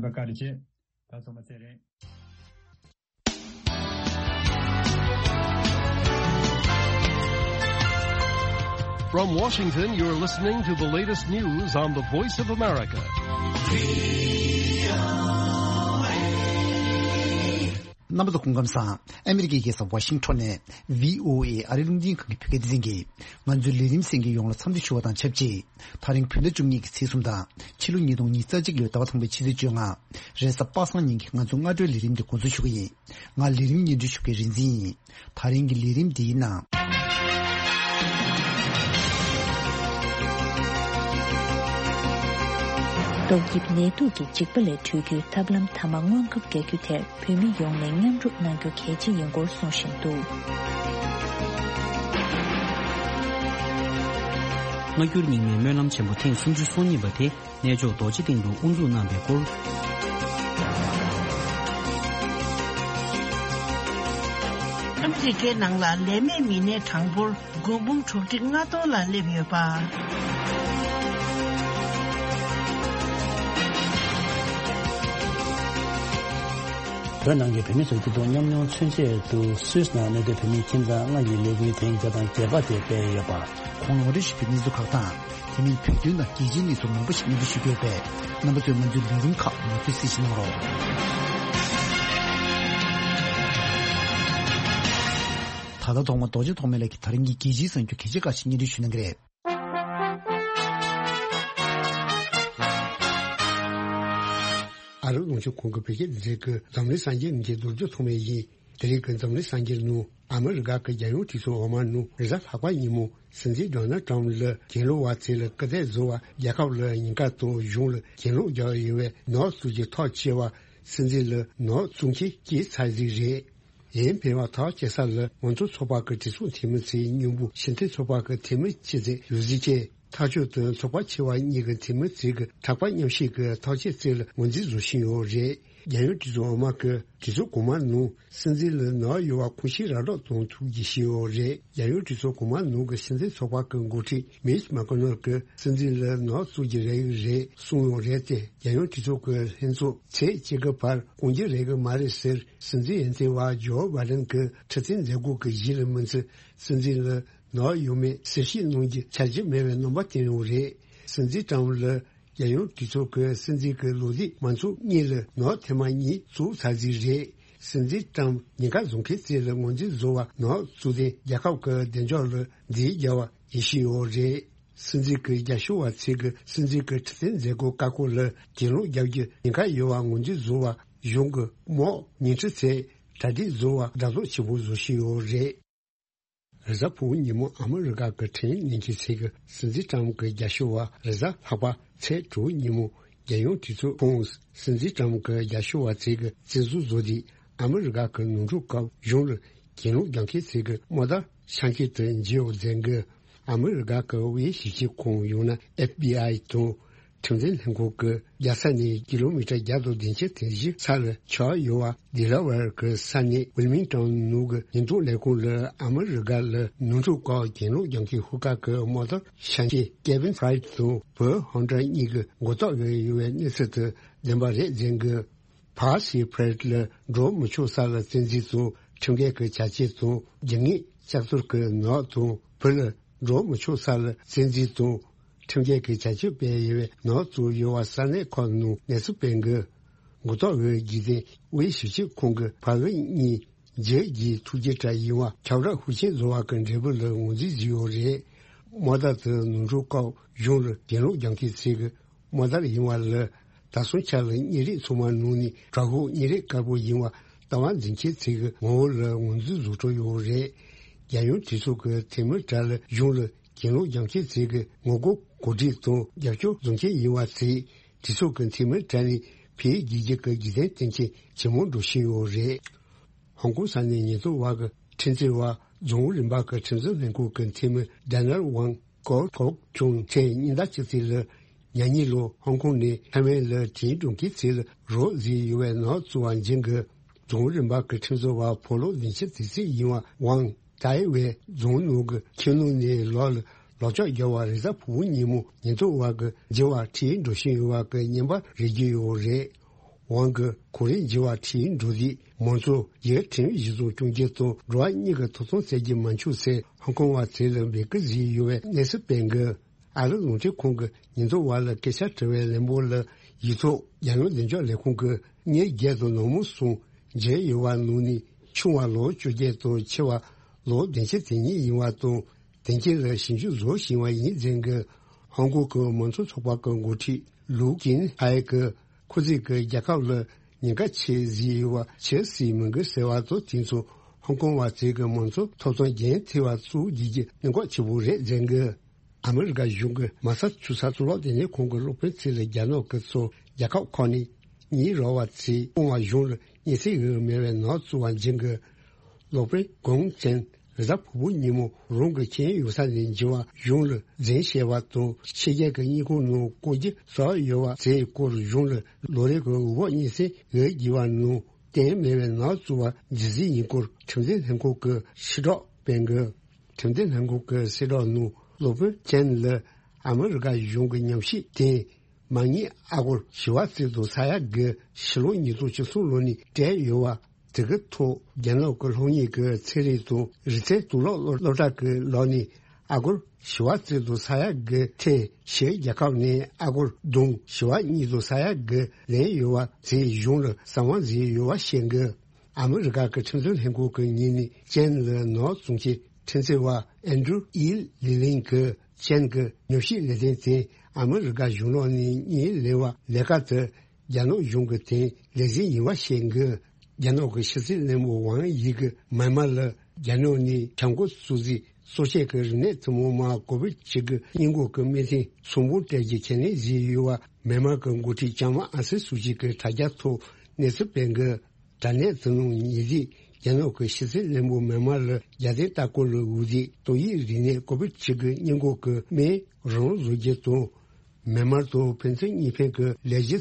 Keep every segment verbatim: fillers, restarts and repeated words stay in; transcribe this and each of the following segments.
བཀའ་དྲིན་ཆེ། ད་ཚང་མ་ཚེ་རིང་། From Washington, you're listening to the latest news on the Voice of America. རྣམ་པ་ཚོ་སྐུ་ཁམས་བཟང་། ཨ་མི་རི་ཀའི་རྒྱལ་ས་ཝ་ཤིང་ཊོན་ནས་ཝི་ཨོ་ཨེ་ཨ་རིའི་རླུང་འཕྲིན་ཁང་གི་བོད་སྐད་སྡེ་ཚན་གྱིས་ང་ཚོའི་ལས་རིམ་གསན་མཁན་ཡོངས་ལ་འཚམས་འདྲི་ཞུ་བ་དང་ཆབས་ཅིག་དེ་རིང་བོད་ཟླ་བཅུ་གཉིས་ཀྱི་ཚེས་གསུམ་དང་ཕྱི་ལོ་ཉིས་སྟོང་ཉི་ཤུ་རྩ་གཅིག་ལོའི་ཟླ་བ་ཐམ་པའི་ཕྱི་ཚེས་བཅོ་ལྔ། རེས་གཟའ་པ་སངས་ཉིན་གྱི་ང་ཚོའི་སྔ་དྲོའི་ལས་རིམ་འདི་འགོ་འཛུགས་ཞུ་གི་ཡིན། ང་ལས་རིམ་སྙན་སྒྲོན་ཞུ་མཁན་རིག་འཛིན་ཡིན། དེ་རིང་གི་ལས་རིམ་འདིའི་ནང་། ཏོག་དབྱིབས་ནད་དུག་གི་འཇིགས་པ་ལས་གྲོལ་རྒྱུའི་ཐབས་ལམ་ཐ་མག་སྔོན་ཁབ་རྒྱག་རྒྱུ་དེར་བོད་མི་ཡོངས་ནས་མཉམ་རུབ་གནང་རྒྱུ་གལ་ཆེ་ཡིན་སྐོར་གསུང་བཞིན་འདུག་སྔ་འགྱུར་རྙིང་མའི་སྨོན་ལམ་ཆེན་པོ་ཐེངས་སུམ་ཅུ་སོ་གཉིས་པ་དེ་གནས་མཆོག་རྡོ་རྗེ་གདན་དུ་དབུ་འཛུགས་གནང་བའི་སྐོར། ཨ་མི་རི་ཀའི་ནང་ལ་ལས་མེད་མི་སྣའི་གྲངས་འབོར་སྒོར་འབུམ་དྲུག་ཁྲི་ལྔ་སྟོང་ལ་སླེབས་ཡོད་པ། བོད་ནང་གི་བོད་མི་ཚོའི་སྐྱིད་སྡུག་མཉམ་མྱོང་མཚོན་ཆེད་དུ་སུད་སི་ནང་གནས་སྡོད་བོད་མི་ཁྱིམ་ཚང་ལྔ་ཡི་ལས་འགུལ་ཐེངས་བརྒྱ་དང་བརྒྱད་པ་དེ་སྤེལ་ཡོད་པ། གོང་ལ་ངོ་སྤྲོད་ཞུས་པའི་གནས་ཚུལ་ཁག་དང་། དེ་མིན་བོད་དོན་དང་རྒྱལ་སྤྱིའི་གནས་ཚུལ་མང་པོ་ཞིག་སྙན་སྒྲོན་ཞུ་གི་ཡོད་པས། རྣམ་པ་ཚོས་ང་ཚོའི་ལས་རིམ་ཁག་མུ་མཐུད་གཟིགས་གནང་རོགས། ད་ལྟ་ཐོག་མ་རྡོ་རྗེ་ཐོགས་མེད་ལགས་ཀྱིས་དེ་རིང་གི་རྒྱལ་སྤྱིའི་གསར་འགྱུར་གལ་ཆེ་ཁག་ཅིག་སྙན་སྒྲོན་ཞུ་གནང་གི་རེད། ཨ་རིའི་རླུང་འཕྲིན་ཁང་གི་བོད་སྐད་སྡེ་ཚན་གྱི་འཛམ་གླིང་གསར་འགྱུར་གྱི་རྡོ་རྗེ་ཐོགས་མེད་ཡིན། དེ་རིང་གི་འཛམ་གླིང་གསར་འགྱུར་ནང་ཨ་མི་རི་ཀ་གི་རྒྱལ་ཡོངས་གྲོས་ཚོགས་འོག་མ་ནང་རེས་གཟའ་ལྷག་པ་ཉིན་མོ་སྲིད་འཛིན་ཌོ་ནལ་ཊམ་ལ་གྱེན་ལོག་པ་ཚོ་ལ་སྐུལ་འདེད་བཟོ་བར་རྒྱལ་ཁབ་ལ་ཉེན་ཁ་དང་གཞུང་ལ་གྱེན་ལོག་རྒྱག་ཡོད་པའི་ནག་བཙུགས་ཀྱི་ཐག་བཅད་པ་སྲིད་འཛིན་ལ་ནག་བཙུགས་མཁན་སྐྱེས་ཚར་ཟིག་རེད། ཡིན་ཕེ་བ་ཐག་བཅད་ས་ལ་མང་གཙོ་ཚོགས་པ་གི་གྲོས་ཚོགས་འཐུས་མི་ཚོའི་མཉམ་པོ་ཕྱི་འཐེན་ཚོགས་པ་གི་འཐུས་མི་ཆེད་ཚད་ཡོད་ཟིག་ཅེས། ཐག་གཅོད་དུ་ཚོགས་པ་ཆེ་བ་གཉིས་ཀྱི་འཐུས་མི་ཚོས་ཀྱི་ཐག་པ་མཉམ་བཤད་ཀྱི་ཐག་བཅད་ཚོད་ལ་ངོས་འཛིན་བཟོ་བཞིན་ཡོད་རེད། རྒྱལ་ཡོངས་གྲོས་ཚོགས་འོག་མ་གི་གྲོས་ཚོགས་གོང་མ་ནང་སྲིད་འཛིན་ལ་ནག་ཡོད་པ་ཁུངས་སྐྱེལ་ར་སྤྲོད་གཏོང་ཐུབ་རྒྱུ་ཞིག་ཡོད་རེད། རྒྱལ་ཡོངས་གྲོས་ཚོགས་གོང་མ་ནང་གི་སྲིད་འཛིན་ཚོགས་པ་གི་འགོ་ཁྲིད་མིཆ་མེག་ཀོ་ནལ་གྱིས་སྲིད་འཛིན་ལ་ནག་བཙུགས་ཀྱི་རེ་བ་རེད་གསུངས་ཡོད་རེད་དེ། རྒྱལ་ཡོངས་གྲོས་ཚོགས་ཀྱི་ལྷན་ཚོགས་ཚེས་གཅིག་གི་བར་སྐོང་རྒྱུ་རེད་གི་མ་རེད་ཟེར། སྲིད་འཛིན་འོས་ཐོན་པ་ཇོ་བྷའི་ཌེན་གྱིས་ཁྲི་སྟེང་མཛད་སྒོ་གི་གཞི་ལ་མི་ཚེ་སྲིད་འཛིན་ལ་ནག་ཡོད་མེད་གསལ་བཤད་གནང་རྒྱུ་འཆར་གཞི་མེད་པའི་རྣམ་པ་བསྟན་ཡོད་རེད། སྲིད་འཛིན་ཊམ་ལ་རྒྱལ་ཡོངས་གྲོས་ཚོགས་ཀྱི་སྲིད་འཛིན་གྱི་ལོ་ལེགས་མ་འཚོགས་སྔོན་ལ་ནག་ཐེངས་མ་གཉིས་བཙུགས་ཚར་ཟིག་རེད། སྲིད་འཛིན་ཊམ་ཉེན་ཁ་བཟོ་མཁན་ཚོ་ལ་ངོས་འཛིན་བཟོ་བ་ནག་བཙུགས་ཏེ་རྒྱལ་ཁབ་ཀྱི་བདེ་འཇགས་ལ་འཛིང་རྒྱག་པ་ཡིན་བཞིན་ཡོད་རེད། སྲིད་འཛིན་གྱི་རྒྱབ་སྐྱོར་བ་ཚོས་ཀྱི་སྲིད་འཛིན་གྱི་ཁྲི་སྟེང་མཛད་སྒོ་བཀག་འགོག་ལ་གྱེན་ལོག་རྒྱག་རྒྱུ་ཉེན་ཁ་ཡོད་པ་ངོས་འཛིན་བཟོ་བ་གཞུང་གི་དམག་ཉེན་ཁྲི་ཚོས་གྲ་སྒྲིག་བཟོ་བ་ཛ་དྲག་ཆེན་པོ་བཟོ་བཞིན་ཡོད་རེད། རེས་གཟའ་ཕུར་བུ་ཉིན་མོ་ཨ་མི་རི་ཀ་གི་ཁྲིམས་ལས་འཛིན་ཚོས་ཀྱི་སྲིད་འཛིན་ཊམ་གྱི་རྒྱབ་སྐྱོར་བ་རེས་གཟའ་ལྷག་པ་ཚེས་དྲུག་ཉིན་མོ་རྒྱལ་ཡོངས་གྲོས་ཚོགས་ཁོངས་སྲིད་འཛིན་ཊམ་གྱི་རྒྱབ་སྐྱོར་བ་ཚོས་ཀྱི་བཙན་འཛུལ་བཟོས་ཏེ་ཨ་མི་རི་ཀ་གི་ནོར་འཁྲུལ་སྐབས་གཞུང་ལ་གྱེན་ལོག་རྒྱག་མཁན་ཚོས་ཀྱི་དམག་དར་ཤར་མཁན་དུ་འགྱུར་བར་འཛིན་གྱི། ཨ་མི་རི་ཀ་གི་དབུས་ཞིབ་དཔྱོད་ཁང་ཡང་ན་ཨེཕ་བི་ཨའི་དང་ཁྲིམས་འཛིན་ལྷན་ཁང་གིས་རྒྱལ་ས་ནས་ཀི་ལོ་མི་ཊར་བརྒྱ་དང་བདུན་ཅུ་དོན་བཞི་ས་ལ་ཆགས་ཡོད་པ་ཌེ་ལ་ཝེར་གྱི་ས་གནས་ཝིལ་མིང་ཊོན་ནང་གི་ཉེན་རྟོག་ལས་ཁུངས་ལ་ཨ་མི་རི་ཀ་ལ་ནོར་འཁྲུལ་སྐོར་གྱེན་ལོག་རྒྱག་མཁན་ཤོག་ཁག་གི་དམག་དར་ཤར་མཁན་ཀེ་ཝིན་ཕ་རའེ་ཊི་དང་བོ་ཧོན་ཏྲ་གཉིས་ཀྱི་མགོ་བཏགས་ཡོད་པའི་གནས་ཚུལ་དེ་བདེན་པ་རེད་འཛིན་གྱི། ཕ་སི་ཕ་རེད་ལ་འགྲོ་མི་ཆོག་ས་ལ་བཙན་འཛུལ་དང་ཁྲིམས་འགལ་གྱི་བྱ་སྤྱོད་དང་རྒྱུ་དངོས་ལྕགས་ཐོར་གྱི་ནག་དང་བོད་ལ་འགྲོ་མི་ཆོག་ས་ལ་བཙན་འཛུལ་དང་ཁྲིམས་འགལ་གྱི་བྱ་སྤྱོད་སྤེལ་ཡོད་པའི་ནག་བཙུགས་ཡོད་པ་ས་གནས་ཁག་ནང་གནས་ཚུལ་སྤེལ་གྱི། མགོ་བཏགས་འོས་བརྒྱུད་དེ་དབུས་ཞིབ་དཔྱོད་ཁང་གི་ཕ་འོས་གཉིས་རྒྱལ་གྱི་ཐུགས་རྗེ་གྲྭ་ཡིན་པ་ཁྱབ་བསྒྲགས་ཤུགས་ཆེན་བཟོ་བ་གི་འབྲས་བུ་ལ་ངོས་འཛིན་བཟོས་ཡོད་རེད། དམག་དར་དེ་ནོར་འཁྲུལ་སྐོར་གཞུང་ལ་གྱེན་ལོག་རྒྱག་མཁན་ཚོས་ཀྱི་དམག་དར་ཡིན་པ་ལ་ད་སོང་ཆ་ལ་གཉེར་རིགས་ཚང་མ་ནང་ནས་དྲག་ཤོས་གཉེར་རིགས་དཀར་པོ་ཡིན་པ་ལྟ་བ་འཛིན་མཁན་ཚོས་ཀྱི་ངོ་བོ་ལ་ངོས་འཛིན་བཟོ་འཕྲོ་ཡོད་རེད། རྒྱལ་ཡོངས་གྲོས་ཚོགས་ཀྱི་འཐུས་མི་གྲས་ལ་གཞུང་ལ་གྱེན་ལོག་རྒྱག་མཁན་ཚོས་ཀྱི་ངོ་རྒོལ་གོ་སྒྲིག་དང་རྒྱབ་སྐྱོར་བཟོ་མཁན་ཡིན་པ་ཚོས་གྲོས་ཚོགས་ཀྱི་འཐུས་མི་གྲས་ནས་ཕེབས་རྒྱུ་གི་རྒྱུ་རྐྱེན་བསྟན་མཁན་ཇེ་མང་འགྲོ་བཞིན་ཡོད་རེད། ཧོང་ཀོང་ས་གནས་ཉེན་རྟོག་པ་གི་ཁྲིམས་རྩོད་པ་རྫོང་རིམ་པ་གི་ཁྲིམས་བཟོ་ལྷན་ཁང་གི་འཐུས་མི་ཌེ་ནལ་ཝང་ཀོ་ཀོག་ཀྱང་ཚེས་ཉིན་ཟླ་གཅིག་ཚེས་ལ་ཉ་ཉི་ལོ་ཧོང་ཀོང་ནས་ཐའེ་ཝན་ལ་དྲིན་འགྲོ་མཁན་ཚོ་ལ་རོགས་བཟོས་ཡོད་པའི་ནག་བཙུགས་པ་འཛིན་གྱི། རྫོང་རིམ་པ་གི་ཁྲིམས་བཟོ་བ་ཕོ་ལོ་བདུན་ཅུ་དེ་ཚོས་ཡིན་པ་ཝང་ཏའེ་ཝེ་རྫོང་ནང་གི་ཁྱིམ་ནང་ནས་ལོག་ལ་ལག་ལྕགས་རྒྱག་པ་རེས་གཟའ་ཕུར་བུ་ཉིན་མོ་ཉེན་རྟོག་པ་གི་འགྱུར་བ་ཁྲིད་འགྲོ་བཞིན་ཡོད་པ་གི་བརྙན་པར་རེག་གི་ཡོད་རེད། ཝང་གིས་གོ་རིམ་བརྗེ་བ་ཁྲིད་འགྲོ་དུས་མང་ཚོགས་ཀྱིས་ཁྲིམས་གཞི་བཟུང་སྐྱོང་རྒྱུ་དང་འགྲོ་བ་མིའི་ཐོབ་ཐང་བཙན་འཛུལ་མ་འཁྱོངས་ཚེ་ཧོང་ཀོང་བ་ཚོ་ལ་འབོད་སྐུལ་བཟོས་ཡོད་པའི་གནས་ཚུལ་སྤེལ་འདུག་ཨ་རིའི་རླུང་འཕྲིན་ཁང་གི་ཉེན་རྟོག་པ་ལ་སྐད་ཆ་དྲི་བའི་ལན་འབོག་ལ་ཡིག་ཐོག་རྒྱ་ནག་བདེ་འཇགས་ལས་ཁུངས་ཀྱིས་མི་བརྒྱད་དང་ནང་མི་གསུམ་བརྗེས་ཡོད་པ་ནང་ནས་ཆུང་བ་ལོ་བཅོ་བརྒྱད་དང་ཆེ་བ་ལོ་བདུན་ཅུ་དོན་གཉིས་ཡིན་པ་དང་དོན་རྐྱེན་ལ་ཞིབ་འཇུག་བཟོ་བཞིན་པ་ཡིན་ཟེར་གི། ཧོང་ཀོང་གི་མང་གཙོ་ཚོགས་པ་གི་འགོ་ཁྲིད་ལུའུ་ཀིན་ཧའེ་གིས་ཁོ་ཚོས་ཀྱི་རྒྱལ་ཁབ་ལ་ཉེན་ཁ་ཆེ་བཟོས་ཡོད་པ་ཆེ་སྲིད་མི་འགུལ་ཟེར་བ་དང་དེ་ཚོ་ཧོང་ཀོང་བ་ཚོས་ཀྱི་མང་གཙོ་ཐོབ་ཐང་རྒྱུན་མཐུད་པ་སོགས་བགྱིད་རྒྱུ་གནད་འགག་ཆེ་པོ་རེད་ཟེར་གི། ཨ་མི་རི་ཀ་གཞུང་གི་མ་རྩ་ཆུ་ཚ་གཙུག་ལག་སྡེ་ཚན་ཁང་གི་སློབ་དཔོན་ཚོས་ལ་རྒྱ་ནག་གི་ཚོ་རྒྱལ་ཁབ་ཁག་ནས་ཉེ་རབས་པ་ཚོས་ཀོང་བ་གཞུང་ལ་སྙན་སེང་ཡོད་མེད་པའི་ནག་བཙུགས་པ་འཇིན་གི། སློབ་དཔོན་གོང་ཅན་རི་ཟ་ཕུ་བོ་ཉིན་མོ་རང་གི་ཁྱིམ་ཡོད་ས་ནས་འཇིན་པ་གཞུང་ལ་འཛིན་བྱས་པ་དང་ཕྱི་རྒྱལ་གྱི་དངུལ་ཁང་ནང་བཀོད་རྒྱུ་སོགས་ཡོད་པ་ཚོའི་སྐོར་གཞུང་ལ་ལོ་རེ་གི་འོས་འབབ་སྙན་སེང་ཡོད་བགྱིས་པ་ནང་བསྟན་མེད་པའི་ནག་བཙུགས་པ་འཇིན་རྩིས་ཡིན་སྐོར་ཁྲིམས་འཛིན་ལྷན་ཁང་གི་ཕྱི་བསྒྲགས་སྤེལ་གི། ཁྲིམས་འཛིན་ལྷན་ཁང་གི་གསལ་བསྒྲགས་ནང་སློབ་དཔོན་ཅན་ལ་ཨ་མི་རི་ཀ་གཞུང་གི་ཉམས་ཞིབ་དེ་མ་ཉེས་ཨ་སྒོར་བཞི་བ་རྩིས་དང་ས་ཡ་དགུ་ཕྱི་ལོ་ཉིས་སྟོང་བཅུ་གསུམ་ལོ་ནས་སྤྲད་ཡོད་པ་དེ་གི་ཐོག་རྒྱ་ནག་གི་སློབ་གཉེར་གྱི་ཚན་རིག་དང་རིག་རྩལ་གཙུག་ལག་སློབ་སློབ་གྲྭ་གི་ལག་ནས་ཨ་སྒོར་བཞི་བ་རྩིས་དང་ས་ཡ་དགུ་ཐེ་ཕྱིའི་རྒྱལ་ཁབ་ནས་ཨ་སྒོར་བསྡོམས་བཞི་བ་གཉིས་དང་ས་ཡ་དགུ་ལེན་ཡོད་པ་དེའི་གཞུང་ལ་གསང་བ་མཛད་ཡོད་པ་བཤད་འདུག་ཨ་མི་རི་ཀ་གི་ཁྲིམས་འཛིན་ལྷན་ཁང་གི་ངོས་ནས་ཅན་ལ་ནག་བཙུགས་ཀྱི་ཁྲིམས་རྩོད་པ་ཨན་ཌྲུ་ཨི་ལི་ལིན་གྱིས་ཅན་གྱི་ཉམས་ཞིབ་ལས་དོན་དེ་ཨ་མི་རི་ཀ་གཞུང་ལག་ནས་སྙིང་ལེན་པ་ལས་ཀ་དེ་རྒྱ་ནག་གཞུང་གི་དོན་ལས་འཛིན་ཡིན་པ་བཤད་འདུག་རྒྱ་ནག་གི་ཕྱི་སྲིད་བློན་པོ་ཝང་དབྱི་གིས་མཱན་མ་ལ་རྒྱ་ནག་ནས་བྱ་འགོ་བཙུགས་རྗེས་གཙོ་བྱས་ཀྱི་རིག་གནས་ཐུན་མོང་མ་ཀོ་བིད་བཅུ་དགུ་སྔོན་འགོག་གི་སྨན་ཐུན་ཚོང་དབོར་སྤྲད་རྒྱུ་ཁས་ལེན་བཟོས་ཡོད་པ་མཱན་མ་གི་འགོ་ཁྲིད་ལྕམ་ཨང་སན་སུའུ་ཅི་གིས་དྲ་རྒྱ་ཐོག་གནས་ཚུལ་སྤེལ་འདུག་དྲ་གནས་དེ་ནང་ཉེ་དུས་རྒྱ་ནག་གི་ཕྱི་སྲིད་བློན་པོ་མཱན་མ་ལ་རྒྱལ་བསྟན་ལྟ་སྐོར་ལ་འོས་བསྡུས་ཏོག་དབྱིབས་རིམས་ནད་ཀོ་བིད་བཅུ་དགུ་སྔོན་འགོག་གི་སྨན་རང་བཟོ་རྒྱུ་དང་། མཱན་མ་དང་ཕན་ཚུན་གཉིས་ཕན་གྱི་ལས་གཞི་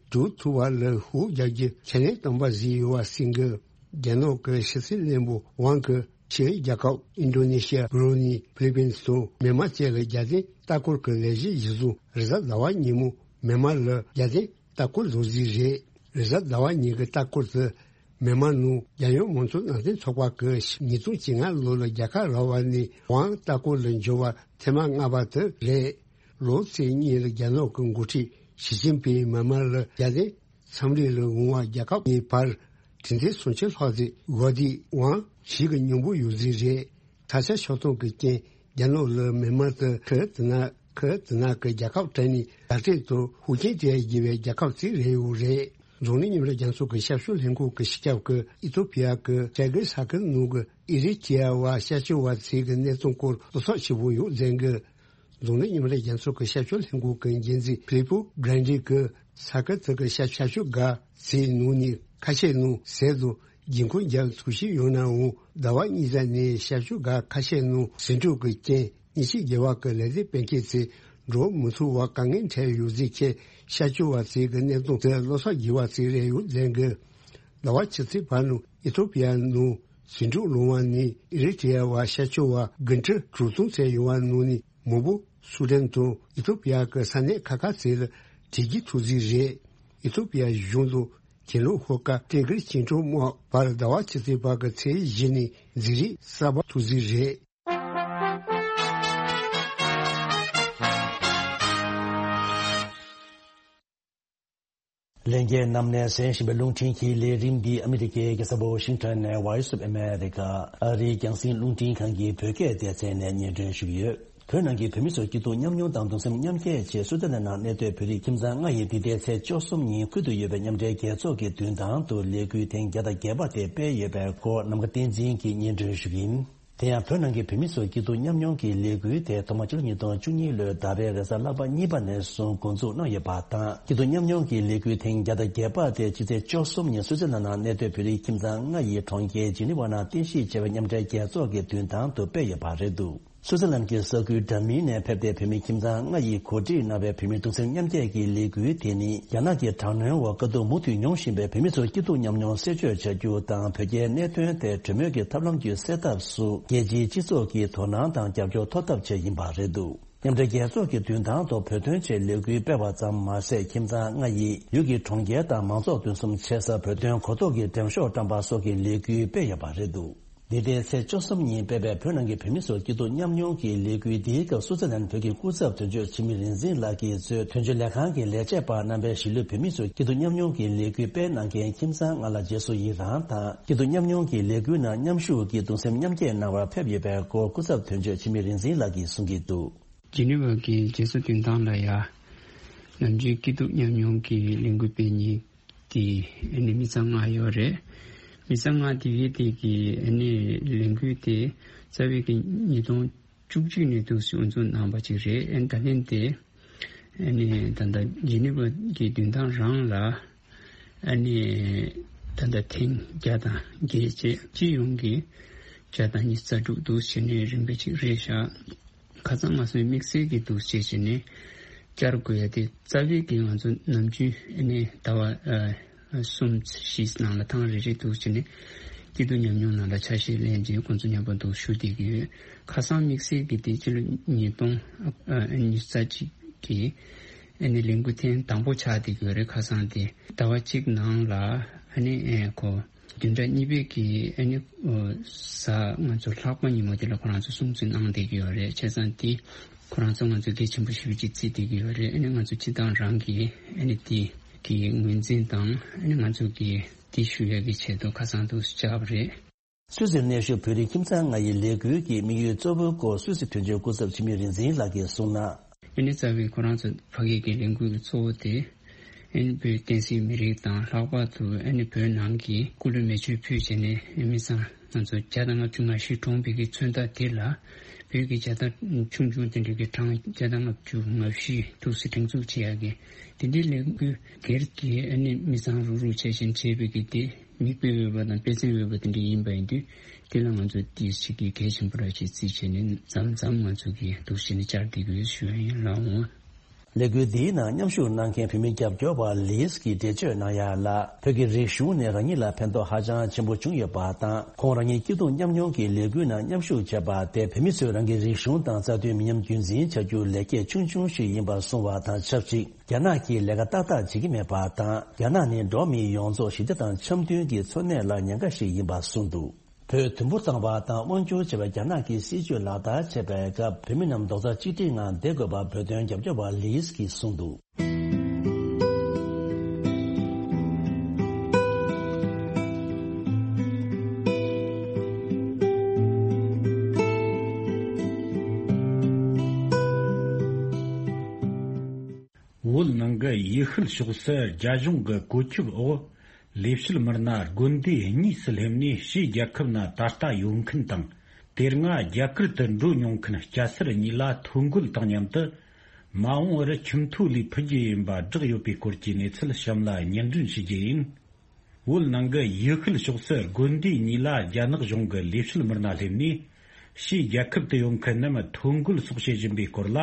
ཚོས་སྒྲུབ་ཐུབ་པ་ལ་ཤུགས་རྒྱག་རྒྱུ་ཁས་ལེན་བཏང་པ་ཞིག་ཡོད་པ་གསུངས་འདུག་རྒྱ་ནག་གི་ཕྱི་སྲིད་བློན་པོ་ཝང་གིས་ཕྱིའི་རྒྱལ་ཁབ་ཨིན་ཌོ་ནེ་ཤི་ཡ། བྷུ་རུ་ནེ། ཕི་ལི་པིན་དང་མཱན་མ་བཅས་ལ་རྒྱལ་བསྟན་ལྟ་སྐོར་གྱི་ལས་གཞི་གཞིར་བཟུང་རེས་གཟའ་ཟླ་བ་ཉིན་མོ་མཱན་མ་ལ་རྒྱལ་བསྟན་ལྟ་སྐོར་བཟོ་རྩིས་རེད། རེས་གཟའ་ཟླ་བ་ཉིན་གྱི་ལྟ་སྐོར་དེ་མཱན་མ་ནང་རྒྱལ་ཡོངས་མང་གཙོ་ནང་བསྟན་ཚོགས་པ་གིས་ཉིས་སྟོང་བཅོ་ལྔ་ལོ་ལ་རྒྱལ་ཁ་རག་པ་ནས་ཝང་ལྟ་སྐོར་ལ་འབྱོར་བ་ཐེངས་མ་ལྔ་པ་དེ་རེད། ལོ་ཚིགས་གཉིས་ལ་རྒྱ་ནག་གི་འགོ་ཁྲིད་ཞི་ཅིན་ཕིང་མཱན་མ་ལ་རྒྱལ་བསྟན་འཚམས་འདྲི་ལ་འོང་བ་རྒྱལ་ཁབ་གཉིས་བར་དྲིན་ལན་སུམ་ཅུ་ལྷག་ཙམ་འགོར་དུས་ཝང་ཞིག་གི་སྙིང་པོ་ཡོད་རྩིས་རེད། ས་ཆ་ཆགས་སྟངས་ཀྱི་རྐྱེན་རྒྱ་ནག་ལ་མཱན་མ་དེ་ཁུ་དེ་ན་ཁུ་དེ་ན་གི་རྒྱལ་ཁབ་གྲས་ནས་བརྡ་སྤྲོད་དང་ཤུགས་རྐྱེན་སྤྲད་དགོས་པའི་རྒྱལ་ཁབ་ཅིག་རེད་ཡོད་རེད། འཛམ་གླིང་མཉམ་འབྲེལ་རྒྱལ་ཚོགས་ཀྱི་ཞབས་ཞུ་ལྷན་ཁང་གི་སྤྱི་ཁྱབ་ཀྱིས་ཨི་ཐོ་པི་ཡ་གི་ཅ་གི་ས་ཁུལ་ནང་གི་ཨི་རི་ཏི་ཡ་བ་ཤར་ཕྱོགས་བ་ཚོའི་གི་གནས་སྟངས་སྐོར་བློ་འཚབ་ཆེན་པོ་ཡོད་ཟེར་གི། འཛམ་གླིང་མཉམ་འབྲེལ་རྒྱལ་ཚོགས་ཀྱི་ཞབས་ཞུ་ལྷན་ཁང་གི་འགན་འཛིན་ཕི་ལི་པོ་གྷ་རན་ཌི་གིས་ས་ཁུལ་དེ་གི་ཤར་ཤར་ཕྱོགས་འགའ་ཚོའི་ནང་ནས་ཁ་ཤས་ནང་ཟས་དང་སྒོར་ཁུངས་རྒྱག་ཐུབ་ཀྱི་ཡོད་ནའང་ཟླ་བ་གཉིས་ཙམ་ནས་ཤར་ཕྱོགས་འགའ་ཁ་ཤས་ནང་ཟིང་འཁྲུག་གི་རྐྱེན་ཉིན་ཕྱེད་བརྒལ་བ་གི་ལས་དོན་སྤེལ་མཁན་ཚོས་འགྲོ་མི་ཐུབ་པ་དཀའ་ངལ་འཕྲད་ཡོད་ཟེར་མཁན་ཤར་ཕྱོགས་བ་ཚོའི་གི་གནས་སྟངས་དེ་བློ་འཚབ་དགོས་པ་ཞིག་རེད་ཡོད་ཟེར་གི། ཟླ་བ་ཕྱི་ཚེས་བར་ནང་ཨི་ཐོ་པི་ཡ་ནང་ཟིང་འཁྲུག་སློང་བ་ནས་ཨི་རི་ཏི་ཡ་བ་ཤར་ཕྱོགས་བ་དགུ་ཁྲི་དྲུག་སྟོང་ཙམ་ཡོད་པ་ནང་ནས་མང་པོ་སུ་དན་དང་ཨི་ཐོ་པི་ཡ་གི་ས་གནས་ཁག་ཁག་ཚོ་ལ་བྲོས་བྱོལ་ཐུབ་རྩིས་རེད། ཨི་ཐོ་པི་ཡ་གཞུང་དང་གྱེན་ལོགས་ཤོག་ཁག་ཏི་གིར་བཅིངས་འགྲོལ་དམག་བར་ཟླ་བ་ཕྱི་ཚེས་བར་གྱི་ཚེས་བཞི་ནས་འཛིང་རེས་གསར་པ་ཐུག་རྩིས་རེད། ལྷན་རྒྱས་རྣམས་ནས་གསན་བཞིན་པའི་རླུང་འཕྲིན་གྱི་ལས་རིམ་འདི་ཨ་མི་རི་ཀའི་རྒྱལ་ས་ཝ་ཤིང་ཊོན་ནས་Voice of America ཨ་རིའི་རྒྱང་སྲིང་རླུང་འཕྲིན་ཁང་གི་བོད་སྐད་སྡེ་ཚན་ནས་སྙན་སྒྲོན་ཞུ་གི་ཡོད། བོད་ནང་གི་བོད་མི་ཚོའི་སྐྱིད་སྡུག་མཉམ་མྱོང་དང་གདུང་སེམས་མཉམ་སྐྱེད་ཆེད་སུའུ་ཙེར་ལན་ནང་གནས་སྡོད་བོད་རིགས་ཁྱིམ་ཚང་ལྔ་ཡིས་འདི་ཟླའི་ཚེས་བཅུ་གསུམ་ཉིན་ཁུལ་དུ་ཡོད་པའི་མཉམ་འབྲེལ་རྒྱལ་ཚོགས་ཀྱི་མདུན་ཐང་དུ་ལས་འགུལ་ཐེངས་བརྒྱ་དང་བརྒྱད་པ་དེ་སྤེལ་ཡོད་པའི་སྐོར་ནམ་མཁའ་བསྟན་འཛིན་གྱིས་སྙན་སྒྲོན་ཞུ་གི་ཡིན། དེ་ཡང་བོད་ནང་གི་བོད་མི་ཚོའི་སྐྱིད་སྡུག་མཉམ་མྱོང་གི་ལས་འགུལ་དེ་ཐོག་མ་ཕྱི་ལོ་ཉིས་སྟོང་བཅུ་གཉིས་ལོའི་ཟླ་བའི་རེས་གཟའ་ལྷག་པ་གཉིས་པ་ནས་བཟུང་འགོ་འཛུགས་གནང་ཡོད་པ་དང་། སྐྱིད་སྡུག་མཉམ་མྱོང་གི་ལས་འགུལ་ཐེངས་བརྒྱ་དང་བརྒྱད་པ་དེ་ཕྱི་ཚེས་བཅུ་གསུམ་ཉིན་སུའུ་ཙེར་ལན་ནང་གནས་སྡོད་བོད་རིགས་ཁྱིམ་ཚང་ལྔ་ཡིས་གྲོང་ཁྱེར་ཇི་ནི་ཝ་ནང་རྟེན་གཞི་བྱས་པའི་མཉམ་འབྲེལ་རྒྱལ་ཚོགས་ཀྱི་མདུན་ཐང་དུ་སྤེལ་ཡོད་པ་རེད་འདུག་སུའུ་ཙེར་ལན་གྱི་ས་ཁུལ་འདྲ་མིན་ནས་ཕེབས་ཏེ་བོད་མི་ཁྱིམ་ཚང་ལྔ་ཡིས་གོ་སྒྲིག་གནང་བའི་བོད་མིའི་གདུང་སེམས་མཉམ་སྐྱེད་ཀྱི་ལས་འགུལ་དེ་ནི་རྒྱ་ནག་གི་དྲག་གནོན་འོག་དཀའ་སྡུག་མུ་མཐུད་མྱོང་བཞིན་པའི་བོད་མི་ཚོའི་སྐྱིད་སྡུག་མཉམ་མྱོང་གསལ་བརྗོད་བྱ་རྒྱུ་དང་། བོད་རྒྱའི་གནད་དོན་དེ་གྲོས་མོལ་གྱི་ཐབས་ལམ་བརྒྱུད་སེལ་ཐབས་སུ་རྒྱལ་སྤྱིའི་སྤྱི་ཚོགས་ཀྱི་དོ་སྣང་དང་རྒྱབ་སྐྱོར་ཐོབ་ཐབས་ཆེད་ཡིན་པ་རེད་འདུག་མཉམ་འབྲེལ་རྒྱལ་ཚོགས་ཀྱི་མདུན་ཐང་དུ་བོད་དོན་ཆེད་ལས་འགུལ་སྤེལ་བ་ཙམ་མ་ཟད། ཁྱིམ་ཚང་ལྔ་ཡིས་ཡུལ་གྱི་གྲོང་ཁྱེར་དང་མང་ཚོགས་འདུ་འཛོམས་བྱེད་སར་བོད་དོན་གོ་རྟོགས་ཀྱི་འགྲེམས་ཤོག་བཀྲམ་པ་སོགས་ཀྱི་ལས་འགུལ་སྤེལ་ཡོད་པ་རེད་འདུག་འདི་ཟླའི་ཚེས་བཅུ་གསུམ་ཉིན་སྤེལ་བའི་བོད་ནང་གི་བོད་མི་ཚོའི་སྐྱིད་སྡུག་མཉམ་མྱོང་གི་ལས་འགུལ་འདིའི་སྐབས། སུའུ་ཙི་ལན་བོད་ཀྱི་སྐུ་ཚབ་དོན་གཅོད་འཆི་མེད་རིག་འཛིན་ལགས་ཀྱིས་གཙོས་དོན་གཅོད་ལས་ཁང་གི་ལས་བྱེད་པ་རྣམ་པས་གཞིས་ལུས་བོད་མི་ཚོའི་སྐྱིད་སྡུག་མཉམ་མྱོང་གི་ལས་འགུལ་སྤེལ་གནང་མཁན་ཁྱིམ་ཚང་ལྔ་ལ་རྗེས་སུ་ཡི་རངས་དང་། སྐྱིད་སྡུག་མཉམ་མྱོང་གི་ལས་འགུལ་ནང་མཉམ་ཞུགས་ཀྱིས་གདུང་སེམས་མཉམ་སྐྱེད་གནང་བར་ཕེབས་ཡོད་པའི་སྐོར། སྐུ་ཚབ་དོན་གཅོད་འཆི་མེད་རིག་འཛིན་ལགས་ཀྱིས་གསུང་གི་འདུག་ཇི་ནི་ཝ་གི་རྒྱལ་ས་མདུན་ཐང་ལ་ཡ། ནམ་རྒྱུན་སྐྱིད་སྡུག་མཉམ་མྱོང་གི་ལས་འགུལ་སྤེལ་མཁན་དེ་ཨ་ནི་མི་ཚང་ལྔ་ཡོད་རེད། མི་ཚང་ལྔ་དེ་གའི་དེ་གི་ཨ་ནི་ལས་འགུལ་དེ་རྩ་བའི་གི་ཉིས་སྟོང་བཅུ་གཅིག་ནས་འདུག་སེ་དབུ་འཛུགས་གནང་བ་ཅིག་རེད། ཨ་ནི་ད་ཐེངས་དེ་ཨ་ནི་ད་ལྟ་ཇི་ནི་ཝ་གི་མདུན་ཐང་རང་ལ་ཨ་ནི་ད་ལྟ་ཐེངས་བརྒྱ་དང་བརྒྱད་བཅས་སྤྱི་ཡོངས་ཀྱི་བརྒྱ་དང་ཉི་ཤུ་རྩ་དྲུག་འདུག་སེ་བྱས་ནས་རིམ་པ་ཅིག་རེད་ཤག་ཁ་སང་ང་ཚོའི་དམིགས་བསལ་གྱི་འདུག་སེ་བྱས་ནས་བཅར་དགོས་ཡ་དེ་རྩ་བའི་གི་ང་ཚོ་ནམ་རྒྱུན་ཨ་ནི་ཟླ་བ་ཨ་གསུམ་བཞི་ནང་ལ་ཐེངས་རེ་རེ་འདུག་སེ་བྱས་ནས་སྐྱིད་སྡུག་མཉམ་མྱོང་ནང་ལ་ཆ་ཤས་ལེན་བྱས་ཁོང་ཚོ་མཉམ་པོ་འདུག་ཞུ་བསྡད་ཀྱི་ཡོད། ཁ་སང་དམིགས་བསལ་གྱི་དེ་སྤྱི་ལོ་ཉིས་སྟོང་ཨ་ཉི་ཤུ་རྩ་གཅིག་གི་ཨ་ནི་ལས་འགུལ་ཐེངས་དང་པོ་ཆགས་བསྡད་ཀྱི་ཡོད་རེད། ཁ་སང་དེ་ཟླ་བ་གཅིག་ནང་ལ་ཨ་ནི་ཨེ་ཁོ་བདུན་ཕྲག་གཉིས་པའི་གི་ཨ་ནི་ཨོ་གཟའ་ང་ཚོ་ལྷག་པ་ཉིན་མོ་དེ་ལ་ཁོ་རང་ཚོ་སྲུང་བརྩི་གནང་བསྡད་ཀྱི་ཡོད་རེད། བྱས་ཙང་དེ་ཁོ་རང་ཚོ་ང་ཚོ་གལ་ཆེན་པོ་ཞེ་པོ་ཅིག་བརྩིས་བསྡད་ཀྱི་ཡོད་རེད། ཨ་ནི་ང་ཚོ་སྤྱི་བཏང་རང་གི་ཨ་ནི་དེ་གི་ངོས་འཛིན་དང་ཨ་ནི་ང་ཚོ་གི་དེ་ཞུ་ཡ་གི་ཆེད་དུ་ཁ་སང་དུ་བཅར་བ་རེད། སུད་སིར་གནས་བཞུགས་བོད་རིགས་ཁྱིམ་ཚང་ལྔ་ཡི་ལས་འགུལ་གྱི་དམིགས་ཡུལ་གཙོ་བོའི་སྐོར་སུད་སི་དོན་གཅོད་སྐུ་ཚབ་འཆི་མེད་རིག་འཛིན་ལགས་ཀྱིས་གསུངས་ན། ཨ་ནི་རྩ་བའི་ཁོ་རང་ཚོ་ཕ་གི་གི་ལས་འགུལ་གྱི་གཙོ་བོ་དེ་ཨ་ནི་བོད་བསྟན་སྲིད་མི་རིགས་དང་ལྷག་པར་དུ་ཨ་ནི་བོད་ནང་གི་སྐུ་ལུས་མེ་མཆོད་ཕུལ་བྱས་ནས་མི་ཚང་ང་ཚོ་བརྒྱ་དང་ལྔ་བཅུ་ང་བཞི་གྲོངས་པའི་གི་མཚོན་རྟགས་དེ་ལ་བོད་ཀྱི་རྒྱལ་དར་ཆུང་ཆུང་དེ་འདྲ་གི་གྲངས་བརྒྱ་དང་ལྔ་བཅུ་ང་བཞི་འདུག་སེ་སྒྲེང་འཛུགས་བྱེད་ཡག་གི་དེ་འདྲའི་ལས་འགུལ་སྒེར་གྱི་ཨ་ནི་མི་ཚང་རུག་རུག་བྱས་བཞིན་བྱས་པའི་གི་དེ། མིག་དཔེ་འོས་པ་དང་དཔེ་མཚོན་འོས་པ་དེ་འདྲ་ཡིན་པ་ཡིན་དུས་དེ་ལ་ང་ཚོས་ཏོག་ཙམ་གྱི་གལ་ཆེན་པོ་ར་ཅིག་བརྩིས་བྱས་ནས་མཚམས་མཚམས་ང་ཚོ་གིས་འདུག་སེ་ནས་བཅར་བསྡད་དགོས་ཞུ་ཡ་ཡིན་ལགས་འོང་། ལས་འགུལ་འདིའི་ནང་མཉམ་ཞུགས་གནང་མཁན་བོད་མི་རྒྱབ་སྐྱོར་བ་ལིས་ཀྱིས་འགྲེལ་བརྗོད་གནང་ཡ་ལ། བོད་ཀྱི་རིག་གཞུང་ནི་རང་ཉིད་ལ་ཕན་ཐོགས་ཧ་ཅང་ཆེན་པོ་བྱུང་ཡོད་པ་དང་། ཁོང་རང་ཉིད་སྐྱིད་སྡུག་མཉམ་མྱོང་གི་ལས་འགུལ་ནང་མཉམ་ཞུགས་བྱས་པ་དེ་བོད་མི་ཚོས་རང་གི་རིག་གཞུང་དང་རྩ་དོན་མི་ཉམས་རྒྱུན་འཛིན་བྱ་རྒྱུར་ལེགས་སྐྱེས་ཆུང་ཆུང་ཞིག་ཡིན་པར་གསུངས་བ་དང་ཆབས་ཅིག་རྒྱ་ནག་གིས་ལས་ཀ་ཏག་ཏག་བྱེད་ཀྱི་མེད་པ་དང་། རྒྱ་ནག་ནི་འགྲོ་བ་མི་ཡོངས་རྫོགས་ཞི་བདེ་དང་འཆམ་མཐུན་གྱི་འཚོ་གནས་ལ་ཉེན་ཁ་ཞིག་ཡིན་པ་གསུངས་འདུག་བོད་དུམ་བུ་བཏང་བ་དང་དབང་བསྒྱུར་བྱས་པའི་རྒྱ་ནག་གི་སྲིད་བྱུས་ལག་བསྟར་བྱེད་པའི་སྐབས་བོད་མི་རྣམས་རྡོག་རྩ་གཅིག་སྒྲིལ་ངང་བསྡད་དགོས་པ་བོད་དོན་རྒྱབ་སྐྱོར་བ་ལིས་ཀྱིས་གསུངས་འདུག་བོད་ནང་གི་ཡུལ་ཤུལ་ཕྱོགས་སུ་རྒྱ་གཞུང་གི་བཀོད་ཁྱབ་འོག་ལས་བྱེད་མི་སྣ་དགོན་སྡེ་གཉིས་སུ་སླེབས་ནས་ཕྱིའི་རྒྱལ་ཁབ་ན་ད་ལྟ་ཡོད་མཁན་དང་། དེ་སྔ་རྒྱ་གར་དུ་འགྲོ་མྱོང་མཁན་སྐྱ་སེར་གཉིས་ལ་ཐོ་འགོད་དང་མཉམ་དུ། མ་འོངས་པར་ཁྱིམ་ཐོ་ལས་ཕུད་རྒྱུ་ཡིན་པ་བསྒྲགས་ཡོད་པའི་སྐོར་གྱི་གནས་ཚུལ་གཤམ་ལ་སྙན་སྒྲོན་ཞུ་རྒྱུ་ཡིན། བོད་ནང་གི་ཡུལ་ཤུལ་ཕྱོགས་སུ་དགོན་སྡེ་གཉིས་ལ་རྒྱ་ནག་གཞུང་གི་ལས་བྱེད་མི་སྣ་སླེབས་ནས། ཕྱིའི་རྒྱལ་ཁབ་ཏུ་ཡོད་མཁན་རྣམས་ཐོ་འགོད་སོགས་བྱེད་བཞིན་པའི་སྐོར་ལ།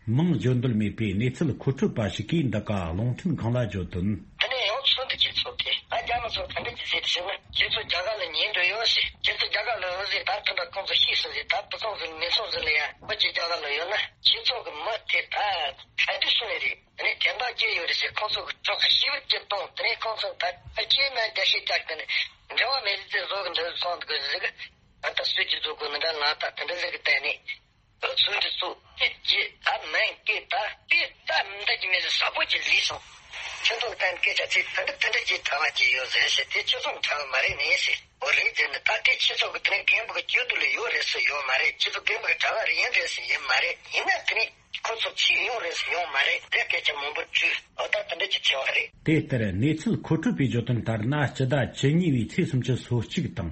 མིང་བརྗོད་འདོད་མེད་པའི་གནས་ཚུལ་མཁོ་སྤྲོད་པ་ཞིག་གིས་འདི་ག་རླུང་འཕྲིན་ཁང་ལ་བརྗོད་དོན། དེ་ནས་ཡང་ཚུལ་འདི་ཁྱེད་ཚོ་དེ་ཨ་རྒྱ་མི་ཚོ་ག་འདྲ་གྱི་ཟེར་ཟེར་ན། ཁྱེད་ཚོ་རྒྱ་གར་ལ་ཉན་འགྲོ་ཡོད་ཟེར། ཁྱེད་ཚོ་རྒྱ་གར་ལ་ཡོད་ཟེར། ད་ཐུན་པ་ཁོང་ཚོ་ཤེས་སོང་ཟེར། ད་བུ་ཚོང་ཟེར་མི་ཚོང་ཟེར་ལ་ཡ་ཁོ་ཅིག་རྒྱ་གར་ལ་ཡོད་ན་ཁྱེད་ཚོ་གི་མི་དེ་ད་ག་དུས་སོང་ནས་རེད། དེ་ནས་དེ་འདྲ་སྐྱེས་ཡོད་རེད་ཟེར། ཁོང་ཚོ་གི་གྲོགས་ཤི་བར་གྱི་གཏོང་། དེ་ནས་ཁོང་ཚོ་ད་ཨ་ཁྱེད་ན་རྒྱ་ཤེས་རྒྱག་གི་ནས་འབྲེལ་བ་མེད་ཟེར་བཟོ་གི་འདུག་སོང་གི་ཟིག་ད་ལྟ་སུས་ཀྱི་བཟོ་དགོས་ནི་འདྲ་ལ་ད་དེ་འདྲ་ཟིག་གི་བལྟས་ནས། ཚུལ་འདི་ཚོ་ཨེ་ཅེ་ད་མེན་ཀེ་ད་ཏེ་ད་མི་འདྲ་གི་མེད་ཟེར། ཟབ་པོ་ཅིག་ལུས་སོང་། ཁྱོད་ཚོ་གཏན་སྐད་ཆ་ཚིག་ད་འདི་ད་འདི་ཅིག་གྲྭ་བ་ཅིག་ཡོད་ཟེར་ཞེས་དེ་ཁྱོད་ཚོ་གྲྭ་བ་མ་རེད་ནས་ཟེར། འོ་རེད་ཟེར་ནས་ད་དེ་ཁྱེད་ཚོ་གི་དེ་རིང་རྒན་པོ་གི་སྐྱོ་སྡུག་ལ་ཡོད་རེད་ཟེར་ཡོད་མ་རེད། ཁྱེད་ཚོ་རྒན་པོ་གི་གྲྭ་བ་རེད་ཡིན་རེད་ཟེར་ཡིན་མ་རེད། ཡིན་ན་དེ་རིང་ཁོ་ཚོ་ཕྱིར་ཡོང་རེད་ཟེར་ཡོང་མ་རེད། དེ་སྐད་ཆ་མང་པོ་བྱུས། འོ་ད་དེ་འདྲ་ཅིག་བྱས་པ་རེད། དེ་ལྟར་གནས་ཚུལ་མཁོ་སྤྲོད་པའི་བརྗོད་དོན་ལྟར་ན། སྤྱི་ཟླ་བཅུ་གཉིས་པའི་ཚེས་སུམ་ཅུ་སོ་གཅིག་དང་།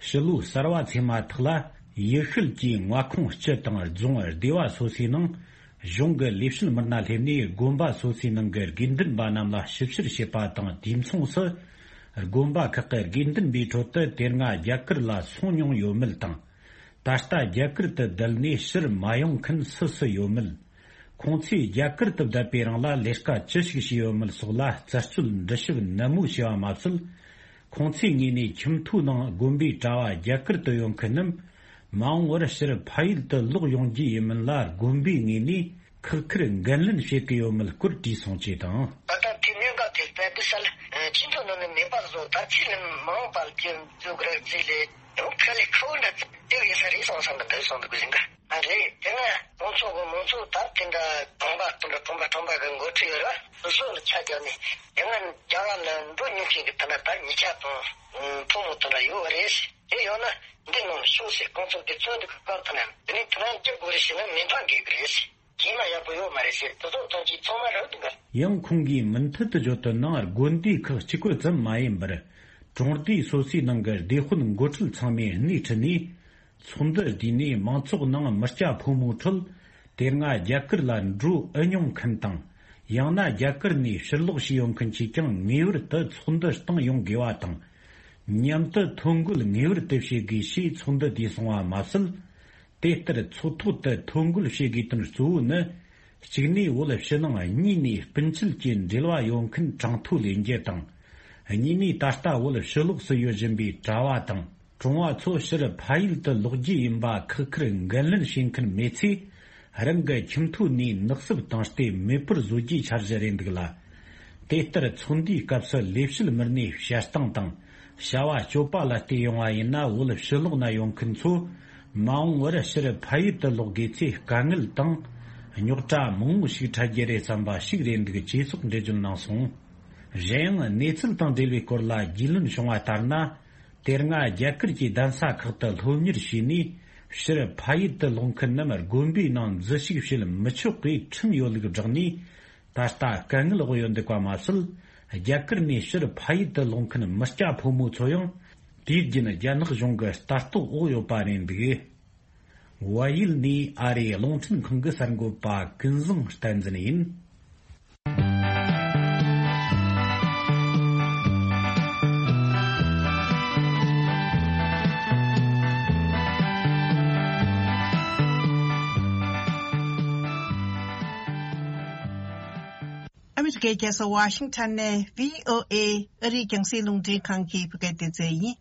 ཕྱི་ལོ་གསར་བ་ཚེས་མ་ཐག་ལ་ཡུལ་ཤུལ་གྱི་མངའ་ཁོངས་སྤྱི་དང་རྫོང་སྡེ་བ་སོ་སོའི་ནང་གཞུང་གི་ལས་བྱེད་མི་སྣ་སླེབས་ནས་དགོན་པ་སོ་སོའི་ནང་གི་དགེ་འདུན་པ་རྣམས་ལ་ཞིབ་བཤེར་བྱེད་པ་དང་། དུས་མཚུངས་སུ་དགོན་པ་ཁག་གི་དགེ་འདུན་པའི་ཁྲོད་དུ་དེ་སྔ་རྒྱ་གར་ལ་སོང་མྱོང་ཡོད་མེད་དང་། ད་ལྟ་རྒྱ་གར་དུ་བསྡད་ནས་ཕྱིར་མ་ཡོང་མཁན་སུ་སུ་ཡོད་མེད། ཁོང་ཚོས་རྒྱ་གར་དུ་བསྡད་པའི་རིང་ལ་ལས་ཀ་ཅི་ཞིག་བྱས་ཡོད་མེད་སོགས་ལ་རྩད་གཅོད་འདྲི་ཞིབ་ནན་མོ་བྱས་པ་མ་ཟད། ཁོང་ཚོའི་ངོས་ནས་ཁྱིམ་ཐོའི་ནང་དགོན་པའི་གྲྭ་བ་རྒྱ་གར་དུ་ཡོད་མཁན་རྣམས་ མ་འོངས་པར་ཕྱིར་ཕ་ཡུལ་དུ་ལོག་ཡོང་རྒྱུ་ཡིན་མིན་ལ་དགོན་པའི་ངོས་ནས་ཁག་ཁུར་འགན་ལེན་བྱེད་ཀྱི་ཡོད་མེད་སྐོར་དྲིས་སོང་ཅེས་དང་། ད་ལྟ་དེ་གནད་འགག་དེ་རྦད་དེ་སེལ་ཆེས་མཐོ་ནང་ནས་མེད་པ་བཟོ། ད་ཚིག་ལ་མ་འོངས་པར་གྱི་འཛུགས་ར་རྩིས་ལས་ཡང་ཁ་ལས་ཁ་བོ་འདྲ་དེ་ཡིན་ས་རེད་སོང་ས་འདི་འདྲ་སོང་འདུག་ཟིན་ག་ཨ་རེད། དེ་ན་ཁོང་ཚོ་གི་མང་ཚོགས་ད་དེ་འདྲ་གྲོང་པ་དེ་འདྲ་གྲོང་པ་གྲོང་པ་གི་འགོ་ཁྲིད་ཡོད་ར། སོ་སོ་ལ་ཆ་བཞག་ནས་དེ་ང་རྒྱ་གར་ལ་འགྲོ་མྱོང་མཁན་གི་དེ་འདྲ་ད་ཉེ་ཆ་དང་ཕོ་མོ་དེ་འདྲ་ཡོད་རེད། དེ་ཡོད་ན་འདི་ནང་ཤོག་ཟེར་ཁོང་ཚོ་གི་ཚོན་འདུག་གི་སྐབས་དེ་ན་དེ་ནས་དེ་ན་འགྱུར་དགོས་རེད་ཟེར་ན་མི་འདང་གི་གི་རེད། ཁྱིམ་ལ་ཡག་པོ་ཡོད་མ་རེད་ཟེར་དེ་ཚོ་ཐོན་གྱི་ཚང་མ་རག་འདུག་ག་ཡང་ཁོང་གིས་མུ་མཐུད་དུ་བརྗོད་དོན་ནང་དགོན་སྡེ་ཁག་གཅིག་པུ་ཙམ་མ་ཡིན་པར། གྲོང་སྡེ་སོ་སོའི་ནང་གི་སྡེ་དཔོན་འགོ་ཁྲིད་ཚང་མས་སྣེ་ཁྲིད་ནས། ཚོགས་འདུ་བསྡུས་ནས་མང་ཚོགས་ནང་མི་སྐྱ་ཕོ་མོའི་ཁྲོད། དེ་སྔ་རྒྱ་གར་ལ་འགྲོ་ཨེ་མྱོང་མཁན་དང་། ཡང་ན་རྒྱ་གར་ནས་ཕྱིར་ལོག་བྱས་ཡོང་མཁན་གྱིས་ཀྱང་ངེས་པར་དུ་ཚོགས་འདུ་བཏང་ཡོང་དགོས་པ་དང་། མཉམ་དུ་ཐོ་འགོད་ངེས་པར་དུ་བྱེད་དགོས་ཞེས་ཚོགས་འདུ་དེ་གསུངས་པ་མ་ཟད། དེ་ལྟར་ཚོགས་ཐོག་ཏུ་ཐོ་འགོད་བྱེད་དགོས་དོན་གཙོ་བོ་ནི། གཅིག་ནས་བོད་ཕྱི་ནང་གཉིས་ནས་སྤུན་མཆེད་ཀྱི་འབྲེལ་བ་ཡོད་མཁན་གྲངས་ཐོ་ལེན་རྒྱུ་དང་། གཉིས་ནས་ད་ལྟ་བོད་ཕྱི་ལོགས་སུ་ཡོད་བཞིན་པའི་གྲྭ་བ་དང་གྲོང་བ་ཚོ་ཕྱིར་ཕ་ཡུལ་དུ་ལོག་རྒྱུ་ཡིན་པ་ཁག་ཁུར་འགན་ལེན་བྱེད་མཁན་མེད་ཚེ། རང་གི་ཁྱིམ་ཐོ་ནས་ནག་སུབ་བཏང་སྟེ་མེད་པར་བཟོ་རྒྱུའི་འཆར་གཞི་རེད་འདུག་ལ། དེ་ལྟར་ཚོགས་འདུའི་སྐབས་སུ་ལས་བྱེད་མི་སྣས་བཤད་སྟངས་དང་བྱ་བ་སྤྱོད་པ་ལ་བལྟས་ཡོང་བ་ཡིན་ན། བོད་ཕྱི་ལོགས་ན་ཡོད་མཁན་ཚོ་མ་འོངས་པར་ཕྱིར་ཕ་ཡུལ་དུ་ལོག་དགོས་ཚེ་དཀའ་ངལ་དང་རྙོག་དྲ་མང་བོ་ཞིག་འཕྲད་རྒྱུ་རེད་བསམ་པ་ཞིག་རེད་འདུག་ཅེས་སོགས་འགྲེལ་བརྗོད་གནང་སོང་། གཞན་ཡང་གནས་ཚུལ་དང་འབྲེལ་བའི་སྐོར་ལ་རྒྱུས་ལོན་བྱུང་བ་ལྟར་ན། དེ་སྔ་རྒྱ་གར་གྱི་གདན་ས་ཁག་ཏུ་སློབ་གཉེར་བྱས་ནས་ཕྱིར་ཕ་ཡུལ་དུ་ལོག་མཁན་རྣམས་དགོན་པའི་ནང་འཛུལ་ཞུགས་བྱེད་མི་ཆོག་པའི་ཁྲིམས་ཡོད་ལུགས་བསྒྲགས་ནས། ད་ལྟ་དཀའ་ངལ་འོག་ཡོད་འདུག་པ་མ་ཟད། རྒྱ་གར་ནས་ཕྱིར་ཕ་ཡུལ་དུ་ལོག་མཁན་མི་སྐྱ་ཕོ་མོ་ཚོ་ཡང་དུས་རྒྱུན་རྒྱ་ནག་གཞུང་གི་ལྟ་རྟོག་འོག་ཡོད་པ་རེད་འདུག་བལ་ཡུལ་ནས་ཨ་རིའི་རླུང་འཕྲིན་ཁང་གི་གསར་འགོད་པ་ཀུན་བཟང་བསྟན་འཛིན་ཡིན། ཨ་མི་རི་ཀའི་རྒྱལ་ས་ཝ་ཤིང་ཊོན་ནས་བྷི་ཨོ་ཨེ་ཨ་རིའི་རྒྱང་སྲིང་རླུང་འཕྲིན་ཁང་གི་བོད་སྐད་སྡེ་ཚན་ཡིན།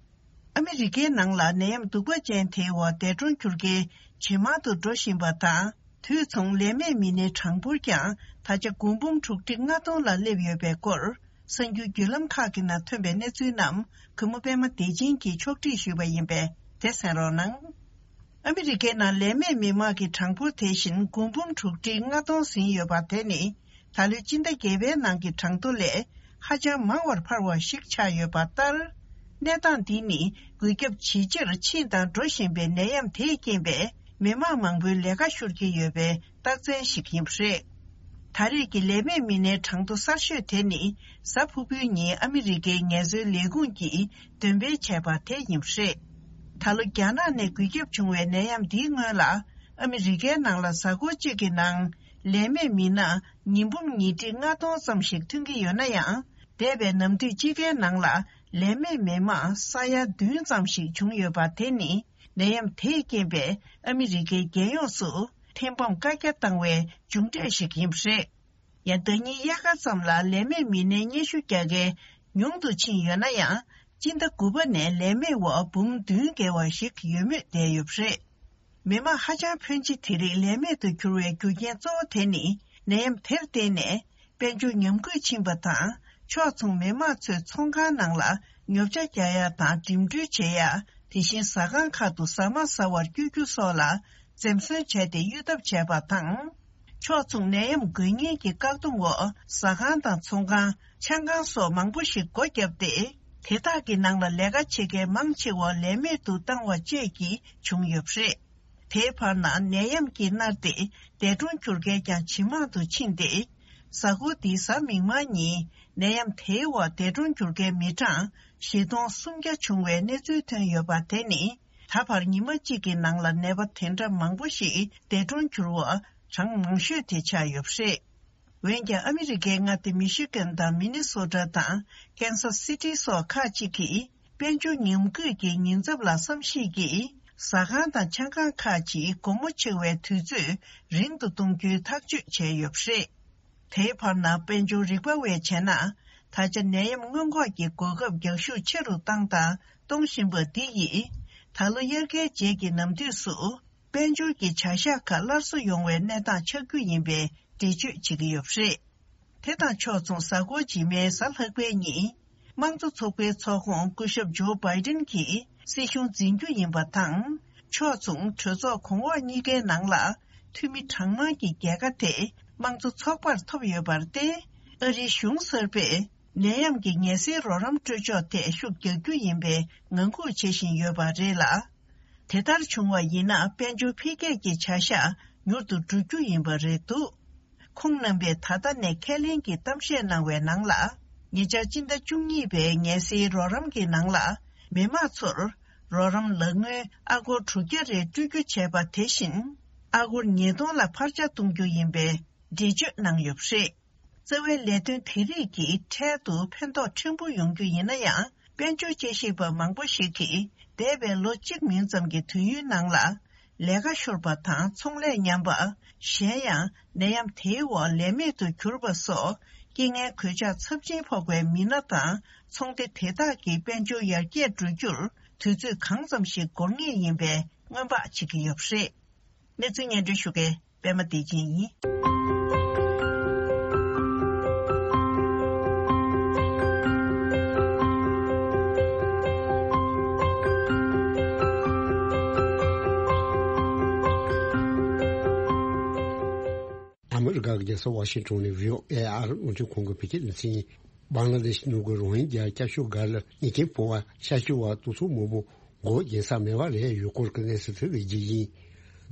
ཨ་མི་རི་ཀའི་ནང་ལ་ནད་ཡམས་གདུག་པ་ཅན་དེའི་འོག་འདས་གྲོངས་གྱུར་མཁན་ཇེ་མང་དུ་འགྲོ་བཞིན་པ་དང་། དུས་མཚུངས་ལས་མེད་མི་སྣའི་གྲངས་འབོར་ཀྱང་ད་ཆ་དགུང་འབུམ་དྲུག་ཁྲི་ལྔ་སྟོང་ལ་སླེབས་ཡོད་པའི་སྐོར། གསར་འགྱུར་བརྒྱུད་ལམ་ཁག་གི་ནང་ཐོན་པའི་གནས་ཚུལ་རྣམས་གུས་མོ་པད་མ་བདེ་ཆེན་གྱིས་ཕྱོགས་སྒྲིག་ཞུས་པ་ཡིན་པས་དེ་གསན་རོགས་གནང་། ཨ་མི་རི་ཀའི་ནང་ལས་མེད་མི་མང་གི་གྲངས་འབོར་དེ་བཞིན་དགུང་འབུམ་དྲུག་ཁྲི་ལྔ་སྟོང་ཟིན་ཡོད་པ་དེ་ནི། ད་ལོའི་སྤྱི་ཟླ་བརྒྱད་པའི་ནང་གི་གྲངས་ཐོ་ལས་ཧ་ཅང་མང་བར་འཕར་བ་ཞིག་ཆགས་ཡོད་པ་ལྟར། གནས་སྟངས་འདི་ནི་འགོས་ཁྱབ་ཇེ་ཆེར་ཕྱིན་དང་འགྲོ་བཞིན་པའི་ནད་ཡམས་དེས་རྐྱེན་པས་མི་མང་མང་པོའི་ལས་ཀ་ཤོར་གྱི་ཡོད་པའི་རྟགས་མཚན་ཞིག་ཡིན་པ་རེད། ད་རེས་ཀྱི་ལས་མེད་མི་སྣའི་གྲངས་ཐོ་གསར་ཤོས་དེ་ནི་གཟའ་ཕུར་བུའི་ཉིན་ཨ་མི་རི་ཀའི་ངལ་རྩོལ་ལས་ཁུངས་ཀྱིས་འདོན་སྤེལ་བྱས་པ་དེ་ཡིན་པ་རེད། ད་ལོ་རྒྱ་ནག་ནས་འགོས་ཁྱབ་བྱུང་བའི་ནད་ཡམས་འདིའི་སྔོན་ལ་ཨ་མི་རི་ཀའི་ནང་ལ་གཟའ་འཁོར་གཅིག་གི་ནང་ལས་མེད་མི་སྣ་ཉིས་འབུམ་ཉིས་ཁྲི་ལྔ་སྟོང་ཙམ་ཞིག་ཐོན་གྱི་ཡོད་ན་ཡང་། འདས་པའི་ནམ་དུས་དཔྱིད་ཀའི་ནང་ལ་ལས་མེད་མི་མང་ས་ཡ་བདུན་ཙམ་ཞིག་བྱུང་ཡོད་པ་དེ་ནི་ནད་ཡམས་དེས་རྐྱེན་པས་ཨ་མི་རི་ཀའི་རྒྱལ་ཡོངས་སུ་ཐེར་འབུམ་བཀའ་རྒྱ་བཏང་བའི་མཇུག་འབྲས་ཤིག་ཡིན་པ་རེད། ཡང་ཟླ་ཉིན་དབྱར་ཁ་ཙམ་ལ་ལས་མེད་མི་སྣའི་སྙན་ཞུ་རྒྱག་མཁན་ཉུང་དུ་ཕྱིན་ཡོད་ན་ཡང་། སྤྱི་ཟླ་དགུ་པ་ནས་ལས་མེད་འོག་འབུམ་བདུན་བརྒལ་བ་ཞིག་ཡོད་མུས་བསྡད་ཡོད་པ་རེད། མི་མང་ཧ་ཅང་ཕོན་ཆེ་དེ་རིགས་ལས་མེད་དུ་གྱུར་བའི་རྒྱུ་རྐྱེན་གཙོ་བོ་དེ་ནི་ནད་ཡམས་དེར་བརྟེན་ནས་དཔལ་འབྱོར་ཉམས་རྒུད་ཕྱིན་པ་དང་། ཕྱོགས་མཚུངས་མི་མང་ཚོས་ཚོང་ཁང་ནང་ལ་ཉོ་ཆ་རྒྱག་ཡ་དང་འགྲིམ་འགྲུལ་བྱེད་ཡ། དེ་བཞིན་ཟ་ཁང་ཁག་ཏུ་ཟ་མ་ཟ་བར་བསྐྱོད་རྒྱུ་སོགས་ལ་འཛེམ་ཟོན་བྱས་ཏེ་གཡོལ་ཐབས་བྱས་པ་དང་། ཕྱོགས་མཚུངས་ནད་ཡམས་འགོས་ངེས་ཀྱི་བཀག་སྡོམ་འོག་ཟ་ཁང་དང་ཚོང་ཁང་། ཆང་ཁང་སོགས་མང་པོ་ཞིག་སྒོ་བརྒྱབ་སྟེ། དེ་དག་གི་ནང་ལ་ལས་ཀ་བྱེད་མཁན་མང་ཆེ་བ་ལས་མེད་དུ་བཏང་བ་བཅས་ཀྱིས་བྱུང་ཡོད་པ་རེད། དེའི་བར་ན་ནད་ཡམས་ཀྱིས་མནར་ཏེ་འདས་གྲོངས་གྱུར་མཁན་ཀྱང་ཇེ་མང་དུ་ཕྱིན་ཏེ། གཟའ་འཁོར་འདིའི་གཟའ་མིག་དམར་ཉིན་ནད་ཡམས་དེའི་འོག་འདས་གྲོངས་གྱུར་མཁན་མི་གྲངས་བཞི་སྟོང་སུམ་བརྒྱ་བྱུང་བའི་གནས་ཚུལ་ཐོན་ཡོད་པ་དེ་ནི། ད་བར་ཉི་མ་གཅིག་གི་ནང་ལ་ནད་པ་དེ་འདྲ་མང་པོ་ཞིག་འདས་གྲོངས་གྱུར་བ་གྲངས་མང་ཤོས་དེ་ཆགས་ཡོད་པ་རེད། འོན་ཀྱང་ཨ་མི་རི་ཀའི་མངའ་སྡེ་མི་ཤི་གན་དང་མི་ནི་སོ་ཊ་དང་ཀན་སཱ་སི་ཊི་སོགས་ཁག་ཅིག་གིས་དཔལ་འབྱོར་ཉམས་རྒུད་ཀྱི་ཉེན་ཚབས་ལ་བསམ་གཞིག་གིས་ཟ་ཁང་དང་ཆང་ཁང་ཁག་ཅིག་དགོང་མོ་ཕྱེ་བའི་དུས་ཚོད་རིང་དུ་གཏོང་རྒྱུའི་ཐག་གཅོད་བྱས་ཡོད་པ་རེད། དེའི་བར་ན་དཔལ་འབྱོར་རིག་པ་བས་བྱས་ན། ད་ཆ་ནད་ཡམས་སྔོན་འགོག་གི་གོ་སྐབས་རྒྱག་ཤུགས་ཆེ་རུ་བཏང་དང་གཏོང་བཞིན་པ་འདི་ཡིས། ད་ལོ་དབྱར་ཁའི་རྗེས་ཀྱི་ནམ་དུས་སུ། དཔལ་འབྱོར་གྱི་བྱ་གཞག་ཁག་སླར་གསོ་ཡོང་བའི་གནས་སྟངས་ཆགས་རྒྱུ་ཡིན་པའི་འགྲེལ་བརྗོད་བྱེད་ཀྱི་ཡོད་པ་རེད། དེ་དང་ཕྱོགས་མཚུངས། གཟའ་འཁོར་རྗེས་མའི་གཟའ་ལྷག་པའི་ཉིན། དམངས་གཙོ་ཚོགས་པའི་ཚོགས་ཁོངས་སྐུ་ཞབས་ཇོ་བྷའི་ཏིན་གྱིས་སྲིད་གཞུང་འཛིན་རྒྱུ་ཡིན་པ་དང་། ཕྱོགས་མཚུངས། གྲོས་ཚོགས་གོང་འོག་གཉིས་ཀའི་ནང་ལ་འཐུས་མི་གྲངས་མང་གི་རྒྱལ་ཁ་དེ་དམངས་གཙོ་ཚོགས་པར་ཐོབ་ཡོད་པར་བརྟེན། ཨ་རིའི་གཞུང་གསར་པས་ནད་ཡམས་ཀྱི་ངལ་སེལ་རོགས་རམ་སྤྲོད་ཕྱོགས་ཐད་ཤུགས་རྒྱག་རྒྱུ་ཡིན་པའི་ངང་སྒུག་བྱེད་བཞིན་ཡོད་པ་རེད་ལ། དེ་ལྟར་བྱུང་བ་ཡིན་ན། དཔལ་འབྱོར་འཕེལ་རྒྱས་ཀྱི་བྱ་གཞག་མྱུར་དུ་འགྲོ་རྒྱུ་ཡིན་པ་རེད་འདུག་ཁོང་རྣམ་པས་ད་ལྟ་ནས་ཁས་ལེན་གྱི་གཏམ་བཤད་གནང་བའི་ནང་ལ། ཉེ་ཆར་སྤྱི་ཟླ་བཅུ་གཉིས་པའི་ངལ་སེལ་རོགས་རམ་གྱི་ནང་ལ། མི་དམངས་ཚོར་རོགས་རམ་ལག་དངུལ་ཨ་སྒོར་དྲུག་བརྒྱ་རེ་སྤྲོད་རྒྱུ་བྱས་པ། དེ་བཞིན་ཨ་སྒོར་ཉིས་སྟོང་ལ་འཕར་ཆག་གཏོང་རྒྱུ་ཡིན་པའི་འགྲེལ་བརྗོད་གནང་ཡོད་པ་རེད། རྩ་བའི་ལས་དོན་དེ་རིགས་ཀྱིས་འཕྲལ་དུ་ཕན་ཐོགས་ཕྲན་བུ་ཡོང་རྒྱུ་ཡིན་ན་ཡང་། དཔལ་འབྱོར་དཔྱད་ཞིབ་པ་མང་པོ་ཞིག་གིས། འདས་པའི་ལོ་གཅིག་མིན་ཙམ་གྱི་དུས་ཡུན་ནང་ལ། ལས་ཀ་ཤོར་བ་དང་ཚོང་ལས་ཉམས་པ། གཞན་ཡང་ནད་ཡམས་དེའི་འོག་ལས་མེད་དུ་གྱུར་པ་སོགས། རྐྱེན་ངན་གོད་ཆག་ཚབས་ཆེན་ཕོག་པའི་མི་སྣ་དང་ཚོང་སྡེ་དེ་དག་གི་དཔལ་འབྱོར་ཡར་རྒྱས་འགྲོ་རྒྱུར། དུས་ཚོད་གང་ཙམ་ཞིག་འགོར་ངེས་ཡིན་པའི་སྔོན་དཔག་བྱེད་ཀྱི་ཡོད་པ་རེད། གནས་ཚུལ་སྙན་སྒྲོན་ཞུ་མཁན། པད་མ་བདེ་ཆེན་ཡིན། ཨ་མི་རི་ཀ་གི་རྒྱལ་ས་ཝ་ཤིང་ཊོན་ནས་བྷི་ཨོ་ཨེ་ཨ་རི་རླུང་འཕྲིན་ཁང་གི་བོད་སྐད་སྡེ་ཚན་ཡིན། བང་ལ་དེ་ཤི་ནང་གི་རོ་ཧིན་རྒྱ་སྐྱབས་བཅོལ་སྒར་ལ་མྱི་རྐྱེན་ཕོག་པ། ཤར་ཕྱོགས་བར་གཏོར་ཚོགས་མང་པོ་མགོ་འགྱིང་ས་མེད་པ་རེད་ཡོད་སྐོར་གྱི་གནས་ཚུལ་དེ་གི་རྒྱུ་ཡིན།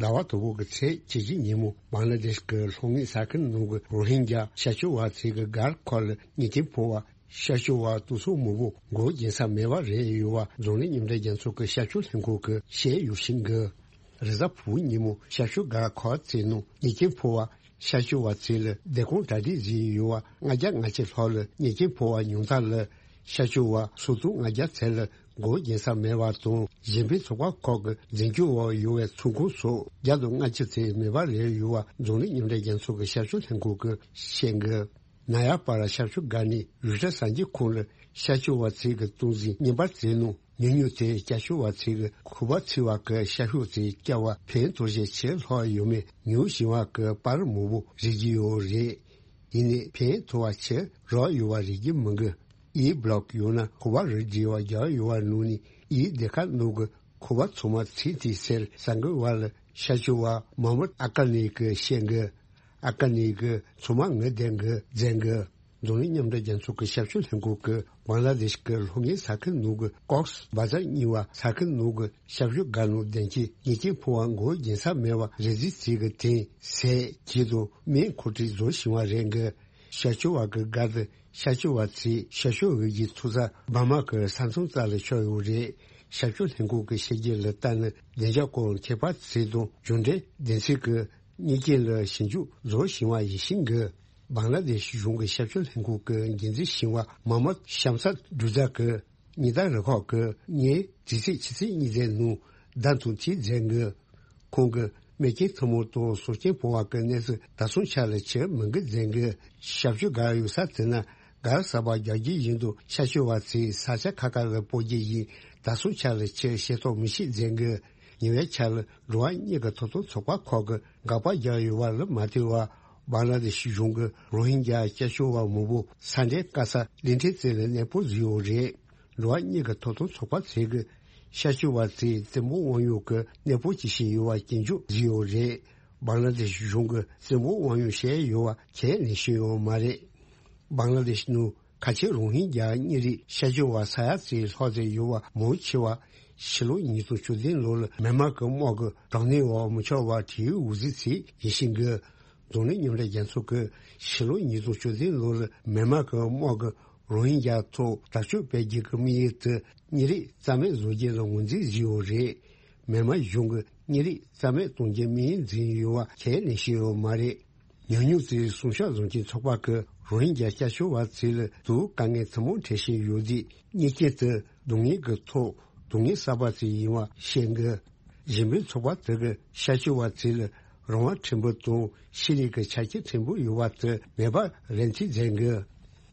ཟླ་བ་དང་པོ་གི་ཚེས་བཅུ་གཅིག་ཉིན་མོ་བང་ལ་དེ་ཤི་གི་ལྷོ་ངོས་ས་ཁུལ་ནང་གི་རོ་ཧིན་རྒྱ་ཤར་ཕྱོགས་བར་ཚོ་གི་སྒར་ཁག་ལ་མྱི་རྐྱེན་ཕོག་པ། ཤར་ཕྱོགས་བར་གཏོར་ཚོགས་མང་པོ་མགོ་འགྱིང་ས་མེད་པ་རེད་ཡོད་པ་འཛམ་གླིང་མཉམ་འབྲེལ་རྒྱལ་ཚོགས་ཀྱི་ཤར་ཕྱོགས་ལྷན་ཁང་གིས་བཤད་ཡོད་བཞིན་གི། རེས་གཟའ་ཕུར་བུ་ཉིན་མོ་ཤར་ཕྱོགས་སྒར་ཁག་ཚོའི་ནང་མྱི་རྐྱེན་ཕོག་པ། ཤར་ཕྱོགས་བར་ཚོ་ལ་བདེ་སྐྱོང་གྲ་སྒྲིག་བཟོས་ཡོད་པ་ལྔ་བརྒྱ་ལྔ་བཅུ་ལྷག་ལ་མྱི་རྐྱེན་ཕོག་པ་ཉུང་མཐའ་ལ་ཤར་ཕྱོགས་བར་སོ་ཐོག་ལྔ་བརྒྱ་ཚོ་ལ་མགོ་འགྱིང་ས་མེད་པ་དང་། གཞན་ཕན་ཚོགས་པ་ཁག་གི་འཛིན་སྐྱོང་འོག་ཡོད་པའི་ཚོང་ཁང་སོགས་བརྒྱ་དང་ལྔ་བཅུ་ཚོ་མེད་པ་རེད་ཡོད་པ་འཛམ་གླིང་མཉམ་འབྲེལ་རྒྱལ་ཚོགས་ཀྱི་ཤར་ཕྱོགས་ལྷན་ཁང་གིས་བཤད་འདུག་ནཱ་ཡ་པ་ར་ཤར་ཕྱོགས་སྒར་ནས་རུ་ཊར་གསར་འགྱུར་ཁང་ལ་ཤར་ཕྱོགས་བར་ཚོ་གི་སྟངས་འཛིན་བརྙན་པར་བཙལ་ནང་ཉུང་ཉུང་དེ་ཤར་ཕྱོགས་བར་ཚོ་གི་ཁུ་བ་ཚི་བ་གི་ཤར་ཤོག་ཚོ་བསྐྱལ་བ་ཕན་ཐོགས་ཤས་ཆེ་ལྷག་ཡོད་མེད་ཉུང་ཞིང་བ་གི་པར་མང་པོ་རིག་གི་ཡོད་རེད། ཡིན་ནའི་ཕན་ཐོགས་པ་ཆེ་རག་ཡོད་པ་རིག་གི་མི་འདུག་ཨི་བི་ལོག་ཡོད་ན་ཁུ་བ་རིགས་འདྲ་བ་རྒྱག་ཡོད་པ་ནང་ནས་ཨི་སྡེ་ཁག་ནང་གི་ཁུ་བ་ཚང་མ་ཚིག་དེ་ཟེར་ས་འགུལ་བ་ལ་ཤར་ཕྱོགས་བ་མ་མུར་ཨ་ཀ་ནེ་གི་བཤད་འདུག་ཨ་ཀ་ནེ་གི་ཚང་མ་ངའི་དན་གི་རྫན་གི། འཛམ་གླིང་མཉམ་འབྲེལ་རྒྱལ་ཚོགས་ཀྱི་ཤར་ཕྱོགས་ལྷན་ཁང་གིས་བང་ལ་དེ་ཤི་གི་ལྷོ་ངོས་ས་ཁུལ་ནང་གི་ཀོགས་བ་ཛར་གཉིས་པ་ས་ཁུལ་ནང་གི་ཤར་ཕྱོགས་སྒར་ནང་བདེ་སྐྱིད་མྱི་རྐྱེན་ཕོག་པ་མགོ་འགྱིང་ས་མེད་པ་རེ་ཟིག་ཚིག་གི་དེང་ཟས་གྱིས་དང་སྨན་མཁོ་སྤྲོད་བཟོ་བཞིན་པ་རེད་གི། ཤར་ཕྱོགས་བ་གི་སྒར་དུ་ཤར་ཕྱོགས་བ་ཚོས་ཤར་ཕྱོགས་འོས་བསྡུའི་ཐོབ་ས་འབར་མ་གི་ས་མཚམས་རྩ་ལ་ཆགས་ཡོད་རེད། ཤར་ཕྱོགས་ལྷན་ཁང་གི་བཤད་རྒྱུན་ལ་ལྟ་ན་བདེ་འཇགས་སྐོར་ཁྱད་པར་ཚོ་དང་འབྱོར་འབྲིང་སྡེ་ཚན་གྱི་མྱི་རྐྱེན་ལ་ཞིབ་འཇུག་བཟོ་བཞིན་པ་ཡིན་ཞིང་གི། བང་ལ་དེ་ཤི་གཞུང་གི་ཤར་ཕྱོགས་ལྷན་ཁང་གི་འགན་འཛིན་ཞིང་བ་མ་མ་ཤམ་སད་འབྲུ་རྫ་གི་ཉི་ཟླ་རུ་ཁག་གི་ཉིན་དེ་ཚེས་ཕྱི་ཚེས་གཉིས་ཚེས་ནང་བདམས་ཐོན་ཅིག་མཛད་འདུག་ཁོང་གིས་མེ་རྐྱེན་ཐུན་མོང་དང་སྲོག་སྐྱོན་ཕོག་པ་གི་གནས་ཚུལ་ད་སོང་ཆ་ལ་ཆེར་མི་འགི་མཛད་འདུག་ཤར་ཕྱོགས་སྒར་ཡོད་ས་དེ་ན་སྒར་གསར་པ་རྒྱག་རྒྱུ་ཡིན་དུ་ཤར་ཕྱོགས་བ་ཚོས་ས་ཆ་ཁག་ཁག་ལ་སྤོ་རྒྱུ་ཡིན། ད་སོང་ཆ་ལ་ཆེར་ཤེས་རྟོགས་མི་ཤེས་མཛད་འདུག་ཉེ་བའི་ཆར་ལ་འགྲོ་བ་མིའི་ཐོབ་ཐང་ཚོགས་པ་ཁག་གིས་དགག་པ་རྒྱག་ཡོད་པ་ལ་མ་ལྟོས་པར་བང་ལ་དེ་ཤི་གཞུང་གིས་རོ་ཧིན་རྒྱ་སྐྱབས་བཅོལ་བ་མང་པོ་ས་འདྲེན་དཀའ་ས་གླིང་ཕྲན་བཙན་ལ་གནས་སྤོ་བཟོས་ཡོད་རེད། འགྲོ་བ་མིའི་ཐོབ་ཐང་ཚོགས་པ་ཚོས་ཀྱི་ཤར་ཕྱོགས་བ་ཚོས་བཙན་པོ་དབང་ཡོད་ཀྱི་གནས་སྤོ་བྱེད་བཞིན་ཡོད་པ་སྐྱོན་བརྗོད་བཟོས་ཡོད་རེད། བང་ལ་དེ་ཤི་གཞུང་གིས་བཙན་པོ་དབང་ཡོད་བཤད་ཡོད་པ་ཁས་ལེན་བྱས་ཡོད་མ་རེད། བང་ལ་དེ་ཤི་ནང་ཁ་ཆེ་རོ་ཧིན་རྒྱ་མི་རིགས་ཤར་ཕྱོགས་བ་ས་ཡ་ཙམ་ལྷག་ཙམ་ཡོད་པ་མང་ཆེ་བ་ཕྱི་ལོ་ཉིས་སྟོང་བཅུ་བདུན་ལོ་ལ་མེན་མར་གྱི་དམག་གི་དྲག་གནོན་འོག་མི་ཆོག་པར་བྲོས་འོང་ཟིག་ཚིག་ཡིན་ཞིང་གི། འཛམ་གླིང་མཉམ་འབྲེལ་རྒྱལ་ཚོགས་ཀྱིས་ཕྱི་ལོ་ཉིས་སྟོང་བཅུ་བདུན་ལོ་ལ་མེན་མར་གྱི་དམག་གིས་རོ་ཧིན་རྒྱ་ཐོག་དྲག་སྤྱོད་སྤེལ་རྒྱུ་གི་དམིགས་ཡུལ་དེ་མི་རིགས་རྩ་མེད་བཟོ་རྒྱུ་ལ་ངོས་འཛིན་བཟོས་ཡོད་རེད། མེན་མར་གཞུང་གིས་མི་རིགས་རྩ་མེད་གཏོང་རྒྱུའི་དམིགས་ཡུལ་འཛིན་ཡོད་པ་ཁས་ལེན་བཞིན་ཡོད་མ་རེད། ཉུང་ཉུང་ཚོའི་སྲུང་སྐྱོབ་བཟོ་མཁན་ཚོགས་པ་གིས་རོ་ཧིན་རྒྱ་སྐྱབས་བཅོལ་བ་ཚོ་ལ་དུ་དཀའ་ངལ་ཐུན་མོང་འཕྲད་བཞིན་ཡོད་དུས་མི་རྐྱེན་དེ་སྡུག་བསྔལ་གྱི་ཐོག་སྡུག་བསྔལ་གསར་པ་ཞིག་ཡིན་པ་བཤད་འདུག་གཞན་ཕན་ཚོགས་པ་དེ་གིས་ཤར་ཕྱོགས་བ་ཚོ་ལ་རང་དབང་ཕྲན་བུ་དང་ཤེས་རིག་གི་ཆ་རྐྱེན་ཕྲན་བུ་ཡོད་པ་དེ་མེད་པར་རེ་འདུན་མཛད་འདུག་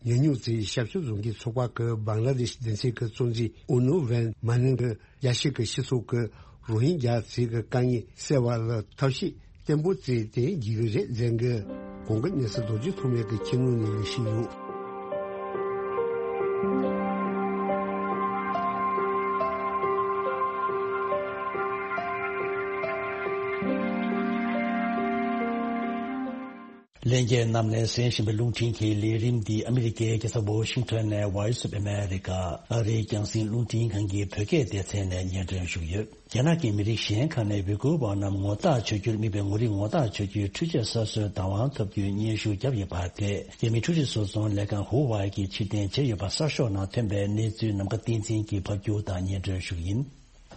ཉུང་ཉུང་ཙམ་ཞབས་ཞུ་བཟུང་མཁན་ཚོགས་པ་གིས་བང་ལ་དེ་ཤི་སྡེ་ཚན་གྱི་གཙོ་འཛིན་ཨུ་ནུ་ཝན་མ་ནིང་གིས་རྒྱལ་སྤྱི་གི་སྤྱི་ཚོགས་ཀྱིས་རོ་ཧིན་རྒྱ་ཚོའི་གི་དཀའ་ངལ་སེལ་བ་ལ་ཐབས་ཤེས་བརྟན་པོ་བཙལ་ཏེ་འགྱིག་གི་རེད་ཟེར་གི། གོང་གི་གནས་ཚུལ་རྡོ་རྗེ་ཐོགས་མེད་ཀྱི་ཁྱིམ་ནང་ནས་ལས་ཤིག་ཡོད། ལྷན་རྒྱས་རྣམས་ལ་གསན་བཞིན་པའི་རླུང་འཕྲིན་གྱི་ལས་རིམ་འདི་ཨ་མི་རི་ཀའི་རྒྱལ་ས་ཝོ་ཤིང་ཊོན་ནས་Voice of America ཨ་རིའི་རྒྱང་སྲིང་རླུང་འཕྲིན་ཁང་གི་བོད་སྐད་སྡེ་ཚན་ནས་སྙན་སྒྲོན་ཞུས་ཡོད། རྒྱ་ནག་གི་མི་རིགས་གཞན་ཁག་ནས་ཝི་གུར་བ་རྣམས་ངོ་རྟགས་ཆོད་རྒྱུར་དམིགས་པའི་ངོ་རིས་ངོ་རྟགས་ཆོད་རྒྱུའི་འཕྲུལ་ཆས་གསར་བཟོའི་བདག་དབང་ཐོབ་རྒྱུའི་སྙན་ཞུ་བརྒྱབ་ཡོད་པ་དེ་རྒྱ་མིའི་འཕྲུལ་རིག་བཟོ་ཚོང་ལས་ཁང་ཧུ་ཝའེ་གིས་ཕྱིར་འཐེན་བྱས་ཡོད་པ་གསར་ཤོག་ནང་ཐོན་པའི་གནས་ཚུལ་ནམ་མཁའ་བསྟན་འཛིན་གྱིས་ཕབ་སྒྱུར་དང་སྙན་སྒྲོན་ཞུ་རྒྱུ་ཡིན།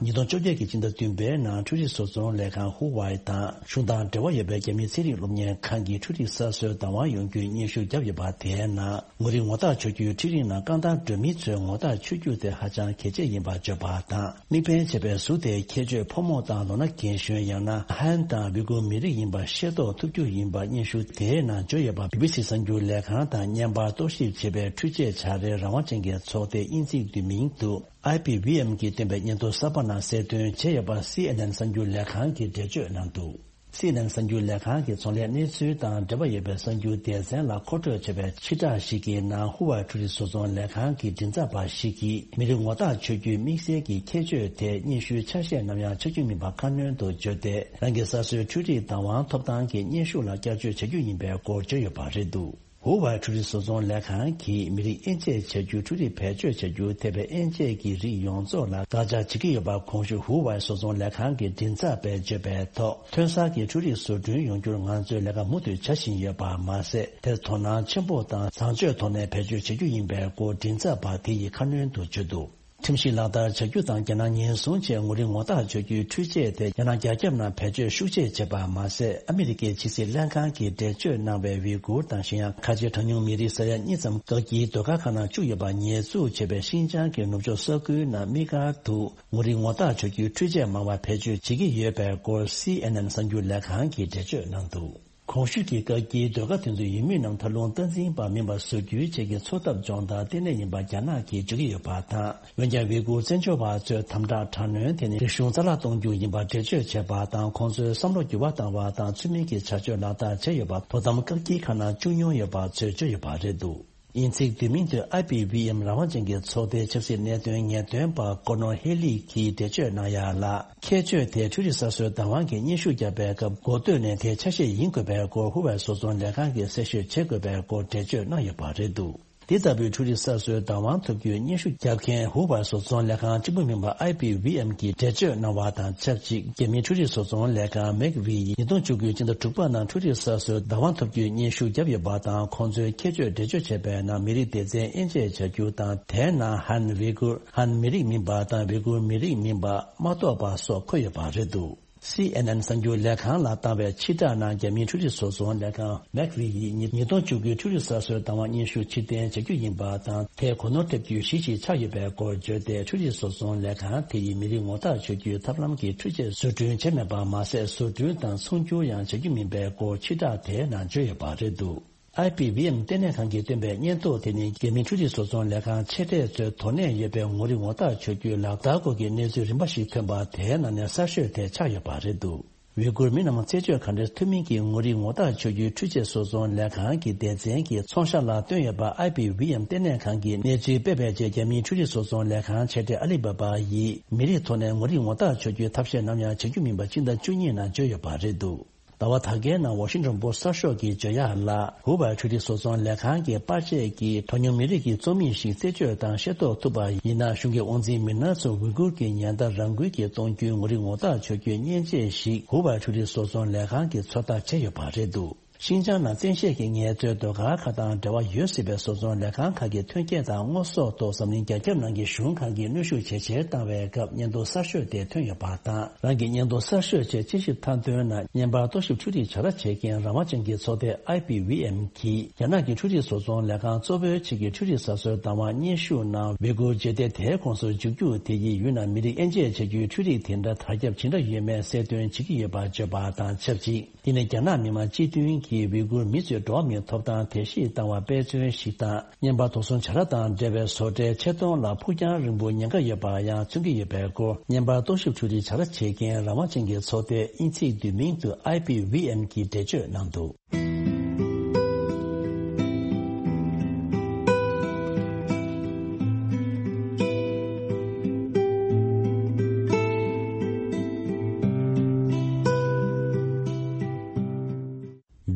ཉིས་སྟོང་བཅོ་བརྒྱད་ཀྱི་སྤྱི་ཟླ་བདུན་པའི་ནང་འཕྲུལ་རིག་བཟོ་ཚོང་ལས་ཁང་ཧུ་ཝའེ་དང་གཞུང་དང་འབྲེལ་བ་ཡོད་པའི་རྒྱ་མིའི་ཚན་རིག་སློབ་གཉེར་ཁང་གིས་འཕྲུལ་རིག་གསར་བཟོའི་བདག་དབང་ཡོང་རྒྱུའི་སྙན་ཞུ་བརྒྱབ་ཡོད་པ་དེའི་ནང་ངོ་རིས་ངོ་རྟགས་ཆོད་རྒྱུའི་འཕྲུལ་རིག་ནང་རྐང་ཐང་སྒྲོན་མེ་ཚོའི་ངོ་རྟགས་ཆོད་རྒྱུ་དེ་ཧ་ཅང་གལ་ཆེ་ཡིན་པ་བརྗོད་པ་དང་། དམིགས་འབེན་བྱས་པའི་གཟུགས་དེའི་ཁྱད་ཆོས་ཕོ་མོ་དང་ལོ་ན་རྒན་གཞོན་ཡང་ན་ཧན་དང་ཝི་གུར་མི་རིགས་ཡིན་པ་ཤེས་རྟོགས་ཐུབ་རྒྱུ་ཡིན་པ་སྙན་ཞུ་དེའི་ནང་བརྗོད་ཡོད་པ། བི་བི་སི་གསར་འགྱུར་ལས་ཁང་དང་བརྙན་པར་རྟོག་ཞིབ་བྱེད་པའི་འཕྲུལ་ཆས་བྱ་རའི་རང་དབང་ཅན་གྱི་ཚོགས་སྡེ་དབྱིན་ཚིག་བསྡུས་མིང་དུ། ཨའི་པི་ཝི་ཨེམ་གྱིས་བཏོན་པའི་སྙན་ཐོ་གསར་པ་ནང་གསལ་སྟོན་བྱས་ཡོད་པ་སི་ཨེན་ཨེན་གསར་འགྱུར་ལས་ཁང་གིས་འགྲེལ་བརྗོད་གནང་འདུག་སི་ཨེན་ཨེན་གསར་འགྱུར་ལས་ཁང་གིས་ཚོང་ལས་གནས་ཚུལ་དང་འབྲེལ་བ་ཡོད་པའི་གསར་འགྱུར་སྡེ་ཚན་ལ་མཁོ་སྤྲོད་བྱས་པའི་ཕྱིར་བསྒྲགས་ཤིག་གི་ནང་ཧུ་ཝའེ་འཕྲུལ་རིག་བཟོ་ཚོང་ལས་ཁང་གི་མགྲིན་ཚབ་པ་ཞིག་གིས་མི་རིགས་ངོ་རྟགས་ཆོད་རྒྱུའི་དམིགས་བསལ་གྱི་ཁྱད་ཆོས་དེ་སྙན་ཞུའི་ཆ་ཤས་ནམ་ཡང་ཆགས་རྒྱུ་མིན་པ་ཁ་སྣོན་དུ་བརྗོད་དེ། རང་གི་གསར་བཟོའི་འཕྲུལ་རིག་བདག་དབང་ཐོབ་ཐང་གི་སྙན་ཞུ་ལ་བསྐྱར་བཅོས་བྱ་རྒྱུ་ཡིན་པའི་སྐོར་བརྗོད་ཡོད་པ་རེད་འདུག་ཧུ་ཝའེ་འཕྲུལ་རིག་བཟོ་ཚོང་ལས་ཁང་གིས་མི་རིགས་དབྱེ་འབྱེད་བྱ་རྒྱུ། འཕྲུལ་རིག་བེད་སྤྱོད་བྱ་རྒྱུ་ཐེ་བའི་དབྱེ་འབྱེད་ཀྱི་རིགས་ཡོངས་རྫོགས་ལ་བཀག་ཆ་བྱེད་ཀྱི་ཡོད་པ་གོང་ཞུས་ཧུ་ཝའེ་བཟོ་ཚོང་ལས་ཁང་གི་མགྲིན་ཚབ་པས་བརྗོད་པའི་ཐོག་ཐོན་གསར་གྱི་འཕྲུལ་རིག་བཟོ་སྐྲུན་ཡོང་རྒྱུར་ང་ཚོས་ལས་ཀ་མུ་མཐུད་བྱ་བཞིན་ཡོད་པ་མ་ཟད། དེར་དོ་སྣང་ཆེན་པོ་དང་བཟང་སྤྱོད་ཐོག་ནས་བེད་སྤྱོད་བྱེད་རྒྱུ་ཡིན་པའི་སྐོར་མགྲིན་ཚབ་པ་དེ་ཡིས་ཁ་སྣོན་དུ་བརྗོད་འདུག་ཁྲིམས་གཞི་ལག་བསྟར་བྱ་རྒྱུ་དང་། རྒྱ་ནག་ཉེན་སྲུང་ཆེད་ངོ་རིས་ངོ་རྟགས་ཆོད་རྒྱུའི་འཕྲུལ་ཆས་དེ་རྒྱ་ནག་རྒྱ་ཁྱབ་ནང་བེད་སྤྱོད་ཤུགས་ཆེ་བྱས་པ་མ་ཟད། ཨ་མི་རི་ཀའི་ཕྱི་སྲིད་ལྷན་ཁང་གིས་འགྲེལ་བརྗོད་གནང་བའི་ཝི་གུར་དང་གཞན་ཡང་ཁ་ཆེ་གྲངས་ཉུང་མི་རིགས་ས་ཡ་གཉིས་ཙམ་བཀག་སྐྱིལ་སྡོད་སྒར་ཁག་ནང་བཅུག་ཡོད་པ་ཉེས་འཛུགས་བྱས་པའི་ཤིན་ཅང་གི་ནུབ་ཕྱོགས་ས་ཁུལ་ནང་དམིགས་བཀར་དུ་ངོ་རིས་ངོ་རྟགས་ཆོད་རྒྱུའི་འཕྲུལ་ཆས་མང་བ་བེད་སྤྱོད་བྱེད་ཀྱི་ཡོད་པའི་སྐོར་སི་ཨེན་ཨེན་གསར་འགྱུར་ལས་ཁང་གིས་འགྲེལ་བརྗོད་གནང་འདུག་གོང་ཞུས་ཀྱི་བཀག་སྐྱིལ་སྡོད་སྒར་དེ་ཚོའི་ཡུལ་མི་རྣམས་མཐར་ལྷུང་སྟངས་འཛིན་པ་མིན་པ་བཟོ་རྒྱུའི་ཆེད་ཀྱི་འཚོ་ཐབས་སྦྱོང་བརྡར་ལྟེ་གནས་ཡིན་པ་རྒྱ་ནག་གིས་བརྗོད་ཀྱི་ཡོད་པ་དང་། འོན་ཀྱང་ཝི་གུར་བཙན་བྱོལ་བ་ཚོས་དམ་དྲག་དྲག་གནོན་དེ་ནི་རིག་གཞུང་རྩ་བརླག་གཏོང་རྒྱུ་ཡིན་པ་འགྲེལ་བརྗོད་བྱས་པ་དང་། ཁོང་ཚོའི་བསམ་བློ་འགྱུར་བ་བཏང་བ་དང་། ཚུལ་མིན་གྱི་བྱ་སྤྱོད་ལག་བསྟར་བྱས་ཡོད་པ། དོ་དམ་བཀག་སྐྱིལ་ཁང་ནང་བཅུག་མྱོང་ཡོད་པ་ཚོས་བརྗོད་ཡོད་པ་རེད་འདུག་དབྱིན་ཚིག་བསྡུས་མིང་དུ་ཨའི་པི་ཝི་ཨེམ་རང་དབང་ཅན་གྱི་ཚོགས་སྡེའི་ཆབ་སྲིད་གནད་དོན་ངེས་སྟོན་པ་ཀོ་ནོར་ཧེ་ལི་གིས་འགྲེལ་བརྗོད་གནང་ཡག་ལ། ཁྱད་ཆོས་དེ་འཕྲུལ་རིག་གསར་བཟོའི་བདག་དབང་གི་སྙན་ཞུ་བརྒྱབ་པའི་སྐབས་འགོ་སྟོད་ནས་དེའི་ཆ་ཤས་ཡིན་དགོས་པའི་སྐོར་ཧུ་ཝའེ་བཟོ་ཚོང་ལས་ཁང་གིས་གསལ་བཤད་བྱེད་དགོས་པའི་སྐོར་འགྲེལ་བརྗོད་གནང་ཡོད་པ་རེད་འདུག་འདི་ལྟ་བུའི་འཕྲུལ་རིག་གསར་བཟོའི་བདག་དབང་ཐོབ་རྒྱུའི་སྙན་ཞུ་བརྒྱབ་མཁན་ཧུ་ཝའེ་བཟོ་ཚོང་ལས་ཁང་གཅིག་པུ་མིན་པ་ཨའི་པི་ཝི་ཨེམ་གྱིས་འགྲེལ་བརྗོད་གནང་བ་དང་ཆབས་ཅིག་རྒྱ་མིའི་འཕྲུལ་རིག་བཟོ་ཚོང་ལས་ཁང་མེག་ཝི་ཡིས་ཉིས་སྟོང་བཅུ་དགུ་ཕྱི་ཟླ་དྲུག་པ་ནང་འཕྲུལ་རིག་གསར་བཟོའི་བདག་དབང་ཐོབ་རྒྱུའི་སྙན་ཞུ་བརྒྱབ་ཡོད་པ་དང་། ཁོང་ཚོའི་ཁྱད་ཆོས་འགྲེལ་བརྗོད་བྱས་པའི་ནང་མི་རིགས་སྡེ་ཚན་དབྱེ་འབྱེད་བྱ་རྒྱུ་དང་། དེའི་ནང་ཧན་ཝི་གུར། ཧན་མི་རིགས་མིན་པ་དང་ཝི་གུར་མི་རིགས་མིན་པ་མ་གཏོགས་པ་སོགས་འཁོད་ཡོད་པ་རེད་འདུག་སི་ཨེན་ཨེན་གསར་འགྱུར་ལས་ཁང་ལ་བཏང་བའི་ཕྱིར་བསྒྲགས་ནང་རྒྱ་མིའི་འཕྲུལ་རིག་བཟོ་ཚོང་ལས་ཁང་མེག་ཝི་ཡིས་ཉིས་ཉིས་སྟོང་བཅུ་དགུའི་འཕྲུལ་རིག་གསར་བཟོའི་བདག་དབང་སྙན་ཞུ་ཕྱིར་འཐེན་བྱ་རྒྱུ་ཡིན་པ་དང་། དེས་གོ་ནོར་ཐེབས་རྒྱུའི་གཞི་ཞིག་ཆགས་ཡོད་པའི་སྐོར་བརྗོད་དེ། འཕྲུལ་རིག་བཟོ་ཚོང་ལས་ཁང་དེ་ཡིས་མི་རིགས་ངོ་རྟགས་ཆོད་རྒྱུའི་ཐབས་ལམ་གྱི་འཕྲུལ་ཆས་བཟོ་སྐྲུན་བྱས་མེད་པ་མ་ཟད། བཟོ་སྐྲུན་དང་ཚོང་སྒྱུར་ཡང་བྱ་རྒྱུ་མིན་པའི་སྐོར་ཕྱིར་བསྒྲགས་དེའི་ནང་བརྗོད་ཡོད་པ་རེད་འདུག་ཨའི་པི་ཝི་ཨེམ་ལྟེ་གནས་ཁང་གིས་བཏོན་པའི་སྙན་ཐོ་དེ་ནི་རྒྱ་མིའི་འཕྲུལ་རིག་བཟོ་ཚོང་ལས་ཁང་ཆེ་གྲས་ཚོས་དོ་ནས་ཡོད་པའི་ངོ་རིས་ངོ་རྟགས་ཆོད་རྒྱུའི་ལག་བསྟར་སྐོར་གྱི་གནས་ཚུལ་རིམ་པ་ཞིག་ཐོན་པ་དེའི་ནང་ནས་གསར་ཤོས་དེ་ཆགས་ཡོད་པ་རེད་འདུག་ཝི་གུར་མི་རྣམས་རྩད་གཅོད་ག་འདྲའི་ཐུབ་མིན་གྱི་ངོ་རིས་ངོ་རྟགས་ཆོད་རྒྱུའི་འཕྲུལ་ཆས་བཟོ་ཚོང་ལས་ཁང་གི་སྡེ་ཚན་གྱིས་ཚོང་ཤག་ལ་བཏོན་ཡོད་པ་ཨའི་པི་ཝི་ཨེམ་ལྟེ་གནས་ཁང་གིས་གནས་ཚུལ་སྤེལ་བའི་རྗེས། རྒྱ་མིའི་འཕྲུལ་རིག་བཟོ་ཚོང་ལས་ཁང་ཆེ་གྲས་ཨ་ལི་བྷ་བྷ་ཡིས་མི་རིགས་ཐོག་ནས་ངོ་རིས་ངོ་རྟགས་ཆོད་རྒྱུའི་ཐབས་ཤེས་ནམ་ཡང་བྱེད་རྒྱུ་མིན་པ་སྤྱི་ཟླ་བཅུ་གཉིས་ནང་བརྗོད་ཡོད་པ་རེད་འདུག་ཟླ་བ་ད་གའི་ནང་ཝ་ཤིང་ཊོན་པོ་སི་གསར་ཤོག་གིས་བརྗོད་ཡག་ལ། ཧུ་ཝའེ་འཕྲུལ་རིག་བཟོ་ཚོང་ལས་ཁང་གིས་པར་ཆས་ཀྱིས་གྲངས་ཉུང་མི་རིགས་ཀྱི་རྩོམ་ཡིག་ཞིག་རྩད་གཅོད་དང་ཤེས་རྟོགས་ཐུབ་པ་ཡིན་ན། གཞུང་གི་དབང་འཛིན་མི་སྣ་ཚོ་ཝི་གུར་གྱི་ཉེན་བརྡ་རང་འགུལ་གྱིས་གཏོང་རྒྱུའི་ངོ་རིས་ངོ་རྟགས་ཆོད་རྒྱུའི་མཉེན་ཆས་ཤིག་ཧུ་ཝའེ་འཕྲུལ་རིག་བཟོ་ཚོང་ལས་ཁང་གིས་ཚོད་ལྟ་བྱས་ཡོད་པ་རེད་འདུག་ཤིན་ཅང་ནང་བཙན་ཤེད་ཀྱི་ངལ་རྩོལ་སྡོད་སྒར་ཁག་དང་འབྲེལ་བ་ཡོད་སྲིད་པའི་བཟོ་ཚོང་ལས་ཁང་ཁག་གི་ཐོན་སྐྱེད་དང་དངོས་ཟོག་ཐོག་འཛམ་གླིང་རྒྱ་ཁྱབ་ནང་གི་གཞུང་ཁག་གིས་གནོན་ཤུགས་ཇེ་ཆེར་བཏང་བའི་སྐབས། སྙན་ཐོ་གསར་ཤོས་དེ་ཐོན་ཡོད་པ་དང་། རང་གི་སྙན་ཐོ་གསར་ཤོས་ཆེད་དཔྱད་ཞིབ་མཐའ་དོན་ནང་བརྙན་པར་རྟོག་ཞིབ་འཕྲུལ་རིག་བྱ་ར་བྱེད་མཁན་རང་དབང་ཅན་གྱི་ཚོགས་སྡེ་ཨའི་པི་ཝི་ཨེམ་གྱིས། རྒྱ་ནག་གི་འཕྲུལ་རིག་བཟོ་ཚོང་ལས་ཁང་གཙོ་བོའི་ཆེད་ཀྱི་འཕྲུལ་རིག་གསར་བཟོའི་བདག་དབང་སྙན་ཞུ་ནང་ཝི་གུར་རྗེས་འདེད་དེའི་ཁོངས་སུ་འཇུག་རྒྱུ་དེ་ཡིས་ཡུལ་ནང་མི་རིགས་དབྱེ་འབྱེད་བྱ་རྒྱུའི་འཕྲུལ་རིག་དེ་འདྲ་དར་ཁྱབ་ཇི་འདྲ་ཡོད་མེད་གསལ་སྟོན་བྱེད་ཀྱི་ཡོད་པ་བརྗོད་པ་དང་ཆབས་ཅིག་དེ་ནི་རྒྱ་ནག་མི་དམངས་སྤྱི་མཐུན་གྱི་ ཀྱིས་ཝི་གུར་མི་ཚོའི་འགྲོ་བ་མིའི་ཐོབ་ཐང་དེ་བཞིན་བཏང་བ་དཔེ་མཚོན་ཞིག་དང་། བརྙན་པར་དོགས་ཟོན་བྱ་ར་དང་འབྲེལ་བའི་བཟོ་གྲྭའི་ཆེད་གཏོང་ལ་ཕུགས་རྒྱང་རིང་པོ་ཉེན་ཁ་ཡོད་པ་ཡང་མཚོན་གྱི་ཡོད་པའི་སྐོར། བརྙན་པར་རྟོག་ཞིབ་འཕྲུལ་རིག་བྱ་ར་བྱེད་མཁན་རང་དབང་ཅན་གྱི་ཚོགས་སྡེ་དབྱིན་ཚིག་བསྡུས་མིང་དུ་ཨའི་པི་ཝི་ཨེན་གྱིས་འགྲེལ་བརྗོད་གནང་འདུག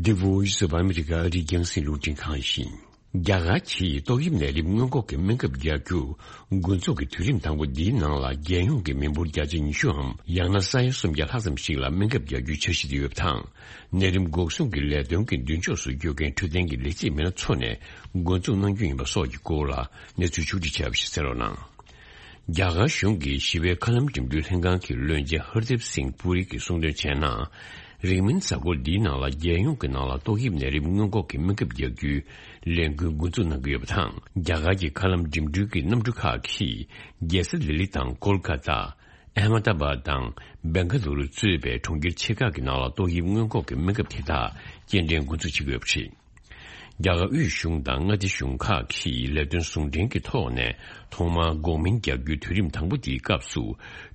The Voice of America ཨ་རིའི་རྒྱང་སྲིང་རླུང་འཕྲིན་ཁང་ཡིན། རྒྱ་གར་གྱིས་ཏོག་དབྱིབས་ནད་རིམས་སྔོན་འགོག་གི་སྨན་ཁབ་རྒྱག་རྒྱུ། འགོ་འཛུགས་ཀྱི་དུས་རིམ་དང་པོ་འདིའི་ནང་ལ་རྒྱལ་ཡོངས་ཀྱི་མི་འབོར་བརྒྱ་ཆ་ཉི་ཤུའམ་ཡང་ན་ས་ཡ་སུམ་བརྒྱ་ལྷག་ཙམ་ཞིག་ལ་སྨན་ཁབ་རྒྱག་རྒྱུའི་འཆར་གཞི་དེ་ཡོད་པ་དང་། ནད་རིམས་འགོག་སྲུང་གི་ལས་དོན་གྱི་མདུན་ཕྱོགས་སུ་བསྐྱོད་མཁན་འཕྲོད་བསྟེན་གྱི་ལས་བྱེད་མི་སྣ་ཚོ་ནས་འགོ་འཛུགས་གནང་རྒྱུ་ཡིན་པ་སོགས་ཀྱི་སྐོར་ལ་གནས་ཚུལ་ཕྱོགས་སྒྲིག་བྱས་པ་ཞིག་གསན་རོགས་གནང་། རྒྱ་གར་གཞུང་གི་ཞི་བའི་མཁའ་ལམ་འགྲིམ་འགྲུལ་ལྷན་ཁང་གི་བློན་ཆེན་ཧར་དིབ་སིང་པུ་རི་གིས་གསུངས་དོན་བྱས་ན། རིང་མིན་གཟའ་འཁོར་འདིའི་ནང་ལ་རྒྱལ་ཡོངས་ཀྱི་ནང་ལ་ཏོག་དབྱིབས་ནད་རིམས་སྔོན་འགོག་གི་སྨན་ཁབ་རྒྱག་རྒྱུའི་ལས་འགུལ་འགོ་འཛུགས་གནང་གི་ཡོད་པ་དང་། རྒྱ་གར་གྱི་མཁའ་ལམ་འགྲིམ་འགྲུལ་གྱི་གནམ་གྲུ་ཁག་གིས་རྒྱལ་ས་ལྡི་ལི་དང་ཀོལ་ཀ་ཏ། ཨ་མ་ཏ་བྷ་དང་བེང་ག་ལུ་རུ་གཙོས་པའི་གྲོང་ཁྱེར་ཆེ་ཁག་གི་ནང་ལ་ཏོག་དབྱིབས་སྔོན་འགོག་གི་སྨན་ཁབ་དེ་དག་སྐྱེལ་འདྲེན་འགོ་འཛུགས་བྱེད་ཀྱི་ཡོད་པ་རེད། རྒྱ་གར་དབུས་གཞུང་དང་མངའ་སྡེ་གཞུང་ཁག་གིས་ལས་དོན་ཟུང་འབྲེལ་གྱི་ཐོག་ནས་ཐོག་མར་འགོག་སྨན་རྒྱག་རྒྱུའི་དུས་རིམ་དང་པོ་དེའི་སྐབས་སུ་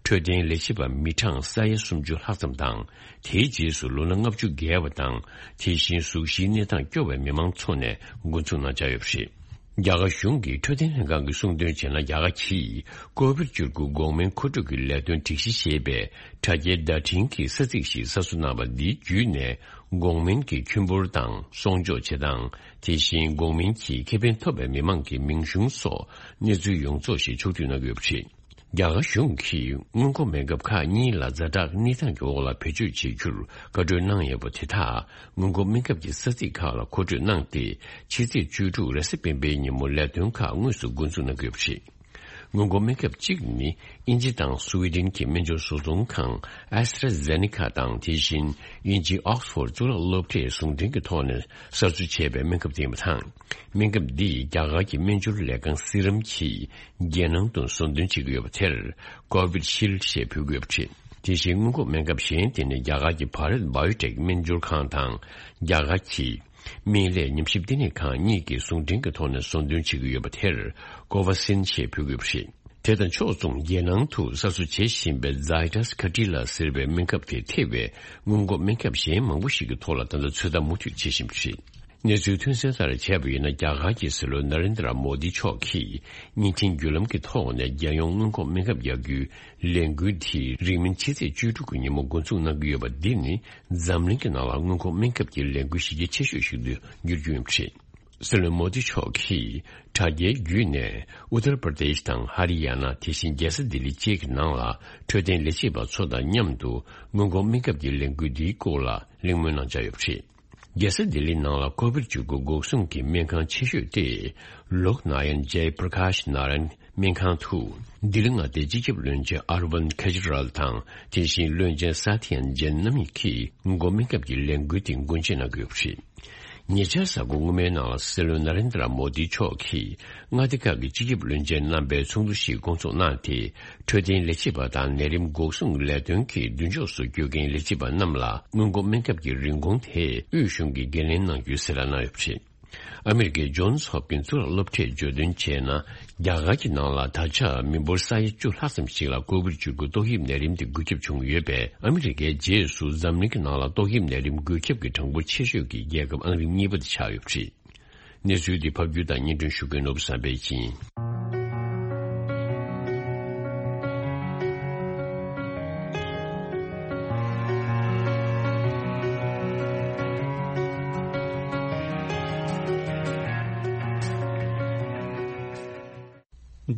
འཕྲོད་བསྟེན་ལས་བྱེད་པ་མི་གྲངས་ས་ཡ་སུམ་ཅུ་ལྷག་ཙམ་དང་། དེའི་རྗེས་སུ་ལོ་ན་ལྔ་བཅུ་བརྒལ་བ་དང་། དེ་བཞིན་གཟུགས་གཞིའི་གནས་སྟངས་སྐྱོ་བའི་མི་མང་ཚོ་ནས་འགོ་འཛུགས་གནང་འཆར་ཡོད་པ་རེད། རྒྱ་གར་གཞུང་གི་འཕྲོད་བསྟེན་ལྷན་ཁང་གིས་གསུངས་དོན་བྱས་ན། རྒྱ་གར་གྱིས་ཀོ་བིཌ་བཅུ་དགུ་འགོག་སྨན་མཁོ་སྤྲོད་ཀྱི་ལས་དོན་སྒྲིག་གཞི་ཞེས་པའི་དྲ་རྒྱའི་བརྡ་འཕྲིན་གྱི་ས་ཚིགས་ཤིག་གསར་བཟོ་གནང་བ་འདི་བརྒྱུད་ནས། འགོག་སྨན་གྱི་ཁྱུན་འབོར་དང་གསོག་འཇོག་བྱེད་སྟངས། དེ་བཞིན་འགོག་སྨན་གྱི་ཁེ་ཕན་ཐོབ་པའི་མི་མང་གི་མིང་གཞུང་སོགས་གནས་ཚུལ་ཡོངས་རྫོགས་ཤིག་ཕྱོགས་བསྡུས་གནང་གི་ཡོད་པ་རེད། རྒྱ་གར་གཞུང་གིས་སྔོན་འགོག་སྨན་ཁབ་ཁག་གཉིས་ལ་ཛ་དྲག་གནས་སྟངས་ཀྱི་འོག་ལ་བེད་སྤྱོད་བྱེད་རྒྱུར་བཀའ་འཁྲོལ་གནང་ཡོད་པ་དེ་དག་སྔོན་འགོག་སྨན་ཁབ་ཀྱི་ས་ཚིགས་ཁག་ལ་མཁོ་སྤྲོད་གནང་སྟེ། ཕྱི་ཚེས་བཅུ་དྲུག་རེས་གཟའ་སྤེན་པའི་ཉིན་མོ་ལས་དོན་ཁག་དངོས་སུ་འགོ་འཛུགས་གནང་གི་ཡོད་པ་རེད། སྔོན་འགོག་སྨན་ཁབ་གཅིག་ནི་དབྱིན་ཇི་དང་སུའེ་ཏེན་གྱི་སྨན་སྦྱོར་བཟོ་ཚོང་ཁང་ཨེ་སི་ཏྲ་ཛེ་ནེ་ཀ་དང་། དེ་བཞིན་དབྱིན་ཇིའི་ཨོག་སི་ཕོར་གཙུག་ལག་སློབ་གྲྭས་ཟུང་འབྲེལ་གྱི་ཐོག་ནས་གསར་བཟོ་བྱས་པའི་སྨན་ཁབ་དེ་ཡིན་པ་དང་། སྨན་ཁབ་འདིས་རྒྱ་གར་གྱི་སྨན་སྦྱོར་ལས་ཁང་སི་རམ་གྱིས་རྒྱལ་ནང་དུ་བཟོ་འདོན་བྱེད་ཀྱི་ཡོད་པ་དེར་ཀོ་བིད་ཤིལ་ཞེས་འབོད་ཀྱི་ཡོད་པ་རེད། དེ་བཞིན་སྔོན་འགོག་སྨན་ཁབ་གཞན་དེ་ནི་རྒྱ་གར་གྱི་བྷ་རད་བྷ་ཡོ་ཊེག་སྨན་སྦྱོར་ཁང་དང་། རྒྱ་གར་གྱི་སྨན་ལས་ཉམས་ཞིབ་ལྟེ་གནས་ཁང་གཉིས་ཀྱིས་ཟུང་འབྲེལ་གྱི་ཐོག་ནས་བཟོ་འདོན་བྱེད་ཀྱི་ཡོད་པ་དེར་ཀོ་ཝ་སིན་ཞེས་འབོད་ཀྱི་ཡོད་པ་རེད། དེ་དང་ཕྱོགས་མཚུངས་རྒྱལ་ནང་དུ་གསར་བཟོ་བྱེད་བཞིན་པའི་ཛའི་ཏཱས་ཁ་ཏི་ལ་ཟེར་བའི་སྨན་ཁབ་དེ་ཐེ་བའི་སྔོན་འགོག་སྨན་ཁབ་གཞན་མང་པོ་ཞིག་གི་ཐོག་ལ་ད་ལྟ་ཚོད་ལྟ་མུ་མཐུད་བྱེད་བཞིན་པ་རེད། གནས་ཚུལ་ཐོན་གསལ་ལྟར་བྱས་པ་ཡིན་ན། རྒྱ་གར་གྱི་སྲིད་བློན་ན་རེན་དྲ་མོ་དི་མཆོག་གིས་བརྙན་འཕྲིན་བརྒྱུད་ལམ་གྱི་ཐོག་ནས་རྒྱལ་ཡོངས་སྔོན་འགོག་སྨན་ཁབ་རྒྱག་རྒྱུའི་ལས་འགུལ་དེ་རིང་མིན་ཕྱི་ཚེས་བཅུ་དྲུག་གི་ཉིན་མོ་འགོ་འཛུགས་གནང་གི་ཡོད་པ་འདི་ནི་འཛམ་གླིང་གི་ནང་ལ་སྔོན་འགོག་སྨན་ཁབ་ཀྱི་ལས་འགུལ་གཞི་རྒྱ་ཆེ་ཤོས་ཤིག་ཏུ་འགྱུར་རྒྱུ་ཡིན་པ་རེད། སྲིད་བློན་མོ་དི་མཆོག་གིས་དྲ་རྒྱའི་བརྒྱུད་ནས་ཨུ་ཏར་པར་དེཤ་དང་ཧ་རི་ཡ་ན། དེ་བཞིན་རྒྱལ་ས་ལྡི་ལི་བཅས་ཀྱི་ནང་ལ་འཕྲོད་བསྟེན་ལས་བྱེད་པ་ཚོ་དང་མཉམ་དུ་སྔོན་འགོག་སྨན་ཁབ་ཀྱི་ལས་འགུལ་འདིའི་སྐོར་ལ་གླེང་མོལ་གནང་འཆར་ཡོད་པ་རེད། རྒྱལ་ས་ལྡི་ལི་ནང་ལ་ཀོ་བིད་བཅུ་དགུ་འགོག་སྲུང་གི་སྨན་ཁང་ཆེ་ཤོས་ཏེ། ལོག་ནཱ་ཡན་ཇའི་པྲ་ཀཱཤ་ནཱ་རན་སྨན་ཁང་དུ་ལྡི་ལི་མངའ་སྡེའི་སྤྱི་ཁྱབ་བློན་ཆེན་ཨར་ཝིན་ཁེ་ཇི་རལ་དང་། དེ་བཞིན་བློན་ཆེན་ས་ཐི་ཡན་ཇེན་རྣམ་གཉིས་ཀྱིས་སྔོན་འགོག་སྨན་ཁབ་ཀྱི་ལས་འགུལ་དེ་འགོ་འབྱེད་གནང་གི་ཡོད་པ་རེད། ཉེ་ཆར་གཟའ་འཁོར་སྔོན་མའི་ནང་ལ་སྲིད་བློན་ན་རེན་དྲ་མོ་དི་མཆོག་གིས་མངའ་སྡེ་ཁག་གི་སྤྱི་ཁྱབ་བློན་ཆེན་རྣམ་པའི་ཚོགས་འདུ་ཞིག་བསྐོང་ཚོགས་གནང་སྟེ། འཕྲོད་བསྟེན་ལས་བྱེད་པ་དང་ནད་རིམས་འགོག་སྲུང་ལས་དོན་གྱི་མདུན་ཕྱོགས་སུ་བསྐྱོད་མཁན་ལས་བྱེད་པ་རྣམས་ལ་སྔོན་འགོག་སྨན་ཁབ་ཀྱི་རིན་གོང་དེ་དབུས་གཞུང་གིས་འགན་ལེན་གནང་རྒྱུའི་གསལ་བསྒྲགས་གནང་ཡོད་པ་རེད། ཨ་མི་རི་ཀའི་ཇོན་སི་ཧོབ་ཀིན་གཙུག་ལག་སློབ་གྲྭས་བརྗོད་དོན་བྱས་ན། རྒྱ་གར་གྱི་ནང་ལ་ད་ཆ་མི་འབོར་ས་ཡ་བཅུ་ལྷག་ཙམ་ཞིག་ལ་ཀོ་བིད་བཅུ་དགུ་ཏོག་དབྱིབས་ནད་རིམས་དེ་འགོས་ཁྱབ་བྱུང་ཡོད་པས། ཨ་མི་རི་ཀའི་རྗེས་སུ་འཛམ་གླིང་གི་ནང་ལ་ཏོག་དབྱིབས་ནད་རིམས་འགོས་ཁྱབ་ཀྱི་གྲངས་འབོར་ཆེ་ཤོས་ཀྱི་རྒྱལ་ཁབ་ཨང་རིམ་གཉིས་པ་དེ་ཆགས་ཡོད་པ་རེད། གནས་ཚུལ་འདི་ཕབ་སྒྱུར་དང་སྙན་སྒྲོན་ཞུ་མཁན་ནོར་བུ་བསམ་འཕེལ་ཡིན།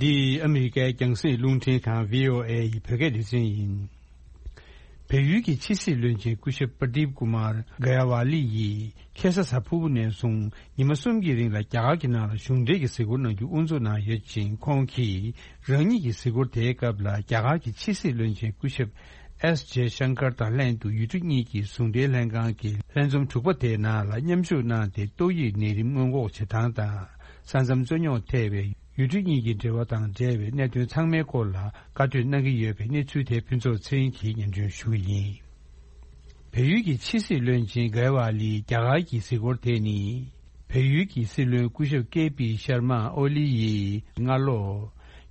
འདི་ཨ་མི་རི་ཀའི་རྒྱང་སྲིང་རླུང་འཕྲིན་ཁང་བྷི་ཨོ་ཨེ་ཡི་བོད་སྐད་སྡེ་ཚན་ཡིན། བལ་ཡུལ་གྱི་ཕྱི་སྲིད་བློན་ཆེན་སྐུ་ཞབས་པར་དིབ་ཀུ་མར་ག་ཡ་ཝ་ལི་ཡིས་ཁ་སང་གཟའ་ཕུར་བུ་ནས་བཟུང་ཉི་མ་གསུམ་གྱི་རིང་ལ་རྒྱ་གར་གྱི་ནང་ལ་གཞུང་འབྲེལ་གྱི་གཟིགས་སྐོར་གནང་རྒྱུ་དབུ་འཛུགས་གནང་ཡོད་ཅིང་། ཁོང་གིས་རང་ཉིད་ཀྱི་གཟིགས་སྐོར་དེའི་སྐབས་ལ་རྒྱ་གར་གྱི་ཕྱི་སྲིད་བློན་ཆེན་སྐུ་ཞབས་ཨེས་ཇེ་ཤང་ཀར་དང་ལྷན་དུ་ཡུལ་གྲུ་གཉིས་ཀྱི་ཟུང་འབྲེལ་ལྷན་ཁང་གི་ལྷན་འཛོམས་དྲུག་པ་དེའི་ནང་ལ་མཉམ་ཞུགས་གནང་སྟེ། ཏོག་དབྱིབས་ནད་རིམས་སྔོན་འགོག་བྱེད་སྟངས་དང་། ས་མཚམས་རྩོད་རྙོག་ཐེ་བའི་ཡུལ་གྲུ་གཉིས་ཀྱི་འབྲེལ་བ་དང་འབྲེལ་བའི་གནད་དོན་ཚང་མའི་སྐོར་ལ་བཀའ་གྲོས་གནང་གི་ཡོད་པའི་གནས་ཚུལ་དེ་ཕུན་ཚོགས་ཚེ་རིང་གིས་སྙན་སྒྲོན་ཞུ་གི་ཡིན། བལ་ཡུལ་གྱི་ཕྱི་སྲིད་བློན་ཆེན་གྷའི་ཝ་ལིས་རྒྱ་གར་གྱི་གཟིགས་སྐོར་དེ་ནི། བལ་ཡུལ་གྱི་སྲིད་བློན་སྐུ་ཞབས་ཀེ་པི་ཤར་མ་ཨོ་ལི་ཡིས་སྔ་ལོ།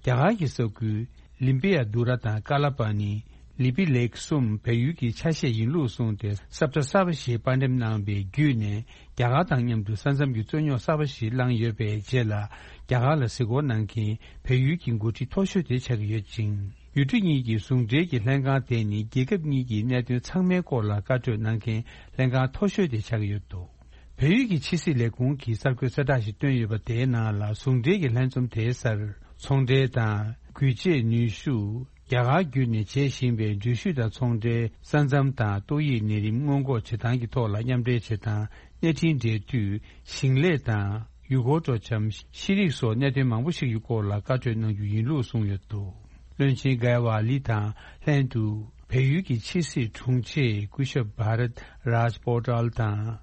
རྒྱ་གར་གྱི་ས་ཁུལ་ལིམ་པི་ཡ་དུ་ར་དང་ཀ་ལ་པ་ནི། ལི་པི་ལེག་གསུམ་བལ་ཡུལ་གྱི་ཆ་ཤས་ཡིན་ལུགས་གསུངས་ཏེ། ས་བཀྲ་གསར་པ་ཞིག་དཔར་འགྲེམས་གནང་བའི་བརྒྱུད་ནས། རྒྱ་གར་དང་མཉམ་དུ་ས་མཚམས་ཀྱི་རྩོད་རྙོག་གསར་པ་ཞིག་བསླངས་ཡོད་པའི་རྗེས་ལ། རྒྱ་གར་ལ་གཟིགས་སྐོར་གནང་མཁན་བལ་ཡུལ་གྱི་འགོ་ཁྲིད་མཐོ་ཤོས་དེ་ཆགས་ཀྱི་ཡོད་ཅིང་། ཡུལ་གྲུ་གཉིས་ཀྱི་ཟུང་འབྲེལ་གྱི་ལྷན་ཁང་དེ་ནི། རྒྱལ་ཁབ་གཉིས་ཀྱི་གནད་དོན་ཚང་མའི་སྐོར་ལ་བཀའ་གྲོས་གནང་མཁན་ལྷན་ཁང་མཐོ་ཤོས་དེ་ཆགས་ཀྱི་ཡོད་འདུག་བལ་ཡུལ་གྱི་ཕྱི་སྲིད་ལས་ཁུངས་ཀྱིས་གསར་འགོད་གསལ་བསྒྲགས་ཤིག་བཏོན་ཡོད་པ་དེའི་ནང་ལ། ཟུང་འབྲེལ་གྱི་ལྷན་འཛོམས་དེའི་སར། ཚོང་འབྲེལ་དང་། སྒུལ་བྱེད་ནུས་ཤུགས། རྒྱ་གར་བརྒྱུད་ནས་བྱེད་བཞིན་པའི་འགྲུལ་བཞུད་དང་ཚོང་འབྲེལ། ས་མཚམས་དང་ཏོག་དབྱིབས་ནད་རིམས་སྔོན་འགོག་བྱེད་སྟངས་ཀྱི་ཐོག་ལ་མཉམ་འབྲེལ་བྱེད་སྟངས། གནས་འཕྲིན་འབྲེལ་མཐུད། ཞིང་ལས་དང་། ཡུལ་སྐོར་སྤྲོ་འཆམ། ཤེས་རིག་སོགས་གནད་དོན་མང་པོ་ཞིག་གི་སྐོར་ལ་བཀའ་གྲོས་གནང་རྒྱུ་ཡིན་ལུགས་གསུངས་ཡོད་འདུག་བློན་ཆེན་གྷའི་ཝ་ལི་དང་ལྷན་དུ། བལ་ཡུལ་གྱི་ཕྱི་སྲིད་དྲུང་ཆེ་སྐུ་ཞབས་བྷ་རད་རཱཇ་པོ་ཊལ་དང་།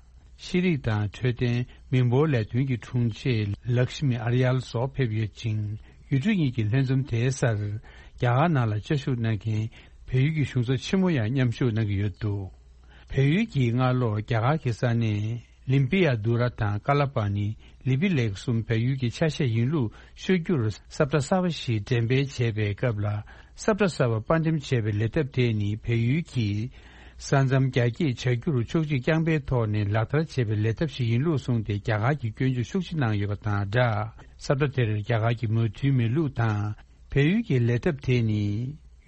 ཤེས་རིག་དང་འཕྲོད་བསྟེན། མི་འབོར་ལས་དོན་གྱི་དྲུང་ཆེ་ལག་ཤི་མི་ཨར་ཡལ་སོགས་ཕེབས་ཡོད་ཅིང་། ཡུལ་གྲུ་གཉིས་ཀྱི་ལྷན་འཛོམས་དེའི་སར། རྒྱ་གར་ནང་ལ་བཅའ་བཞུགས་གནང་མཁན་བལ་ཡུལ་གྱི་གཞུང་ཚབ་ཆེན་མོ་ཡང་མཉམ་ཞུགས་གནང་གི་ཡོད་འདུག་བལ་ཡུལ་གྱིས་སྔ་ལོ་རྒྱ་གར་གྱི་ས་གནས་ལིམ་པི་ཡ་དུ་ར་དང་ཀ་ལ་པ་ནི། ལི་པི་ལེག་གསུམ་བལ་ཡུལ་གྱི་ཆ་ཤས་ཡིན་ལུགས་ཤོད་རྒྱུར་ས་བཀྲ་གསར་པ་ཞིག་འགྲེམས་སྤེལ་བྱས་པའི་སྐབས་ལ། ས་བཀྲ་གསར་པ་དཔར་འགྲེམས་བྱས་པའི་ལས་ཐབས་དེ་ནི། བལ་ཡུལ་གྱིས་ས་མཚམས་རྒྱ་སྐྱེད་བྱ་རྒྱུར་ཕྱོགས་སྒྲིག་རྐྱང་པའི་ཐོག་ནས་ལག་བསྟར་བྱས་པའི་ལས་ཐབས་ཤིག་ཡིན་ལུགས་གསུངས་ཏེ། རྒྱ་གར་གྱིས་སྐྱོན་བརྗོད་ཤུགས་ཆེ་གནང་ཡོད་པ་དང་སྦྲགས། ས་བཀྲ་དེར་རྒྱ་གར་གྱི་མོས་མཐུན་མེད་ལུགས་དང་། བལ་ཡུལ་གྱི་ལས་ཐབས་དེ་ནི།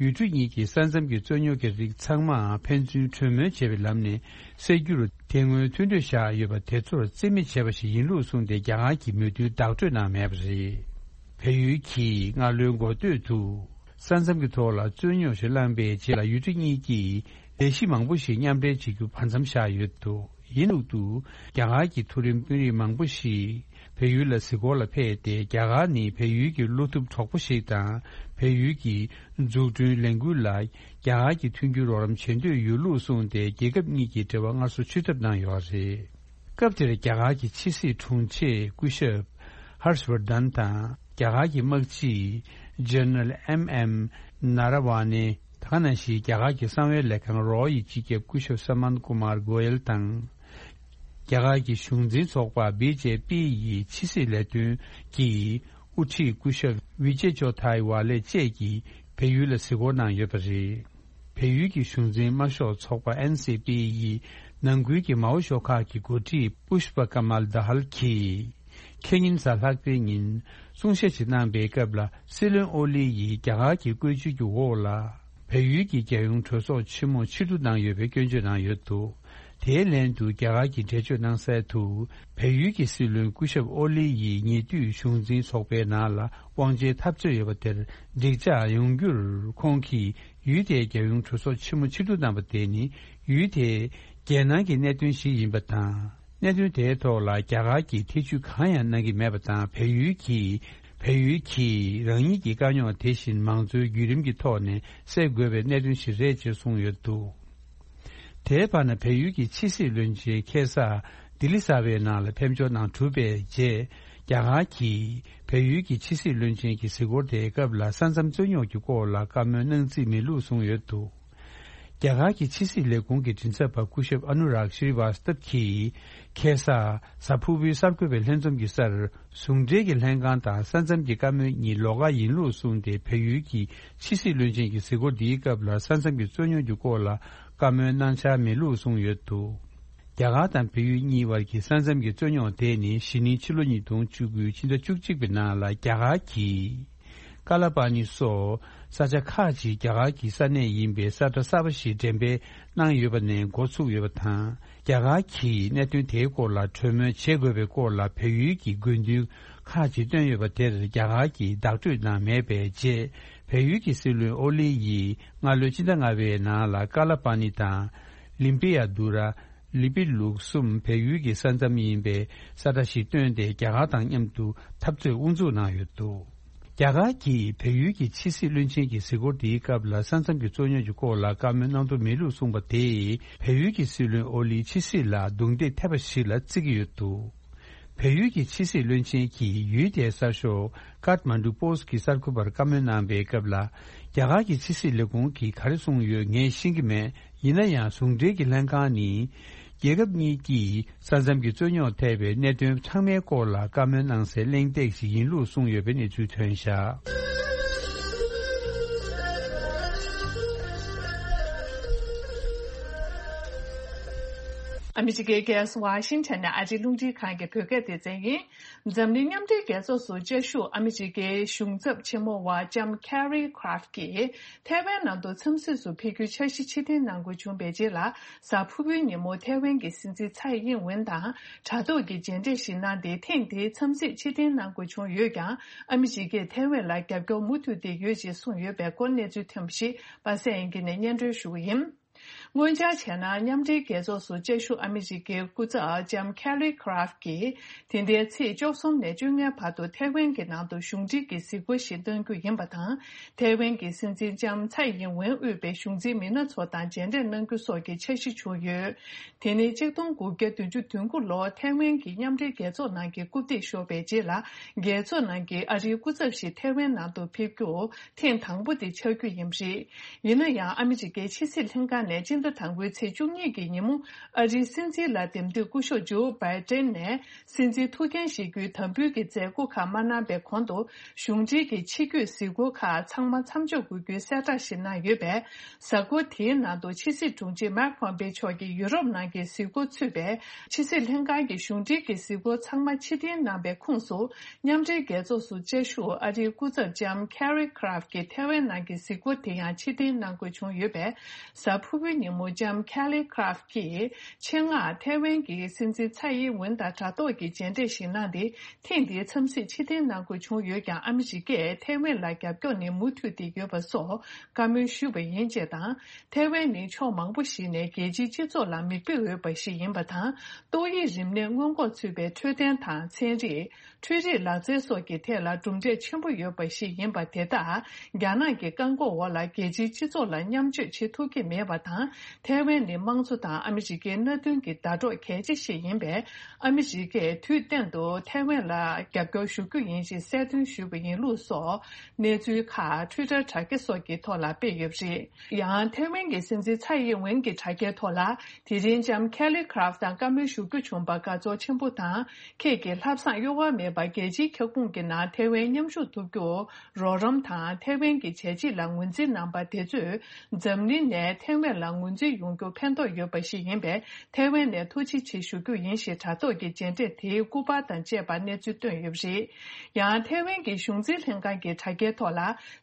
ཡུལ་གྲུ་གཉིས་ཀྱི་ས་མཚམས་ཀྱི་རྩོད་རྙོག་གི་རིགས་ཚང་མ་ཕན་ཚུན་གྲོས་མོལ་བྱས་པའི་ལམ་ནས་སེལ་རྒྱུར་དེ་སྔོན་མཐུན་གྲོས་བཞག་ཡོད་པ་དེ་ཚོར་རྩིས་མེད་བྱས་པ་ཞིག་ཡིན་ལུགས་གསུངས་ཏེ། རྒྱ་གར་གྱི་མོས་མཐུན་བདག་སྤྲོད་གནང་མེད་པ་རེད། བལ་ཡུལ་གྱིས་སྔ་ལོའི་འགོ་སྟོད་དུ། ས་མཚམས་ཀྱི་ཐོག་ལ་རྩོད་རྙོག་ཞིག་བསླངས་པའི་རྗེས་ལ། ཡུལ་གྲུ་གཉིས་ཀྱིས་ལས་གཞི་མང་པོ་ཞིག་མཉམ་འབྲེལ་བྱེད་རྒྱུ་བར་མཚམས་བཞག་ཡོད་འདུག་ཡིན་ལུགས་འདུག་རྒྱ་གར་གྱི་མཐོ་རིམ་དཔོན་རིགས་མང་པོ་ཞིག་བལ་ཡུལ་ལ་གཟིགས་སྐོར་ལ་ཕེབས་ཏེ། རྒྱ་གར་ནི་བལ་ཡུལ་གྱི་བློ་ཐུབ་གྲོགས་པོ་ཞིག་དང་། བལ་ཡུལ་གྱི་འཛུགས་སྐྲུན་ལས་འགུལ་ལ་རྒྱ་གར་གྱིས་མཐུན་འགྱུར་རོགས་རམ་བྱེད་འདོད་ཡོད་ལུགས་གསུངས་ཏེ། རྒྱལ་ཁབ་གཉིས་ཀྱི་འབྲེལ་བ་སྔར་སྲོལ་ཆུད་ཐབས་གནང་ཡོད་པ་རེད། སྐབས་དེར་རྒྱ་གར་གྱི་ཕྱི་སྲིད་དྲུང་ཆེ་སྐུ་ཞབས་ཧར་ཤ་ཝར་དན་དང་། རྒྱ་གར་གྱི་དམག་སྤྱི་ཇེ་ནེ་རལ་ཨེམ་ཨེམ་ནཱ་ར་ཝ་ནེ། ད་ག་ནང་བཞིན་རྒྱ་གར་གྱི་གསང་བའི་ལས་ཁང་རོ་ཡི་སྤྱི་ཁྱབ་སྐུ་ཞབས་ས་མན་ཀུ་མར་གོ་ཡལ་དང་། རྒྱ་གར་གྱི་གཞུང་འཛིན་ཚོགས་པ་བི་ཇེ་པི་ཡི་ཕྱི་སྲིད་ལས་དོན་གྱི་དབུ་ཁྲིད་སྐུ་ཞབས་ཝི་ཇེ་ཅོ་ཐའི་ཝ་ལེ་བཅས་ཀྱིས་བལ་ཡུལ་ལ་གཟིགས་སྐོར་གནང་ཡོད་པ་རེད། བལ་ཡུལ་གྱི་གཞུང་འཛིན་དམར་ཤོག་ཚོགས་པ་ཨེན་སི་པི་ཡི་ནང་ཁུལ་གྱི་མའོ་ཤོག་ཁག་གི་འགོ་ཁྲིད་པུཤ་པ་ཀ་མལ་དཱ་ཧལ་གྱིས། ཁེ་ཉིན་གཟའ་ལྷག་པའི་ཉིན་གསུང་བཤད་ཅིག་གནང་པའི་སྐབས་ལ། སྲིད་བློན་ཨོ་ལི་ཡིས་རྒྱ་གར་གྱི་བཀོད་ཇུས་ཀྱི་འོག་ལ། བལ་ཡུལ་གྱི་རྒྱལ་ཡོངས་གྲོས་ཚོགས་ཆེན་མོ་ཕྱིར་བསྡུ་གནང་ཡོད་པའི་སྐྱོན་བརྗོད་གནང་ཡོད་འདུག་དེའི་ལན་དུ་རྒྱ་གར་གྱིས་འགྲེལ་བརྗོད་གནང་གསལ་དུ། བལ་ཡུལ་གྱི་སྲིད་བློན་སྐུ་ཞབས་ཨོ་ལི་ཡིས་ཉེ་དུས་གཞུང་འཛིན་ཚོགས་པའི་ནང་ལ་དབང་ཆའི་འཐབ་རྩོད་ཡོད་པ་དེར་འགྲིག་འཇགས་ཡོང་རྒྱུར་ཁོང་གིས་ཡུལ་དེའི་རྒྱལ་ཡོངས་གྲོས་ཚོགས་ཆེན་མོ་ཕྱིར་བསྡུ་གནང་པ་དེ་ནི་ཡུལ་དེའི་རྒྱལ་ནང་གི་གནད་དོན་ཞིག་ཡིན་པ་དང་། གནད་དོན་དེའི་ཐོག་ལ་རྒྱ་གར་གྱིས་ཐེ་བྱུས་གང་ཡང་གནང་གི་མེད་པ་དང་། བལ་ཡུལ་གྱིས་བལ་ཡུལ་གྱིས་རང་ཉིད་ཀྱི་དཀའ་རྙོག་དེ་བཞིན་མང་གཙོའི་བརྒྱུད་རིམ་གྱི་ཐོག་ནས་སེལ་དགོས་པའི་གནད་དོན་ཞིག་རེད་ཅེས་གསུངས་ཡོད་འདུག་དེའི་བར་ན། བལ་ཡུལ་གྱི་ཕྱི་སྲིད་བློན་ཆེན་ཁ་སང་ལྡི་ལི་གསར་པའི་ནང་ལ་ཕེབས་འབྱོར་གནང་གྲུབ་པའི་རྗེས། རྒྱ་གར་གྱིས་བལ་ཡུལ་གྱི་ཕྱི་སྲིད་བློན་ཆེན་གྱི་གཟིགས་སྐོར་དེའི་སྐབས་ལ། ས་མཚམས་རྩོད་རྙོག་གི་སྐོར་ལ་བཀའ་མོལ་གནང་རྩིས་མེད་ལུགས་གསུངས་ཡོད་འདུག་རྒྱ་གར་གྱི་ཕྱི་སྲིད་ལས་ཁུངས་ཀྱི་མགྲིན་ཚབ་པ་སྐུ་ཞབས་ཨ་ནུ་རག་ཤྲི་ཝ་སྟབ་ཀྱིས། ཁ་སང་གཟའ་ཕུར་བུའི་གསར་འགོད་པའི་ལྷན་འཛོམས་ཀྱི་སར། ཟུང་འབྲེལ་གྱི་ལྷན་ཁང་དང་ས་མཚམས་ཀྱི་བཀའ་མོལ་གཉིས་ལོགས་ཀ་ཡིན་ལུགས་གསུངས་ཏེ། བལ་ཡུལ་གྱི་ཕྱི་སྲིད་བློན་ཆེན་གྱི་གཟིགས་སྐོར་འདིའི་སྐབས་ལ། ས་མཚམས་ཀྱི་རྩོད་རྙོག་གི་སྐོར་ལ་བཀའ་མོལ་གནང་འཆར་མེད་ལུགས་གསུངས་ཡོད་འདུག་རྒྱ་གར་དང་བལ་ཡུལ་གཉིས་བར་གྱི་ས་མཚམས་ཀྱི་རྩོད་རྙོག་དེ་ནི། གཞེས་ནིང་ཕྱི་ལོ་ཉིས་སྟོང་བཅུ་དགུ་ཕྱི་ཟླ་བཅུ་གཅིག་པའི་ནང་ལ་རྒྱ་གར་གྱིས། ཀ་ལ་པ་ནི་སོགས་ས་ཆ་ཁག་ཅིག་རྒྱ་གར་གྱི་ས་གནས་ཡིན་པའི་ས་ཁྲ་གསར་པ་ཞིག་འགྲེམས་སྤེལ་གནང་ཡོད་པ་ནས་འགོ་ཚུགས་ཡོད་པ་དང་། རྒྱ་གར་གྱིས་གནད་དོན་དེའི་སྐོར་ལ་གྲོས་མོལ་བྱེད་དགོས་པའི་སྐོར་ལ་བལ་ཡུལ་གྱི་དགོས་འདུན་ཁག་ཅིག་བཏོན་ཡོད་པ་དེར་རྒྱ་གར་གྱིས་བདག་སྤྲོད་གནང་མེད་པའི་རྗེས། བལ་ཡུལ་གྱི་སྲིད་བློན་ཨོ་ལི་ཡིས་སྔ་ལོའི་ཕྱི་ཟླ་ལྔ་པའི་ནང་ལ་ཀ་ལ་པ་ནི་དང་། ལིམ་པི་ཡ་དུ་ར། ལི་པི་ལུག་གསུམ་བལ་ཡུལ་གྱི་ས་མཚམས་ཡིན་པའི་ས་ཁྲ་ཞིག་བཏོན་ཏེ། རྒྱ་གར་དང་མཉམ་དུ་འཐབ་རྩོད་དབུ་འཛུགས་གནང་ཡོད་འདུག་རྒྱ་གར་གྱིས་བལ་ཡུལ་གྱི་ཕྱི་སྲིད་བློན་ཆེན་གྱི་གཟིགས་སྐོར་དེའི་སྐབས་ལ། ས་མཚམས་ཀྱི་རྩོད་རྙོག་གི་སྐོར་ལ་བཀའ་མོལ་གནང་འདོད་མེད་ལུགས་གསུངས་པ་དེས། བལ་ཡུལ་གྱི་སྲིད་བློན་ཨོ་ལིའི་ཕྱི་སྲིད་ལ་རྡུང་རྡེག་ཐེབས་པ་ཞིག་ལ་བརྩི་གི་ཡོད་འདུག་བལ་ཡུལ་གྱི་ཕྱི་སྲིད་བློན་ཆེན་གྱིས་ཡུལ་དེའི་གསར་ཤོག་ཀཱཐ་མན་ཌུ་པོ་སི་ཊི་གི་གསར་འགོད་པར་བཀའ་མོལ་གནང་པའི་སྐབས་ལ། རྒྱ་གར་གྱི་ཕྱི་སྲིད་ལས་ཁུངས་ཀྱིས་ག་རེ་གསུངས་ཡོད་ངས་ཤེས་ཀྱི་མེད། ཡིན་ན་ཡང་ཟུང་འབྲེལ་གྱི་ལྷན་ཁང་ནི། རྒྱལ་ཁབ་གཉིས་ཀྱིས་ས་མཚམས་ཀྱི་རྩོད་རྙོག་ཐེ་བའི་གནད་དོན་ཚང་མའི་སྐོར་ལ་བཀའ་མོལ་གནང་སའི་གླེང་སྟེགས་ཤིག་ཡིན་ལུགས་གསུངས་ཡོད་པའི་གནས་ཚུལ་ཐོན་བཞག་ཨ་མི་རི་ཀའི་རྒྱལ་ས་ཝ་ཤིང་ཊོན་ནས་ཨ་རིའི་རླུང་འཕྲིན་ཁང་གི་བོད་སྐད་སྡེ་ཚན་ཡིན། འཛམ་གླིང་མཉམ་འབྲེལ་རྒྱལ་ཚོགས་སུ་བཅའ་བཞུགས་ཨ་མི་རི་ཀའི་གཞུང་ཚབ་ཆེན་མོ་བ་ལྕམ་Kelly Craft གྱིས་ཐའེ་ཝན་ནང་དུ་འཚམས་གཟིགས་སུ་ཕེབས་རྒྱུའི་འཆར་གཞི་ཕྱིར་འཐེན་གནང་དགོས་བྱུང་བའི་རྗེས་ལ། གཟའ་ཕུར་བུའི་ཉིན་མོ་ཐའེ་ཝན་གྱི་སྲིད་འཛིན་ཚའེ་ཡིན་ཝེན་དང་དྲ་ཐོག་གི་མཇལ་འཕྲད་ཞིག་གནང་སྟེ། ཐེངས་འདིའི་འཚམས་གཟིགས་ཕྱིར་འཐེན་གནང་དགོས་བྱུང་ཡོད་ཀྱང་། ཨ་མི་རི་ཀས་ཐའེ་ཝན་ལ་རྒྱབ་སྐྱོར་མུ་མཐུད་དེ་ཡོད་ཅེས་གསུངས་ཡོད་པའི་སྐོར་གནས་ཚུལ་ཐོན་པ་ཞིག་པ་སངས་དབྱངས་སྐྱིད་ནས་སྙན་སྒྲོན་ཞུ་གི་ཡིན། སྔོན་ཆར་བྱས་ན། མཉམ་འབྲེལ་རྒྱལ་ཚོགས་སུ་བཅའ་བཞུགས་ཨ་མི་རི་ཀའི་སྐུ་ཚབ་ལྕམ་Kelly Craft གྱིས། དེ་ཟླའི་ཚེས་བཅུ་གསུམ་ནས་བཅོ་ལྔའི་བར་དུ་ཐའེ་ཝན་གྱི་ནང་དུ་གཞུང་འབྲེལ་གྱི་གཟིགས་སྐོར་ཞིག་གནང་རྒྱུ་ཡིན་པ་དང་། ཐའེ་ཝན་གྱི་སྲིད་འཛིན་ལྕམ་ཚའེ་ཡིན་ཝེན་དབུས་པའི་གཞུང་འཛིན་མི་སྣ་ཚོ་དང་མཇལ་འཕྲད་གནང་རྒྱུ་སོགས་ཀྱི་འཆར་གཞི་བྱུང་ཡོད། དེ་ནི་ཆིག་སྟོང་དགུ་བརྒྱ་བདུན་ཅུ་དོན་དགུ་ལོར་ཐའེ་ཝན་གྱིས་མཉམ་འབྲེལ་རྒྱལ་ཚོགས་ནང་གི་རྐུབ་སྟེགས་ཤོར་བའི་རྗེས་ལ། རྒྱལ་ཚོགས་ནང་གི་ཨ་རིའི་སྐུ་ཚབ་ཞིག་ཐའེ་ཝན་ནང་དུ་ཕེབས་རྒྱུ་ཐེངས་དང་པོ་དེ་ཆགས་རྒྱུ་ཡིན་པ་རེད། ཡིན་ན་ཡང་། ཨ་མི་རི་ཀའི་ཕྱི་སྲིད་ལྷན་ཁང་ནས་སྤྱི་ཟླ་དང་པོའི་ཚེས་བཅུ་གཉིས་ཀྱི་ཉིན་མོ། ཨ་རིའི་སྲིད་འཛིན་ལ་འདེམས་ཐོན་སྐུ་ཞབས་ཇོ་བྷའི་ཏན་ནས་སྲིད་འཛིན་ཐུགས་འགན་བཞེས་རྒྱུའི་དམ་འབུལ་གྱི་མཛད་སྒོ་ཁག་མ་གནང་བའི་གོང་དུ། གཞུང་འབྲེལ་གྱི་ཕྱི་སྐྱོད་གཟིགས་སྐོར་ཁག་ཚང་མ་མཚམས་འཇོག་དགོས་རྒྱུའི་གསལ་བསྒྲགས་ཤིག་གནང་ཡོད་པས། གཟའ་འཁོར་དེའི་ནང་དུ་ཕྱི་སྲིད་དྲུང་ཆེ་མཱིག་པོམ་པེ་མཆོག་གིས་ཡུ་རོབ་ནང་གི་གཟིགས་སྐོར་ཚུད་པའི། ཕྱི་སྲིད་ལྷན་ཁང་གི་གཞུང་འབྲེལ་གྱི་གཟིགས་སྐོར་ཚང་མ་ཕྱིར་འཐེན་གནང་བའི་ཁོངས་སུ། མཉམ་འབྲེལ་རྒྱལ་ཚོགས་སུ་བཅའ་བཞུགས་ཨ་རིའི་སྐུ་ཚབ་ལྕམ་Kelly Craft གྱི་ཐའེ་ཝན་ནང་གི་གཟིགས་སྐོར་དེ་ཡང་ཕྱིར་འཐེན་གནང་དགོས་བྱུང་ཡོད་པས། གཟའ་ཕུར་བུའི་ཉིན་མོ་ལྕམ་Kelly Craft གྱིས་ཆེད་མངགས་ཐའེ་ཝན་གྱི་སྲིད་འཛིན་ཚའེ་ཡིན་ཝེན་དང་དྲ་ཐོག་གི་མཇལ་འཕྲད་ཞིག་གནང་སྟེ། ཐེངས་འདིའི་འཚམས་གཟིགས་ཕྱིར་འཐེན་གནང་དགོས་བྱུང་ཡོད་ཀྱང་། ཨ་མི་རི་ཀས་ཐའེ་ཝན་ལ་རྒྱབ་སྐྱོར་ནི་མུ་མཐུད་དེ་ཡོད་པ་སོགས་བཀའ་མོལ་ཞུས་པ་ཡིན་ཅེས་དང་། ཐའེ་ཝན་ནི་ཕྱོགས་མང་པོ་ཞིག་ནས་རྒྱལ་སྤྱིའི་སྤྱི་ཚོགས་ལ་མིག་དཔེ་འོས་པ་ཞིག་ཡིན་པ་དང་། ཏོག་དབྱིབས་རིམས་ནད་སྔོན་འགོག་ཚུད་པའི་འཕྲོད་བསྟེན་དང་ཚན་རིག་འཕྲུལ་རིག་ལག་རྩལ་སོགས་ཀྱི་ཐད་ལ་གྲུབ་འབྲས་ཆེན་པོ་ཡོད་པ་ཞིག་ཡིན་པ་དེ་དག་རྒྱ་ནག་གི་བཀག་འགོག་འོག་ལ་རྒྱལ་སྤྱིའི་སྤྱི་ཚོགས་ལ་མཉམ་སྤྱོད་བྱེད་ཐུབ་ཀྱི་མེད་པ་དང་། ཐའེ་ཝན་ནི་དམངས་གཙོ་དང་ཨ་མི་རི་ཀའི་མནའ་མཐུན་གྱི་ཟླ་གྲོགས་གལ་ཆེ་ཞིག་ཡིན་པས། ཨ་མི་རི་ཀས་དུས་གཏན་དུ་ཐའེ་ཝན་ལ་རྒྱབ་སྐྱོར་ཞུ་རྒྱུ་ཡིན་ཞེས་གསལ་སྟོན་ཞུས་པ་ཡིན་ལུགས་སོགས་གནས་ཚུལ་ཁག་ཊུའི་ཊར་དྲ་རྒྱ་སོགས་ཀྱི་ཐོག་ལ་སྤེལ་ཡོད་པ་རེད། ཡང་ཐའེ་ཝན་གྱི་སྲིད་འཛིན་ཚའེ་ཡིན་ཝེན་གྱི་དྲ་རྒྱའི་ཐོག་ལ། དེ་རིང་ལྕམ་Kelly Craft དང་བཀའ་མོལ་ཞུ་རྒྱུ་བྱུང་པར་དགའ་ཚོར་ཆེན་པོ་དང་། ཁྱེད་ཀྱི་ལྷག་བསམ་གཡོ་བ་མེད་པར་རྒྱལ་སྤྱིའི་ཁྱབ་ཁོངས་ཀྱི་ནང་ཐའེ་ཝན་མཉམ་ཞུགས་ཐུབ་རྒྱུར་རོགས་རམ་དང་། ཐའེ་ཝན་གྱི་བྱས་རྗེས་ལ་ངོས་འཛིན་གནང་པ་དེ་ཚོས་འཛམ་གླིང་ནས་ཐའེ་ཝན་ལ་ངོས་འཛིན་ཡོང་རྒྱུར་ཕན་ཐོགས་ཡོད་པ་ཞིག་ཡིན་པས། ཐའེ་ཝན་ནས་ཐུགས་རྗེ་ཆེ་ཞུ་རྒྱུ་ཡིན་ཞེས་དྲ་ཐོག་གི་མཇལ་འཕྲད་དེའི་སྐུ་པར་དང་བཅས་པ་གནས་ཚུལ་བཏོན་ཡོད་པ་རེད། ཡང་ཐའེ་ཝན་གྱི་གཞུང་འཛིན་ལྷན་ཁང་གི་དྲ་རྒྱའི་ཐོག་ལ།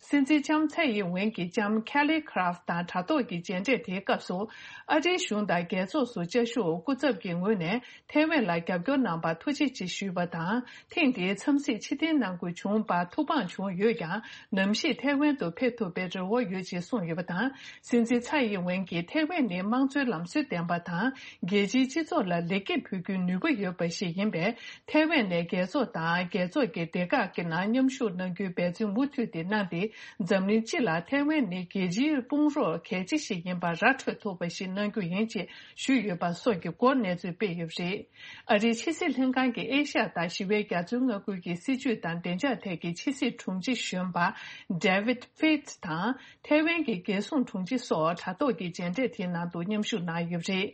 སྲིད་འཛིན་ལྕམ་ཚའེ་ཡིན་ཝེན་གྱིས་ལྕམ་Kelly Craft དང་དྲ་ཐོག་གི་མཇལ་འཕྲད་དེའི་སྐབས་སུ། ཨ་རིའི་གཞུང་དང་རྒྱལ་ཚོགས་སུ་བཅའ་བཞུགས་སྐུ་ཚབ་ཀྱི་ངོས་ནས་ཐའེ་ཝན་ལ་རྒྱབ་སྐྱོར་གནང་པར་ཐུགས་རྗེ་ཆེ་ཞུས་པ་དང་། ཐེངས་འདིའི་འཚམས་གཟིགས་ཕྱིར་འཐེན་གནང་དགོས་བྱུང་བར་ཐུགས་ཕངས་བྱུང་ཡོད་ཀྱང་། ནམ་ཞིག་ཐའེ་ཝན་དུ་ཕེབས་ཐུབ་པའི་རེ་བ་ཡོད་ཅེས་གསུངས་ཡོད་པ་དང་། སྲིད་འཛིན་ཚའེ་ཡིན་ཝེན་གྱིས་ཐའེ་ཝན་ནི་དམངས་གཙོའི་ལམ་སྲོལ་ལྡན་པ་དང་། རྒྱལ་སྤྱིའི་སྤྱི་ཚོགས་ལ་ལེགས་སྐྱེས་ཕུལ་རྒྱུའི་ནུས་པ་ཡོད་པ་ཞིག་ཡིན་པས། ཐའེ་ཝན་ནས་རྒྱལ་ཚོགས་དང་རྒྱལ་ཚོགས་ཀྱི་སྡེ་ཁག་གི་ནང་མཉམ་ཞུགས་གནང་རྒྱུའི་འབད་བརྩོན་མུ་མཐུད་དེ་གནང་སྟེ། འཛམ་གླིང་སྤྱི་ལ་ཐའེ་ཝན་ནི་རྒྱལ་སྤྱིའི་དཔུང་རོགས་གལ་ཆེ་ཞིག་ཡིན་པ་ར་འཕྲོད་ཐུབ་པ་ཞིག་གནང་རྒྱུ་ཡིན་ཅེས་ཞུས་ཡོད་པ་སོགས་ཀྱི་སྐོར་གནས་ཚུལ་སྤེལ་ཡོད་པ་རེད། ཨ་རིའི་ཕྱི་སྲིད་ལྷན་ཁང་གི་ཨེ་ཤ་ཡ་དང་ཞི་བའི་རྒྱ་མཚོའི་མངའ་ཁུལ་གྱི་སྲིད་བྱུས་དང་བདེ་འཇགས་ཐད་ཀྱི་ཕྱི་སྲིད་དྲུང་ཆེ་གཞོན་པ་David Fitz དང་། ཐའེ་ཝན་གྱི་རྒྱལ་སྲུང་དྲུང་ཆེ་སོགས་དྲ་ཐོག་གི་མཇལ་འཕྲད་དེའི་ནང་དུ་མཉམ་ཞུགས་གནང་ཡོད་པ་རེད།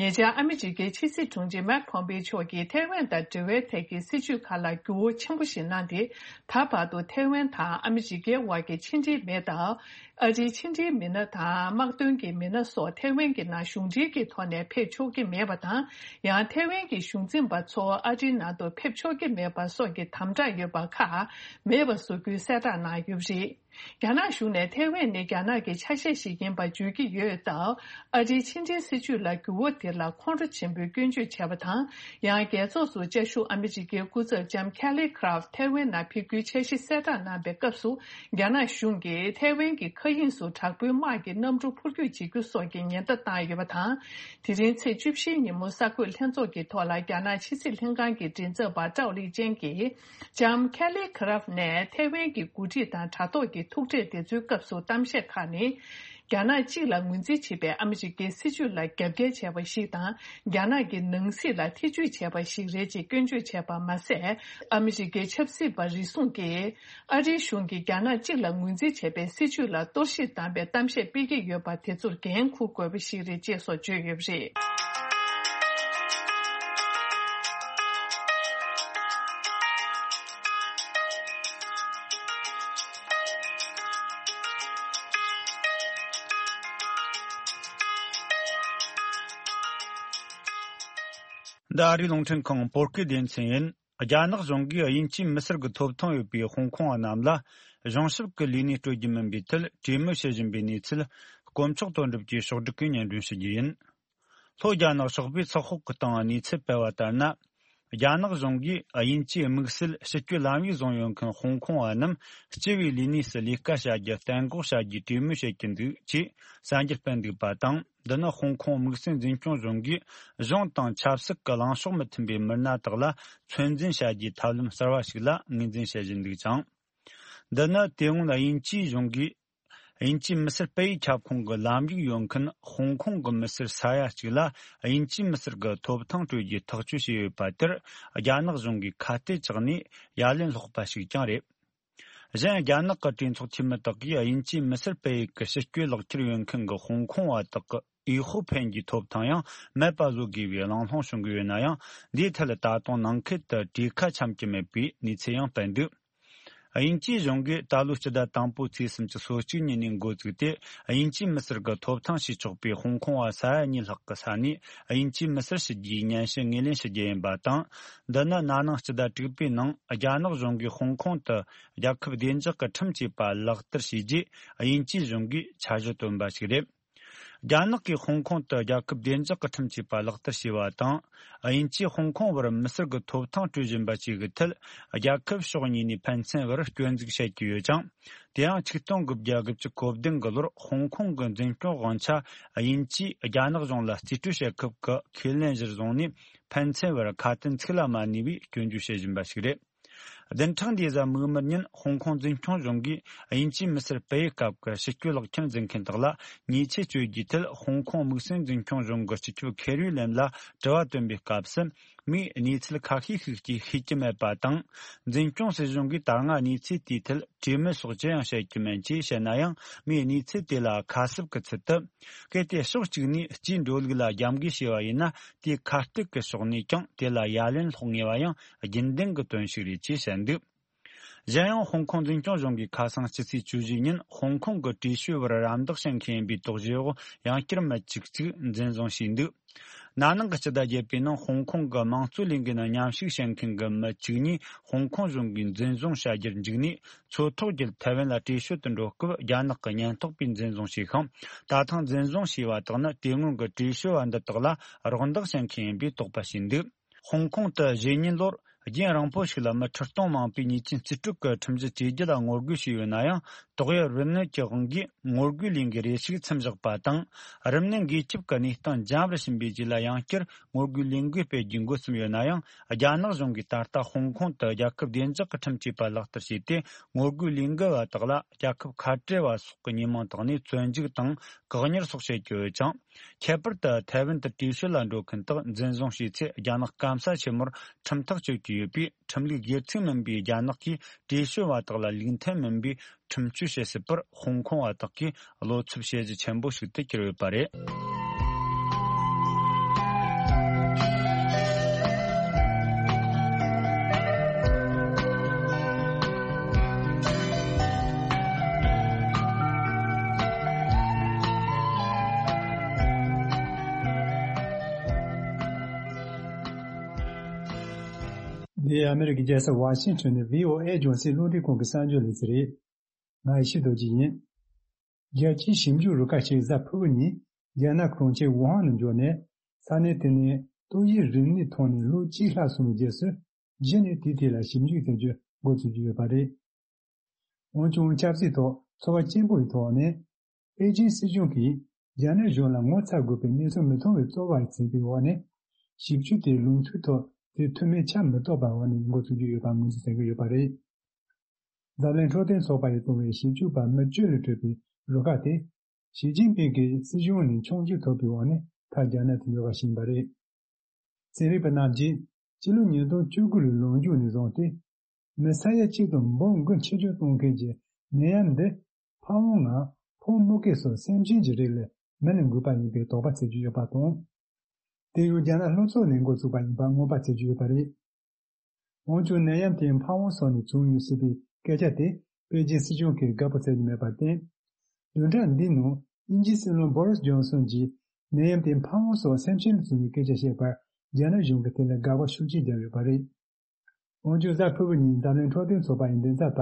ཉེ་ཆར་ཨ་མི་རི་ཀའི་ཕྱི་སྲིད་དྲུང་ཆེ་མཱིག་ཕོམ་པེ་མཆོག་གིས་ཐའེ་ཝན་དང་འབྲེལ་བའི་ཐད་ཀྱི་སྲིད་བྱུས་ཁག་ལ་འགྱུར་བ་ཆེན་པོ་ཞིག་གནང་སྟེ། ད་བར་དུ་ཐའེ་ཝན་དང་ཨ་མི་རི་ཀའི་དབར་གྱི་ཕྱི་འབྲེལ་མི་སྣ་དང་། ཨ་རིའི་ཕྱི་འབྲེལ་མི་སྣ་དང་དམག་དོན་གྱི་མི་སྣ་སོགས་ཐའེ་ཝན་གྱི་ནང་གཞུང་འབྲེལ་གྱི་ཐོག་ནས་ཕེབས་ཆོག་གི་མེད་པ་དང་། ཡང་ཐའེ་ཝན་གྱི་གཞུང་འཛིན་པ་ཚོ་ཨ་རིའི་ནང་དུ་ཕེབས་ཆོག་གི་མེད་པ་སོགས་ཀྱི་དམ་དྲག་ཡོད་པ་ཁག་མེད་པ་བཟོ་རྒྱུའི་གསལ་བསྒྲགས་གནང་ཡོད་པ་རེད། རྒྱ་ནག་གཞུང་ནས་ཐའེ་ཝན་ནི་རྒྱ་ནག་གི་ཆ་ཤས་ཤིག་ཡིན་པ་བརྗོད་ཀྱི་ཡོད་སྟབས། ཨ་རིའི་ཕྱི་འབྲེལ་སྲིད་བྱུས་ལ་འགྱུར་བ་དེ་ལ་ཁོང་ཁྲོ་ཆེན་པོས་སྐྱོན་བརྗོད་བྱས་པ་དང་། ཡང་རྒྱལ་ཚོགས་སུ་བཅའ་བཞུགས་ཨ་མི་རི་ཀའི་སྐུ་ཚབ་ལྕམ་Kelly Craft ཐའེ་ཝན་ནང་ཕེབས་རྒྱུའི་འཆར་གཞི་གསལ་བསྒྲགས་གནང་པའི་སྐབས་སུ། རྒྱ་ནག་གཞུང་གིས་ཐའེ་ཝན་གྱི་མཁའ་དབྱིངས་སུ་དྲག་པོའི་དམག་གི་གནམ་གྲུ་འཕུར་སྐྱོད་བྱེད་རྒྱུ་སོགས་ཀྱི་ཉེན་བརྡ་བཏང་ཡོད་པ་དང་། དེ་རིང་ཚེས་བཅུ་བཞིའི་ཉིན་མོ་གསར་འགོད་ལྷན་ཚོགས་ཀྱི་ཐོག་ལ་རྒྱ་ནག་ཕྱི་སྲིད་ལྷན་ཁང་གི་མགྲིན་ཚབ་པ་ཀྲའོ་ལི་ཅན་གྱིས། ལྕམ་Kelly Craft ནས་ཐའེ་ཝན་གྱི་འགོ་ཁྲིད་དང་དྲ་ཐོག་གི་ ཐུག་འཕྲད་དེ་ཚོའི་སྐབས་སུ་གཏམ་བཤད་ཁག་ནི། རྒྱ་ནག་གཅིག་ལ་ངོས་འཛིན་བྱེད་པའི་ཨ་མི་རི་ཀའི་སྲིད་བྱུས་ལ་རྒྱབ་འགལ་བྱས་པ་ཞིག་དང་། རྒྱ་ནག་གི་ནང་སྲིད་ལ་ཐེ་ཇུས་བྱས་པ་ཞིག་རེད་ཅེས་སྐྱོན་བརྗོད་བྱས་པ་མ་ཟད། ཨ་མི་རི་ཀའི་ཆབ་སྲིད་པ་རེ་ཟུང་གིས། ཨ་རིའི་གཞུང་གིས་རྒྱ་ནག་གཅིག་ལ་ངོས་འཛིན་བྱས་པའི་སྲིད་བྱུས་ལ་གཏོར་བཤིག་བཏང་བའི་གཏམ་བཤད་སྤེལ་གྱི་ཡོད་པ་དེ་ཚོར་འགན་འཁུར་དགོས་པ་ཞིག་རེད་ཅེས་སོགས་བརྗོད་ཡོད་པ་རེད། འདི་ཨ་རིའི་རླུང་འཕྲིན་ཁང་བོད་སྐད་སྡེ་ཚན་ཡིན། རྒྱ་ནག་གཞུང་གིས་དབྱིན་ཇིའི་མི་སེར་གྱི་ཐོབ་ཐང་ཡོད་པའི་ཧོང་ཀོང་བ་རྣམས་ལ་གཞུང་ཞབས་ཀྱི་ལས་གནས་སྤྲོད་རྒྱུ་མིན་པའི་ཐད་གྲོས་མོལ་བྱེད་བཞིན་པའི་གནས་ཚུལ། དཀོན་མཆོག་དོན་གྲུབ་ཀྱིས་ཕྱོགས་སྒྲིག་གིས་སྙན་སྒྲོན་ཞུ་རྒྱུ་ཡིན། ལྷོ་རྒྱ་ནག་ཕྱོགས་པའི་ཚགས་ཤོག་གི་སྟེང་གནས་ཚུལ་སྤེལ་བ་ལྟར་ན། རྒྱ་ནག་གཞུང་གིས་དབྱིན་ཇིའི་དམིགས་བསལ་ཕྱི་སྐྱོད་ལམ་ཡིག་བཟུང་ཡོད་མཁན་ཧོང་ཀོང་བ་རྣམས་སྤྱི་པའི་ལས་གནས་སུ་ལས་ཀ་བྱ་རྒྱུ་གཏན་འགོག་བྱ་རྒྱུའི་གྲོས་མོལ་བྱེད་ཀྱི་འདུག་ཅེས་གསར་འགྱུར་སྤེལ་འདུག་པ་དང་། འདི་ནི་ཧོང་ཀོང་དམིགས་བསལ་འཛིན་སྐྱོང་གཞུང་གིས་གཞུང་དང་ཆབ་སྲིད་ཀྱི་ལངས་ཕྱོགས་མི་མཐུན་པའི་མི་སྣ་དག་ལ་ཚོད་འཛིན་བྱ་རྒྱུའི་ཐབས་ལམ་གསར་བ་ཞིག་ལ་ངོས་འཛིན་བྱེད་བཞིན་འདུག་ཅིང་། འདི་ནི་དེ་སྔོན་དབྱིན་ཇིའི་གཞུང་གིས། དབྱིན་ཇིའི་མི་སེར་སྤེལ་ཡུལ་ཁྱབ་ཁོངས་ཀྱི་ལམ་ཡིག་ཡོད་མཁན་ཧོང་ཀོང་གི་མི་སེར་ས་ཡ་གཅིག་ལ་དབྱིན་ཇིའི་མི་སེར་གྱི་ཐོབ་ཐང་སྤྲོད་རྒྱུའི་ཐག་གཅོད་བྱས་ཡོད་པ་དེར། རྒྱ་ནག་གཞུང་གིས་ཁ་གཏད་བཅག་ནས་ཡ་ལན་སློག་པ་ཞིག་ཀྱང་རེད། གཞན། རྒྱ་ནག་གི་གྲོས་ཚོགས་འཐུས་མི་དག་གིས་དབྱིན་ཇིའི་མི་སེར་སྤེལ་ཡུལ་གྱི་ཕྱི་སྐྱོད་ལག་ཁྱེར་ཡོད་མཁན་གྱི་ཧོང་ཀོང་བ་དག་གི་འོས་ཤོག་འཕེན་རྒྱུའི་ཐོབ་ཐང་ཡང་མེད་པ་བཟོ་དགོས་པའི་གླེང་སློང་བྱུང་གི་ཡོད་ན་ཡང་། འདིའི་ཐད་ད་དུང་ནང་ཁུལ་དུ་གྲོས་ཁ་འཆམ་གྱི་མེད་པའི་གནས་ཚུལ་ཡང་སྤེལ་འདུག་དབྱིན་ཇིའི་གཞུང་གིས་ད་ལོའི་སྤྱི་ཟླ་དང་པོའི་ཚེས་སུམ་ཅུ་སོ་གཅིག་ཉིན་ནས་འགོ་བཙུགས་ཏེ། དབྱིན་ཇིའི་མི་སེར་གྱི་ཐོབ་ཐང་ཞུས་ཆོག་པའི་ཧོང་ཀོང་བ་ས་ཡ་གཉིས་ལྷག་གི་ས་ནས་དབྱིན་ཇིའི་མི་སེར་ཞུ་རྒྱུའི་སྙན་ཞུ་ངོས་ལེན་ཞུ་རྒྱུ་ཡིན་པ་དང་། འདི་ནི་ན་ནིང་སྤྱི་ཟླ་དྲུག་པའི་ནང་རྒྱ་ནག་གཞུང་གིས་ཧོང་ཀོང་དུ་རྒྱལ་ཁབ་བདེ་འཇགས་ཀྱི་ཁྲིམས་ཅེས་པ་ལག་བསྟར་བྱས་རྗེས། དབྱིན་ཇིའི་གཞུང་གིས་འཆར་གཞི་བཏོན་པ་ཞིག་རེད། རྒྱ་ནག་གིས་ཧོང་ཀོང་དུ་རྒྱལ་ཁབ་བདེ་འཇགས་ཀྱི་ཁྲིམས་ཅེས་པ་ལག་བསྟར་བྱས་པ་དང་། དབྱིན་ཇིས་ཧོང་ཀོང་བར་མི་སེར་གྱི་ཐོབ་ཐང་སྤྲོད་བཞིན་པ་བཅས་ཀྱི་ཐད། རྒྱལ་ཁབ་ཕྱོགས་གཉིས་ནས་ཕན་ཚུན་བར་སྐྱོན་འཛུགས་བྱེད་ཀྱི་ཡོད་ཅིང་། དེ་ཡང་ཆིག་སྟོང་དགུ་བརྒྱ་དགུ་བཅུ་གོ་བདུན་གྱི་ལོར་ཧོང་ཀོང་གི་འཛིན་སྐྱོང་དབང་ཆ་དབྱིན་ཇིས་རྒྱ་ནག་གཞུང་ལ་རྩིས་སྤྲོད་བྱེད་སྐབས་ཀྱི་ཁས་ལེན་གཞིར་བཟུང་ནས་ཕན་ཚུན་བར་ཁ་དན་ཚིག་ལ་མ་གནས་པའི་སྐྱོན་བརྗོད་བྱེད་བཞིན་པ་ཞིག་རེད། བདུན་ཕྲག་འདིའི་གཟའ་མིག་དམར་ཉིན་ཧོང་ཀོང་འཛིན་སྐྱོང་གཞུང་གིས་དབྱིན་ཇིའི་མི་སེར་སྤེལ་ཡུལ་སྐབས་ཀྱི་ཕྱི་སྐྱོད་ལག་ཁྱེར་འཛིན་མཁན་དག་ལ་ཉེས་ཆད་གཅོད་རྒྱུའི་ཐད། ཧོང་ཀོང་དམིགས་བསལ་འཛིན་སྐྱོང་གཞུང་གི་སྤྱི་ཁྱབ་ཁེ་རུའི་ལེམ་ལ་དྲི་བ་བཏོན་པའི་སྐབས་སུ། མིས་གནས་ཚུལ་ཁ་ཤས་ཤིག་ཅིག་ཤེས་ཀྱི་མེད་པ་དང་། འཛིན་སྐྱོང་སྲིད་གཞུང་གིས་ད་སྔ་གནས་ཚུལ་དེའི་ཐད་གྲོས་མོལ་སོགས་ཅི་ཡང་བྱེད་ཀྱི་མེད་ཅེས་བཤད་ན་ཡང་། མིས་གནས་ཚུལ་དེ་ལ་ཁ་གསབ་ཀྱི་ཚུལ་དུ། གལ་ཏེ་ཕྱོགས་གཅིག་ནས་སྤྱིའི་འགྲོ་ལུགས་ལ་རྒྱབ་འགལ་བྱས་པ་ཡིན་ན། དེའི་ཁ་གཏད་ཀྱི་ཕྱོགས་ནས་ཀྱང་དེ་ལ་ཡ་ལན་སློག་ངེས་པ་ཡང་རྒྱུན་ལྡན་གྱི་དོན་ཞིག་རེད་ཅེས་བཤད་འདུག་གཞན་ཡང་། ཧོང་ཀོང་འཛིན་སྐྱོང་གཞུང་གིས་ཁ་སང་ཕྱི་ཚེས་བཅུ་བཞི་ཉིན་ཧོང་ཀོང་གི་བྲེལ་བཤད་བར་རམ་འདེགས་བྱེད་མཁན་ཡིན་པའི་དོགས་གཞི་འོག་ཡང་བསྐྱར་མི་གཅིག་ཅིག་འཛིན་བཟུང་བྱས་འདུག་ན་ནིང་གི་སྤྱི་ཟླ་བརྒྱད་པའི་ནང་ཧོང་ཀོང་གི་དམངས་གཙོ་ལས་འགུལ་ནང་མཉམ་ཞུགས་བྱེད་མཁན་གྱི་མི་བཅུ་གཉིས་ཧོང་ཀོང་གཞུང་གིས་འཛིན་བཟུང་བྱ་རྒྱུར་འཇུག་ནས། མཚོ་ཐོག་བརྒྱུད་ཐའེ་ཝན་ལ་བྲོས་བྱོལ་དུ་འགྲོ་སྐབས་རྒྱ་ནག་གི་ཉེན་རྟོག་པས་འཛིན་བཟུང་བྱས་ཤིང་། ད་ཐེངས་འཛིན་བཟུང་བྱས་པ་དག་ནི་དེ་སྔོན་གྱི་བྲོས་བྱོལ་བ་འདི་དག་ལ་རོགས་འདེགས་བྱེད་མཁན་ཡིན་པའི་དོགས་པ་བྱས་འདུག་ཧོང་ཀོང་དུ་གཞེས་ཉིན་ལོར་རྒྱུན་རིང་པོ་ཞིག་ལ་མི་ཁྲི་སྟོང་མང་པོས་ཉེས་ཅན་རྩིས་སྤྲོད་ཀྱི་ཁྲིམས་གཞི་བཅོས་སྒྱུར་ལ་ངོ་རྒོལ་བྱས་ཡོད་ན་ཡང་། ཏོག་དབྱིབས་རིམས་ནད་ཀྱི་དབང་གིས་ངོ་རྒོལ་ལས་འགུལ་རེ་ཞིག་མཚམས་བཞག་པ་དང་། རིམས་ནད་འགོས་ཁྱབ་ཀྱི་གནས་སྟངས་འཇམ་རུ་ཕྱིན་པའི་རྗེས་ལ་ཡང་བསྐྱར་ངོ་རྒོལ་ལས་འགུལ་སྤེལ་རྒྱུ་འགོ་རྩོམ་ཡོད་ན་ཡང་། རྒྱ་ནག་གཞུང་གིས་ད་ལྟ་ཧོང་ཀོང་དུ་རྒྱལ་ཁབ་བདེ་འཇགས་ཀྱི་ཁྲིམས་ཅེས་པ་ལག་བསྟར་བྱས་ཏེ། ངོ་རྒོལ་ལས་འགུལ་བ་དག་ལ་རྒྱལ་ཁབ་ཁ་བྲལ་བ་སོགས་ཀྱི་ཉེས་མིང་བཏགས་ནས་བཙོན་འཇུག་དང་བཀག་ཉར་སོགས་བྱེད་ཀྱི་ཡོད་ཅིང་། ཁྱད་པར་དུ་ཐའེ་ཝན་དུ་བྲོས་བྱོལ་ལ་འགྲོ་མཁན་དག་འཛིན་བཟུང་བྱས་ཚེ། རྒྱ་ནག་སྐམ་ས་ཆེན་མོར་ཁྲིམས་ཐག་གཅོད་ཀྱི་ཡོད་པས། ཁྲིམས་ལུགས་སྒེར་ཚུགས་མིན་པའི་རྒྱ་ནག་གིས་བྲོས་བྱོལ་བ་དག་ལ་ལུགས་མཐུན་མིན་པའི་ཁྲིམས་གཅོད་བྱེད་སྲིད་པར་ཧོང་ཀོང་བ་དག་གིས་བློ་འཚབ་བྱེད་གཞི་ཆེན་པོ་ཞིག་ཏུ་གྱུར་ཡོད་པ་རེད། འདི་ཨ་མེ་རི་ཀའི་རྒྱལ་ས་ཝ་ཤིང་ཊོན་ནས་བྷི་ཨོ་ཨེ་རྒྱང་སྲིང་རླུང་འཕྲིན་ཁང་གི་གསར་འགྱུར་ལས་ཚན་རེད། ང་ཡེ་ཤེས་རྡོ་རྗེ་ཡིན། རྒྱལ་སྤྱིའི་ཞིབ་འཇུག་རུ་ཁག་ཅིག་གཟའ་ཕུར་བུ་ཉིན་རྒྱ་ནག་གྲོང་ཁྱེར་ཝུ་ཧན་ནང་འབྱོར་ནས། ས་གནས་དེ་ནས་ཏོག་དབྱིབས་རིམས་ནད་ཐོན་ནས་ལོ་གཅིག་ལྷག་སོང་བའི་རྗེས་སུ། གཞི་ནས་དེའི་ཐད་ལ་ཞིབ་འཇུག་བྱ་རྒྱུ་འགོ་ཚུགས་ཀྱི་ཡོད་པ་རེད། འོན་ཀྱང་། ཆབ་སྲིད་ཐོག་ཚོར་བ་སྐྱེན་པོ་ཡི་ཐོག་ནས། པེ་ཅིན་སྲིད་གཞུང་གིས་རྒྱ་ནག་གཞུང་ལ་ངོ་ཚ་དགོས་པའི་གནས་ཚུལ་མི་མཐོང་བའི་རྩོལ་བ་བྱས་པའི་འོག་ནས། ཞིབ་འཇུག་དེའི་ལུང་ཚུལ་ཐོག་དེ་ཐུགས་མེད་ཆ་མི་གཏོགས་པའི་འོག་ནས་འགོ་ཚུགས་ཀྱི་ཡོད་པ་ངོས་འཛིན་བྱེད་ཀྱི་ཡོད་པ་རེད། འཛམ་གླིང་འཕྲོད་བསྟེན་ཚོགས་པ་ཡིས་བཙོང་བའི་ཞིབ་འཇུག་པ་མི་བཅུ་ལས་གྲུབ་པའི་རུ་ཁག་དེ། ཞི་ཅིན་ཕིང་གིས་སྲིད་གཞུང་ནས་ཆོག་མཆན་ཐོབ་པའི་འོག་ནས་མཐར་རྒྱ་ནག་ཏུ་འབྱོར་བ་ཞིག་ཡིན་པ་རེད། ཚན་རིག་པ་རྣམས་ཀྱིས་སྤྱི་ལོ་ཉིས་སྟོང་བཅུ་དགུ་ལོའི་ལོ་མཇུག་ནས་བཟུང་སྟེ། མི་ས་ཡ་གཅིག་དང་འབུམ་དགུ་འཆི་སྐྱོན་གཏོང་མཁན་གྱི་ནད་ཡམས་འདི། ཕ་བོང་ང་ཕོ་མུ་གེ་སོགས་སེམས་ཅན་གྱི་རིགས་ལས་མི་ལ་འགོས་པ་ཡིན་པའི་དོགས་པ་བྱེད་ཀྱི་ཡོད་པ་དང་། དེ་ཡང་རྒྱ་ནག་ལྷོ་ཕྱོགས་ནས་འགོ་བཙུགས་པ་ཡིན་པ་སྔོན་དཔག་བྱེད་ཀྱི་ཡོད་པ་རེད། འོན་ཀྱང་ནད་ཡམས་དེ་ཕ་བོང་སོགས་ནས་བྱུང་ཡོད་སྲིད་པའི་སྐད་ཆ་དེ་པེ་ཅིན་སྲིད་གཞུང་གིས་དགའ་པོ་བྱེད་ཀྱི་མེད་པར་བརྟེན། བདུན་ཕྲག་འདིའི་ནང་དབྱིན་ཇིའི་སྲིད་བློན་བོ་རིས་ཇོན་སོན་གྱིས་ནད་ཡམས་དེ་ཕ་བོང་སོགས་སེམས་ཅན་ལ་བྱུང་བའི་སྐད་ཆ་བཤད་པར་རྒྱ་ནག་གཞུང་གིས་དེ་ལ་དགག་པ་ཤུགས་ཆེ་བརྒྱབ་ཡོད་པ་རེད། འོན་ཀྱང་གཟའ་ཕུར་བུ་ཉིན་འཛམ་གླིང་འཕྲོད་བསྟེན་ཚོགས་པ་ཡི་མགྲིན་ཚབ་པ་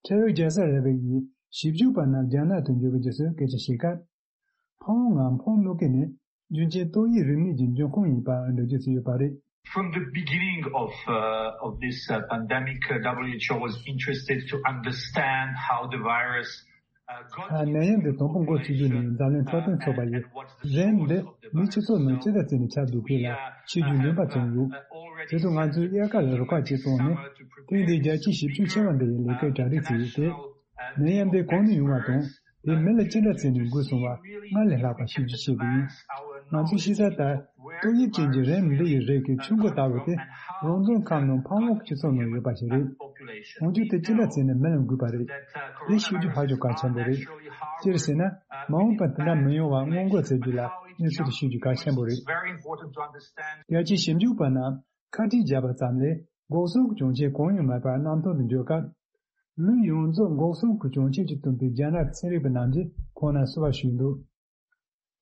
ཁྲེ་རི་ཇེ་སར་རེ་བེ་ཡིས་ཞིབ་འཇུག་པ་རྣམས་རྒྱ་ནག་ཏུ་འབྱོར་གྱི་རྗེས་སུ་སྐད་ཆ་བཤད་སྐབས། ཕ་བོང་ང་ཕོ་མུ་གེ་ནི་རྒྱུན་ཆད་ཏོག་དབྱིབས་རིམས་ནད་ཀྱི་འབྱུང་ཁུངས་ཡིན་པ་འགྲེལ་བརྗོད་བྱས་ཡོད་པ་རེད། From the beginning of, uh, of this uh, pandemic, uh, W H O was interested to understand how the virus uh, got ཨ། ནད་ཡམས་འདི་དང་པོ་འགོ་ཚུགས་རྒྱུ་ནི་འཛམ་གླིང་འཕྲོད་བསྟེན་ཚོགས་པ་ཡིས་རིམས་འདི་མིའི་སྤྱི་ཚོགས་ནང་ཅི་ལྟར་བརྩིས་ནས་ཁྱབ་འདུག་དེ་ལ་ཤེས་རྒྱུའི་འདུན་པ་བྱུང་ཡོད། དེ་དུས་ང་ཚོས་དབྱར་ཁ་ལ་རུ་ཁག་ཅིག་བཙུགས་ནས་ཐེངས་འདིའི་རྒྱལ་སྤྱིའི་ཞིབ་འཇུག་ཆེ་བ་འདི་ཡི་ལས་ཀའི་གྲ་སྒྲིག་བྱས་ཡོད་དེ། ནད་ཡམས་འདི་གང་ནས་ཡོང་བ་དང་། དེ་མི་ལ་ཅི་འདྲ་བྱས་ནས་འགོས་སོང་བ་སྔར་ལས་ལྷག་པ་ཤེས་རྒྱུ་བྱེད་དགོས་ཡིན། ང་ཚོས་ཤེས་གསལ་ལྟར། ཏོག་དབྱིབས་ཅན་གྱི་རིམས་འདི་ཡི་རིགས་ཀྱི་ཆུ་འགོ་ལྟ་བུ་དེ་རང་བཙན་ཁམས་ནང་ཕ་བོང་སྤྱི་ཚོགས་ནང་ཡོད་པ་ཞིག་རེད། འོན་ཀྱང་དེ་ཅི་འདྲ་བྱས་ནས་མི་ལ་འགོས་པ་རེད། དེ་ཤེས་རྒྱུ་ཧ་ཅང་གལ་ཆེན་པོ་རེད། སྤྱིར་བཤད་ན། མ་འོངས་པར་དེ་འདྲ་མི་ཡོང་བ་སྔོན་འགོག་བྱེད་རྒྱུ་ལ་གནས་ཚུལ་དེ་ཤེས་རྒྱུ་གལ་ཆེན་པོ་རེད། རྒྱལ་སྤྱིའི་ཞིབ་འཇུག་པ་རྣམས་ཁ་བྲིས་བརྒྱབ་པ་ཙམ་ལས་འགོག་སྲུང་གི་གྱོན་ཆས་གང་ཡང་མེད་པར་གནམ་ཐང་དུ་འབྱོར་སྐབས། ལུས་ཡོངས་རྫོགས་འགོག་སྲུང་གི་གྱོན་ཆས་ཀྱིས་བཏུམས་པའི་རྒྱ་ནག་གི་ཚན་རིག་པ་རྣམས་ཀྱིས་ཁོང་རྣམས་བསུ་བ་ཞུས་འདུག་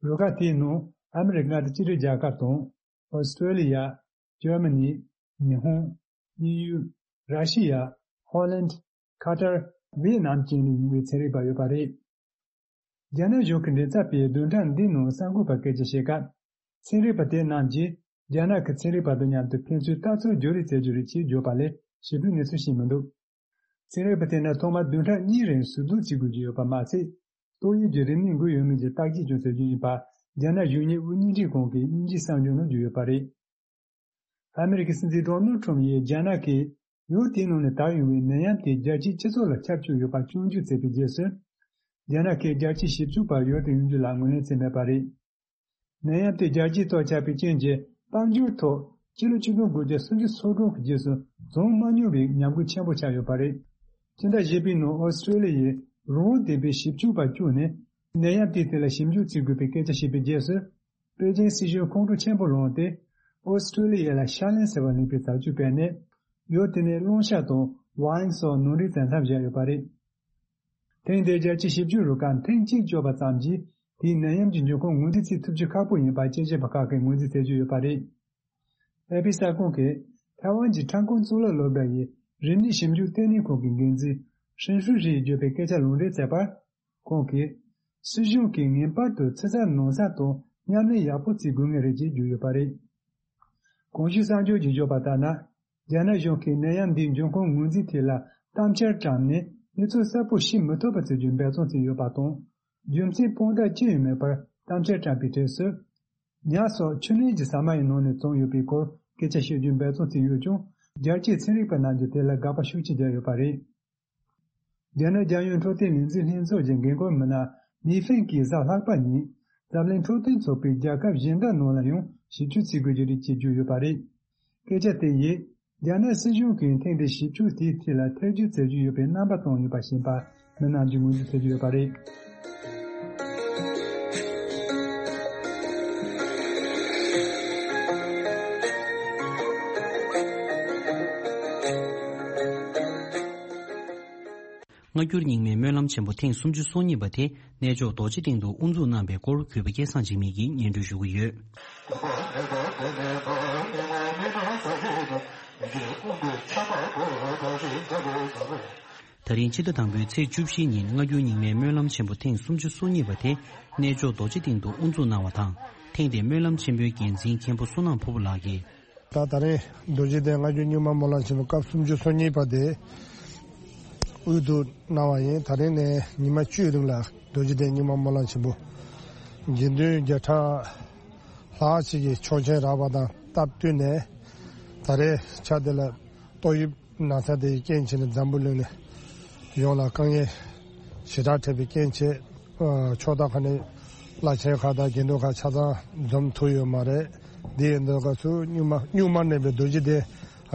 རུ་ཁག་དེའི་ནང་ཨ་མི་རི་ཀ་མངའ་སྡེ་གཅིག་སྒྲིལ་རྒྱལ་ཁབ་དང་། ཨོ་སི་ཀྲོ་ལི་ཡ། འཇར་མ་ནི། ཉི་ཧོང་། དབྱིན་ཡུལ། ར་ཤི་ཡ། ཧོ་ལན། ཁ་ཏར། ཝེ་ནམ་བཅས་ནས་ཡིན་པའི་ཚན་རིག་པ་ཡོད་པ་རེད། རྒྱ་ནག་གཞུང་གི་མགྲིན་ཚབ་པས་བདུན་ཕྲག་འདིའི་ནང་གསར་འགོད་པར་སྐད་ཆ་བཤད་སྐབས། ཚན་རིག་པ་དེ་རྣམས་ཀྱིས་རྒྱ་ནག་གི་ཚན་རིག་པ་དང་མཉམ་དུ་ཕན་ཚུན་ལྟ་ཚུལ་བརྗེ་རེས་བྱེད་རྒྱུ་རེད་ཅེས་བརྗོད་པ་ལས་ཞིབ་ཕྲའི་གནས་ཚུལ་ཤེས་མི་འདུག་ཚན་རིག་པ་དེ་ནི་ཐོག་མར་བདུན་ཕྲག་གཉིས་རིང་ཟུར་འཛུལ་བྱེད་དགོས་ཀྱི་ཡོད་པ་མ་ཟད། ཏོག་དབྱིབས་ཀྱི་རིམས་ནད་འགོས་ཡོད་མེད་ཀྱི་བརྟག་དཔྱད་ཀྱང་བྱེད་རྒྱུ་ཡིན་པ། རྒྱ་ནག་གཞུང་གཉེར་དབུ་བརྙེས་སྒྲིག་ཁང་གི་དབྱིན་ཇིའི་གསར་འགྱུར་ནང་བརྗོད་ཡོད་པ་རེད། ཨ་མི་རི་ཀའི་སྲིད་འཛིན་ཌོ་ནལ་ཁྲམ་ཡིས་རྒྱ་ནག་གིས་ཡུལ་དེའི་ནང་ནས་དར་ཡོང་བའི་ནད་ཡམས་དེ་རྒྱལ་སྤྱིའི་སྤྱི་ཚོགས་ལ་ཁྱབ་བསྒྲགས་ཡོད་པ་སྐྱོན་བརྗོད་བྱས་པའི་རྗེས་སུ། རྒྱ་ནག་གིས་རྒྱལ་སྤྱིའི་ཞིབ་འཇུག་པ་ཡུལ་དུ་ཡོང་རྒྱུ་ལ་ངོས་ལེན་བྱས་མེད་པ་རེད། ནད་ཡམས་དེ་རྒྱལ་སྤྱིའི་ཐོག་ཁྱབ་པའི་རྐྱེན་གྱིས་དཔལ་འབྱོར་ཐོག་ཕྱི་ལོ་ཆིག་སྟོང་དགུ་བརྒྱ་སུམ་ཅུ་སོ་གྲངས་ཀྱི་རྗེས་སུ་བྱུང་མ་མྱོང་བའི་ཉམས་རྒུད་ཆེན་པོ་ཆགས་ཡོད་པ་རེད། སྤྱི་ཟླ་བཞི་པའི་ནང་ཨོ་སི་ཀྲོ་ལི་ཡའི་རང་དབང་ལྡན་པའི་ཞིབ་འཇུག་པ་བཅུ་ནས་ནད་ཡམས་དེའི་ཐད་ལ་ཞིབ་འཇུག་བྱེད་དགོས་པའི་སྐད་ཆ་བཤད་པའི་རྗེས་སུ། པེ་ཅིན་སྲིད་གཞུང་ཁོང་ཁྲོ་ཆེན་པོ་ལངས་ཏེ། ཨོ་སི་ཀྲོ་ལི་ཡ་ལ་ཤ་ལན་ཟེར་བ་ལེན་པའི་བྱ་སྤྱོད་སྤེལ་ནས། ཡུལ་དེ་ནས་གླང་ཤ་དང་ཝའིན་སོགས་ནང་འདྲེན་བྱེད་མཚམས་བཞག་ཡོད་པ་རེད། ཐེངས་འདིའི་རྒྱལ་སྤྱིའི་ཞིབ་འཇུག་རུ་ཁག་ཐེངས་གཅིག་བཅོས་པ་ཙམ་གྱིས་དེའི་ནད་ཡམས་ཀྱི་འབྱུང་ཁུངས་ངོས་འཛིན་བྱེད་ཐུབ་རྒྱུ་ཁག་པོ་ཡིན་པ་དཔྱད་ཞིབ་པ་ཁག་གིས་ངོས་འཛིན་བྱེད་ཀྱི་ཡོད་པ་རེད། ཨེ་པི་གསར་ཁང་གིས་ཐའེ་ཝན་གྱི་ཁྲང་ཀོང་གཙུག་ལག་སློབ་གྲྭ་ཡི་རིམས་ནད་ཞིབ་འཇུག་ལྟེ་གནས་ཁང་གི་འགན་འཛིན་ཧྲིན་ཧྲུའེ་ཧྲིས་བརྗོད་པའི་སྐད་ཆ་ལུང་འདྲེན་མཛད་པར། ཁོང་གིས། སྲིད་གཞུང་གིས་ངེས་པར་དུ་ཕྱི་གསར་ནང་གསར་དང་མཉམ་ལས་ཡག་པོ་བྱེད་དགོས་ངེས་རེད་ཅེས་བརྗོད་ཡོད་པ་རེད། གོང་ཞུས་གསར་འགྱུར་གྱིས་བརྗོད་པ་ལྟར་ན། རྒྱ་ནག་གཞུང་གིས་ནད་ཡམས་འདིའི་འབྱུང་ཁུངས་ངོས་འཛིན་ཐད་ལ་གཏམ་འཆལ་བཀྲམ་ནས་གནས་ཚུལ་གསལ་པོ་ཤེས་མི་ཐུབ་པ་བྱེད་རྒྱུའི་འབད་བརྩོན་བྱས་ཡོད་པ་དང་། རྒྱུ་མཚན་དཔང་རྟགས་ཅི་ཡང་མེད་པར་གཏམ་འཆལ་བཀྲམ་པའི་གྲས་སུ། ཉ་སོགས་ཆུ་ནད་ཀྱི་ཟ་མ་ཡི་ནང་ནས་བྱུང་ཡོད་པའི་སྐོར་སྐད་ཆ་བཤད་རྒྱུའི་འབད་བརྩོན་བྱས་ཡོད་ཀྱང་། རྒྱལ་སྤྱིའི་ཚན་རིག་པ་རྣམས་ཀྱིས་དེ་ལ་དགག་པ་ཤུགས་ཆེ་བརྒྱབ་ཡོད་པ་རེད། རྒྱ་ནག་རྒྱལ་ཡོངས་འཕྲོད་བསྟེན་ལས་འཛིན་ལྷན་ཚོགས་ཀྱི་འགན་འཁུར་མི་སྣ་ལི་ཧྥེང་གིས་གཟའ་ལྷག་པ་ཉིན་འཛམ་གླིང་འཕྲོད་བསྟེན་ཚོགས་པའི་རྒྱལ་ཁབ་གཞན་དག་ནང་ལ་ཡང་ཞིབ་འཇུག་བྱེད་དགོས་ཀྱི་རེད་ཅེས་བརྗོད་ཡོད་པ་རེད། སྐད་ཆ་དེ་ཡིས་རྒྱ་ནག་སྲིད་གཞུང་གིས་ཐེངས་འདིའི་ཞིབ་འཇུག་དེའི་ཐད་ལ་ཐེ་བྱུས་བྱེད་ཀྱི་ཡོད་པའི་རྣམ་པ་བསྟན་ཡོད་པ་ཞིག་ཡིན་པ། མི་རྣམས་ཀྱིས་ངོས་འཛིན་བྱེད་ཀྱི་ཡོད་པ་རེད། སྔ་འགྱུར་རྙིང་མའི་སྨོན་ལམ་ཆེན་པོ་ཐེངས་སུམ་ཅུ་སོ་གཉིས་པ་དེ་གནས་མཆོག་རྡོ་རྗེ་གདན་དུ་དབུ་འཛུགས་གནང་བའི་སྐོར་གུས་པ་སྐལ་བཟང་འཇིགས་མེད་ཀྱིས་སྙན་སྒྲོན་ཞུ་གི་ཡོད། ད་རིང་ཕྱི་ཟླ་དང་པོའི་ཚེས་བཅུ་བཞིའི་ཉིན་སྔ་འགྱུར་རྙིང་མའི་སྨོན་ལམ་ཆེན་པོ་ཐེངས་སུམ་ཅུ་སོ་གཉིས་པ་དེ་གནས་མཆོག་རྡོ་རྗེ་གདན་དུ་དབུ་འཛུགས་གནང་བ་དང་། ཐེངས་འདིའི་སྨོན་ལམ་ཆེན་པོའི་འགན་འཛིན་མཁན་པོ་བསོད་ནམས་ཕུར་བུ་ལགས་ཀྱིས། ད་ད་རེས་རྡོ་རྗེ་གདན་སྔ་འགྱུར་རྙིང་མ་སྨོན་ལམ་ཆེན་པོ་སྐབས་སུམ་ཅུ་སོ་གཉིས་པ་དེ་དབུ་འཛུགས་གནང་བ་ཡིན། ད་རེས་ནས་ཉི་མ་བཅུའི་རིང་ལ་རྡོ་རྗེ་གདན་རྙིང་མ་སྨོན་ལམ་ཆེན་པོ་དགེ་འདུན་བརྒྱ་ཕྲག་ལྷག་ཅིག་གིས་ཆོག་མཆན་རག་པ་དང་སྟབས་བསྟུན་ནས། ད་རེས་ཆ་དེ་ལ་ཏོག་དབྱིབས་ན་ཚ་དེ་ཡི་རྐྱེན་བྱས་ནས་འཛམ་བུ་གླིང་ནས་ ཡོངས་ལ་དཀའ་ངལ་ཞེ་དྲག་འཕྲད་པའི་རྐྱེན་བྱས། ཨ། ཕྱོགས་མཐའ་ཁག་ནས་བླ་ཆེན་ཁག་དང་དགེ་འདུན་ཁག་ཆ་ཚང་འཛོམས་ཐུབ་ཡོད་མ་རེད། འདི་ཡིན་དུས་སྐབས་སུ་སྙུག་མ་སྙུག་མ་མནན་པའི་རྡོ་རྗེ་གདན་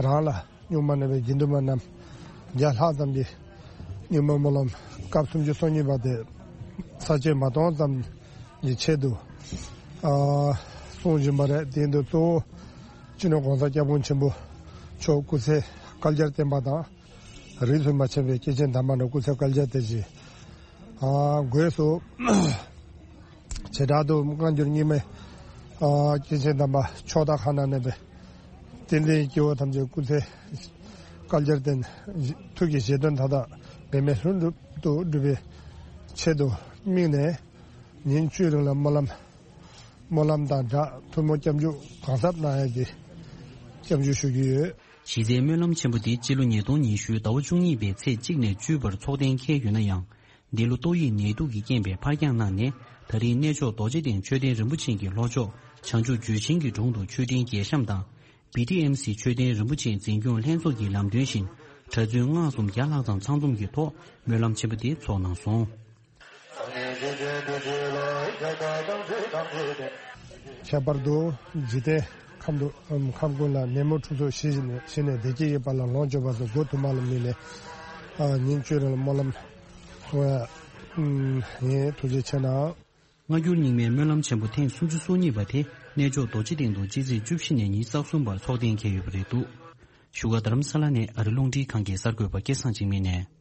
རང་ལ། སྙུག་མ་མནན་པའི་དགེ་འདུན་པ་རྣམས་བརྒྱ་ལྷག་ཙམ་གྱིས་སྙུག་མའི་སྨོན་ལམ་སྐབས་སུམ་ཅུ་སོ་གཉིས་པ་དེ་ས་བཅད་མ་གཏོང་ཙམ་གྱི་ཆེད་དུ། ཨ། གསུང་བཞིན་པ་རེད། དེ་ཡིན་དུས་གཙོ་བོ་སྤྱི་ནོར་༸གོང་ས་༸སྐྱབས་མགོན་ཆེན་པོ་མཆོག་སྐུ་ཚེ་བསྐལ་བརྒྱར་བརྟན་པ་དང་། རིས་སུ་མ་ཆད་པའི་སྐྱེས་ཆེན་དམ་པ་རྣམས་སྐུ་ཚེ་བསྐལ་བརྒྱར་བརྟན་ཅིང་། ཨ། སྒོས་སུ་བྱེ་བྲག་ཏུ་སྔ་འགྱུར་རྙིང་མའི། ཨ། སྐྱེས་ཆེན་དམ་པ་ཕྱོགས་མཐའ་ཁག་ན་གནས་པའི་བསྟན་འཛིན་སྐྱེ་བོ་ཐམས་ཅད་སྐུ་ཚེ་བསྐལ་བརྒྱར་བརྟན། ཐུགས་ཀྱི་བཞེད་དོན་མཐའ་དག་འབད་མེད་ལྷུན་གྲུབ་ཏུ་འགྲུབ་པའི་ཆེད་དུ་དམིགས་ནས། ཉིན་བཅུའི་རིང་ལ་སྨོན་ལམ། སྨོན་ལམ་དང་སྦྲགས་ཐུགས་སྨོན་སྐྱབས་འཇུག་གང་ཟབ་གནང་ཡག་གི་སྐྱབས་འཇུག་ཞུ་རྒྱུ་ཡོད། གཞི་རྩའི་སྨོན་ལམ་ཆེན་པོ་འདི་སྤྱི་ལོ་ཉིས་སྟོང་ཉི་ཤུའི་ཟླ་བ་བཅུ་གཉིས་པའི་ཚེས་གཅིག་ནས་བཅུའི་བར་ཚོགས་གཏན་འཁེལ་ཡོད་ན་ཡང་། འདི་ལོ་ཏོག་དབྱིབས་ནད་དུག་གི་རྐྱེན་པས་ཕར་འགྱངས་གནང་ནས། ད་རེས་གནས་མཆོག་རྡོ་རྗེ་གདན་མཆོད་རྟེན་རིན་པོ་ཆེ་གི་ལྷོ་ཕྱོགས་བྱང་ཆུབ་ཇོ་ཆེན་གྱི་དྲུང་དུ་མཆོད་རྟེན་རྒྱས་བཤམས་དང་། བི་ཊི་ཨེམ་སི་མཆོད་རྟེན་རིན་པོ་ཆེ་འཛིན་སྐྱོང་ལྷན་ཚོགས་ཀྱི་ལམ་སྟོན་བཞིན། གྲྭ་བཙུན་སྔགས་གསུམ་བརྒྱ་ལྷག་ཙམ་ཚང་འཛོམས་ཀྱི་ཐོག་སྨོན་ལམ་ཆེན་པོ་དེ་ཚོགས་གནང་སོང་། ཁྱད་པར་དུ་འཇིག་རྟེན་ཁམས་དུ་ཁམས་ཀུན་ལ་ནད་མུག་འཁྲུག་རྩོད་ཞི་ཞིང་ནས་བདེ་སྐྱིད་ཡོད་པ་ལ་ལོངས་སྤྱོད་པ་སོགས་མགོ་ཐུན་མོང་ལ་དམིགས་ནས། ཨ། ཉིན་བཅུའི་རིང་ལ་སྨོན་ལམ་གསུང་ཡ་ཡིན། ཐུགས་རྗེ་ཆེ་གནང་། སྔ་འགྱུར་རྙིང་མའི་སྨོན་ལམ་ཆེན་པོ་ཐེངས་སུམ་ཅུ་སོ་གཉིས་པ་དེ་གནས་མཆོག་རྡོ་རྗེ་གདན་དུ་སྤྱི་ཚེས་བཅུ་བཞི་ནས་ཉི་ཤུ་རྩ་གསུམ་བར་ཚོགས་གཏན་འཁེལ་ཡོད་པ་རེད་འདུག་བཞུགས་སྒར་རྡ་རམ་ས་ལ་ནས་ཨ་རི་རླུང་འཕྲིན་ཁང་གི་གསར་འགོད་པ་སྐལ་བཟང་འཇིགས་མེད་ནས།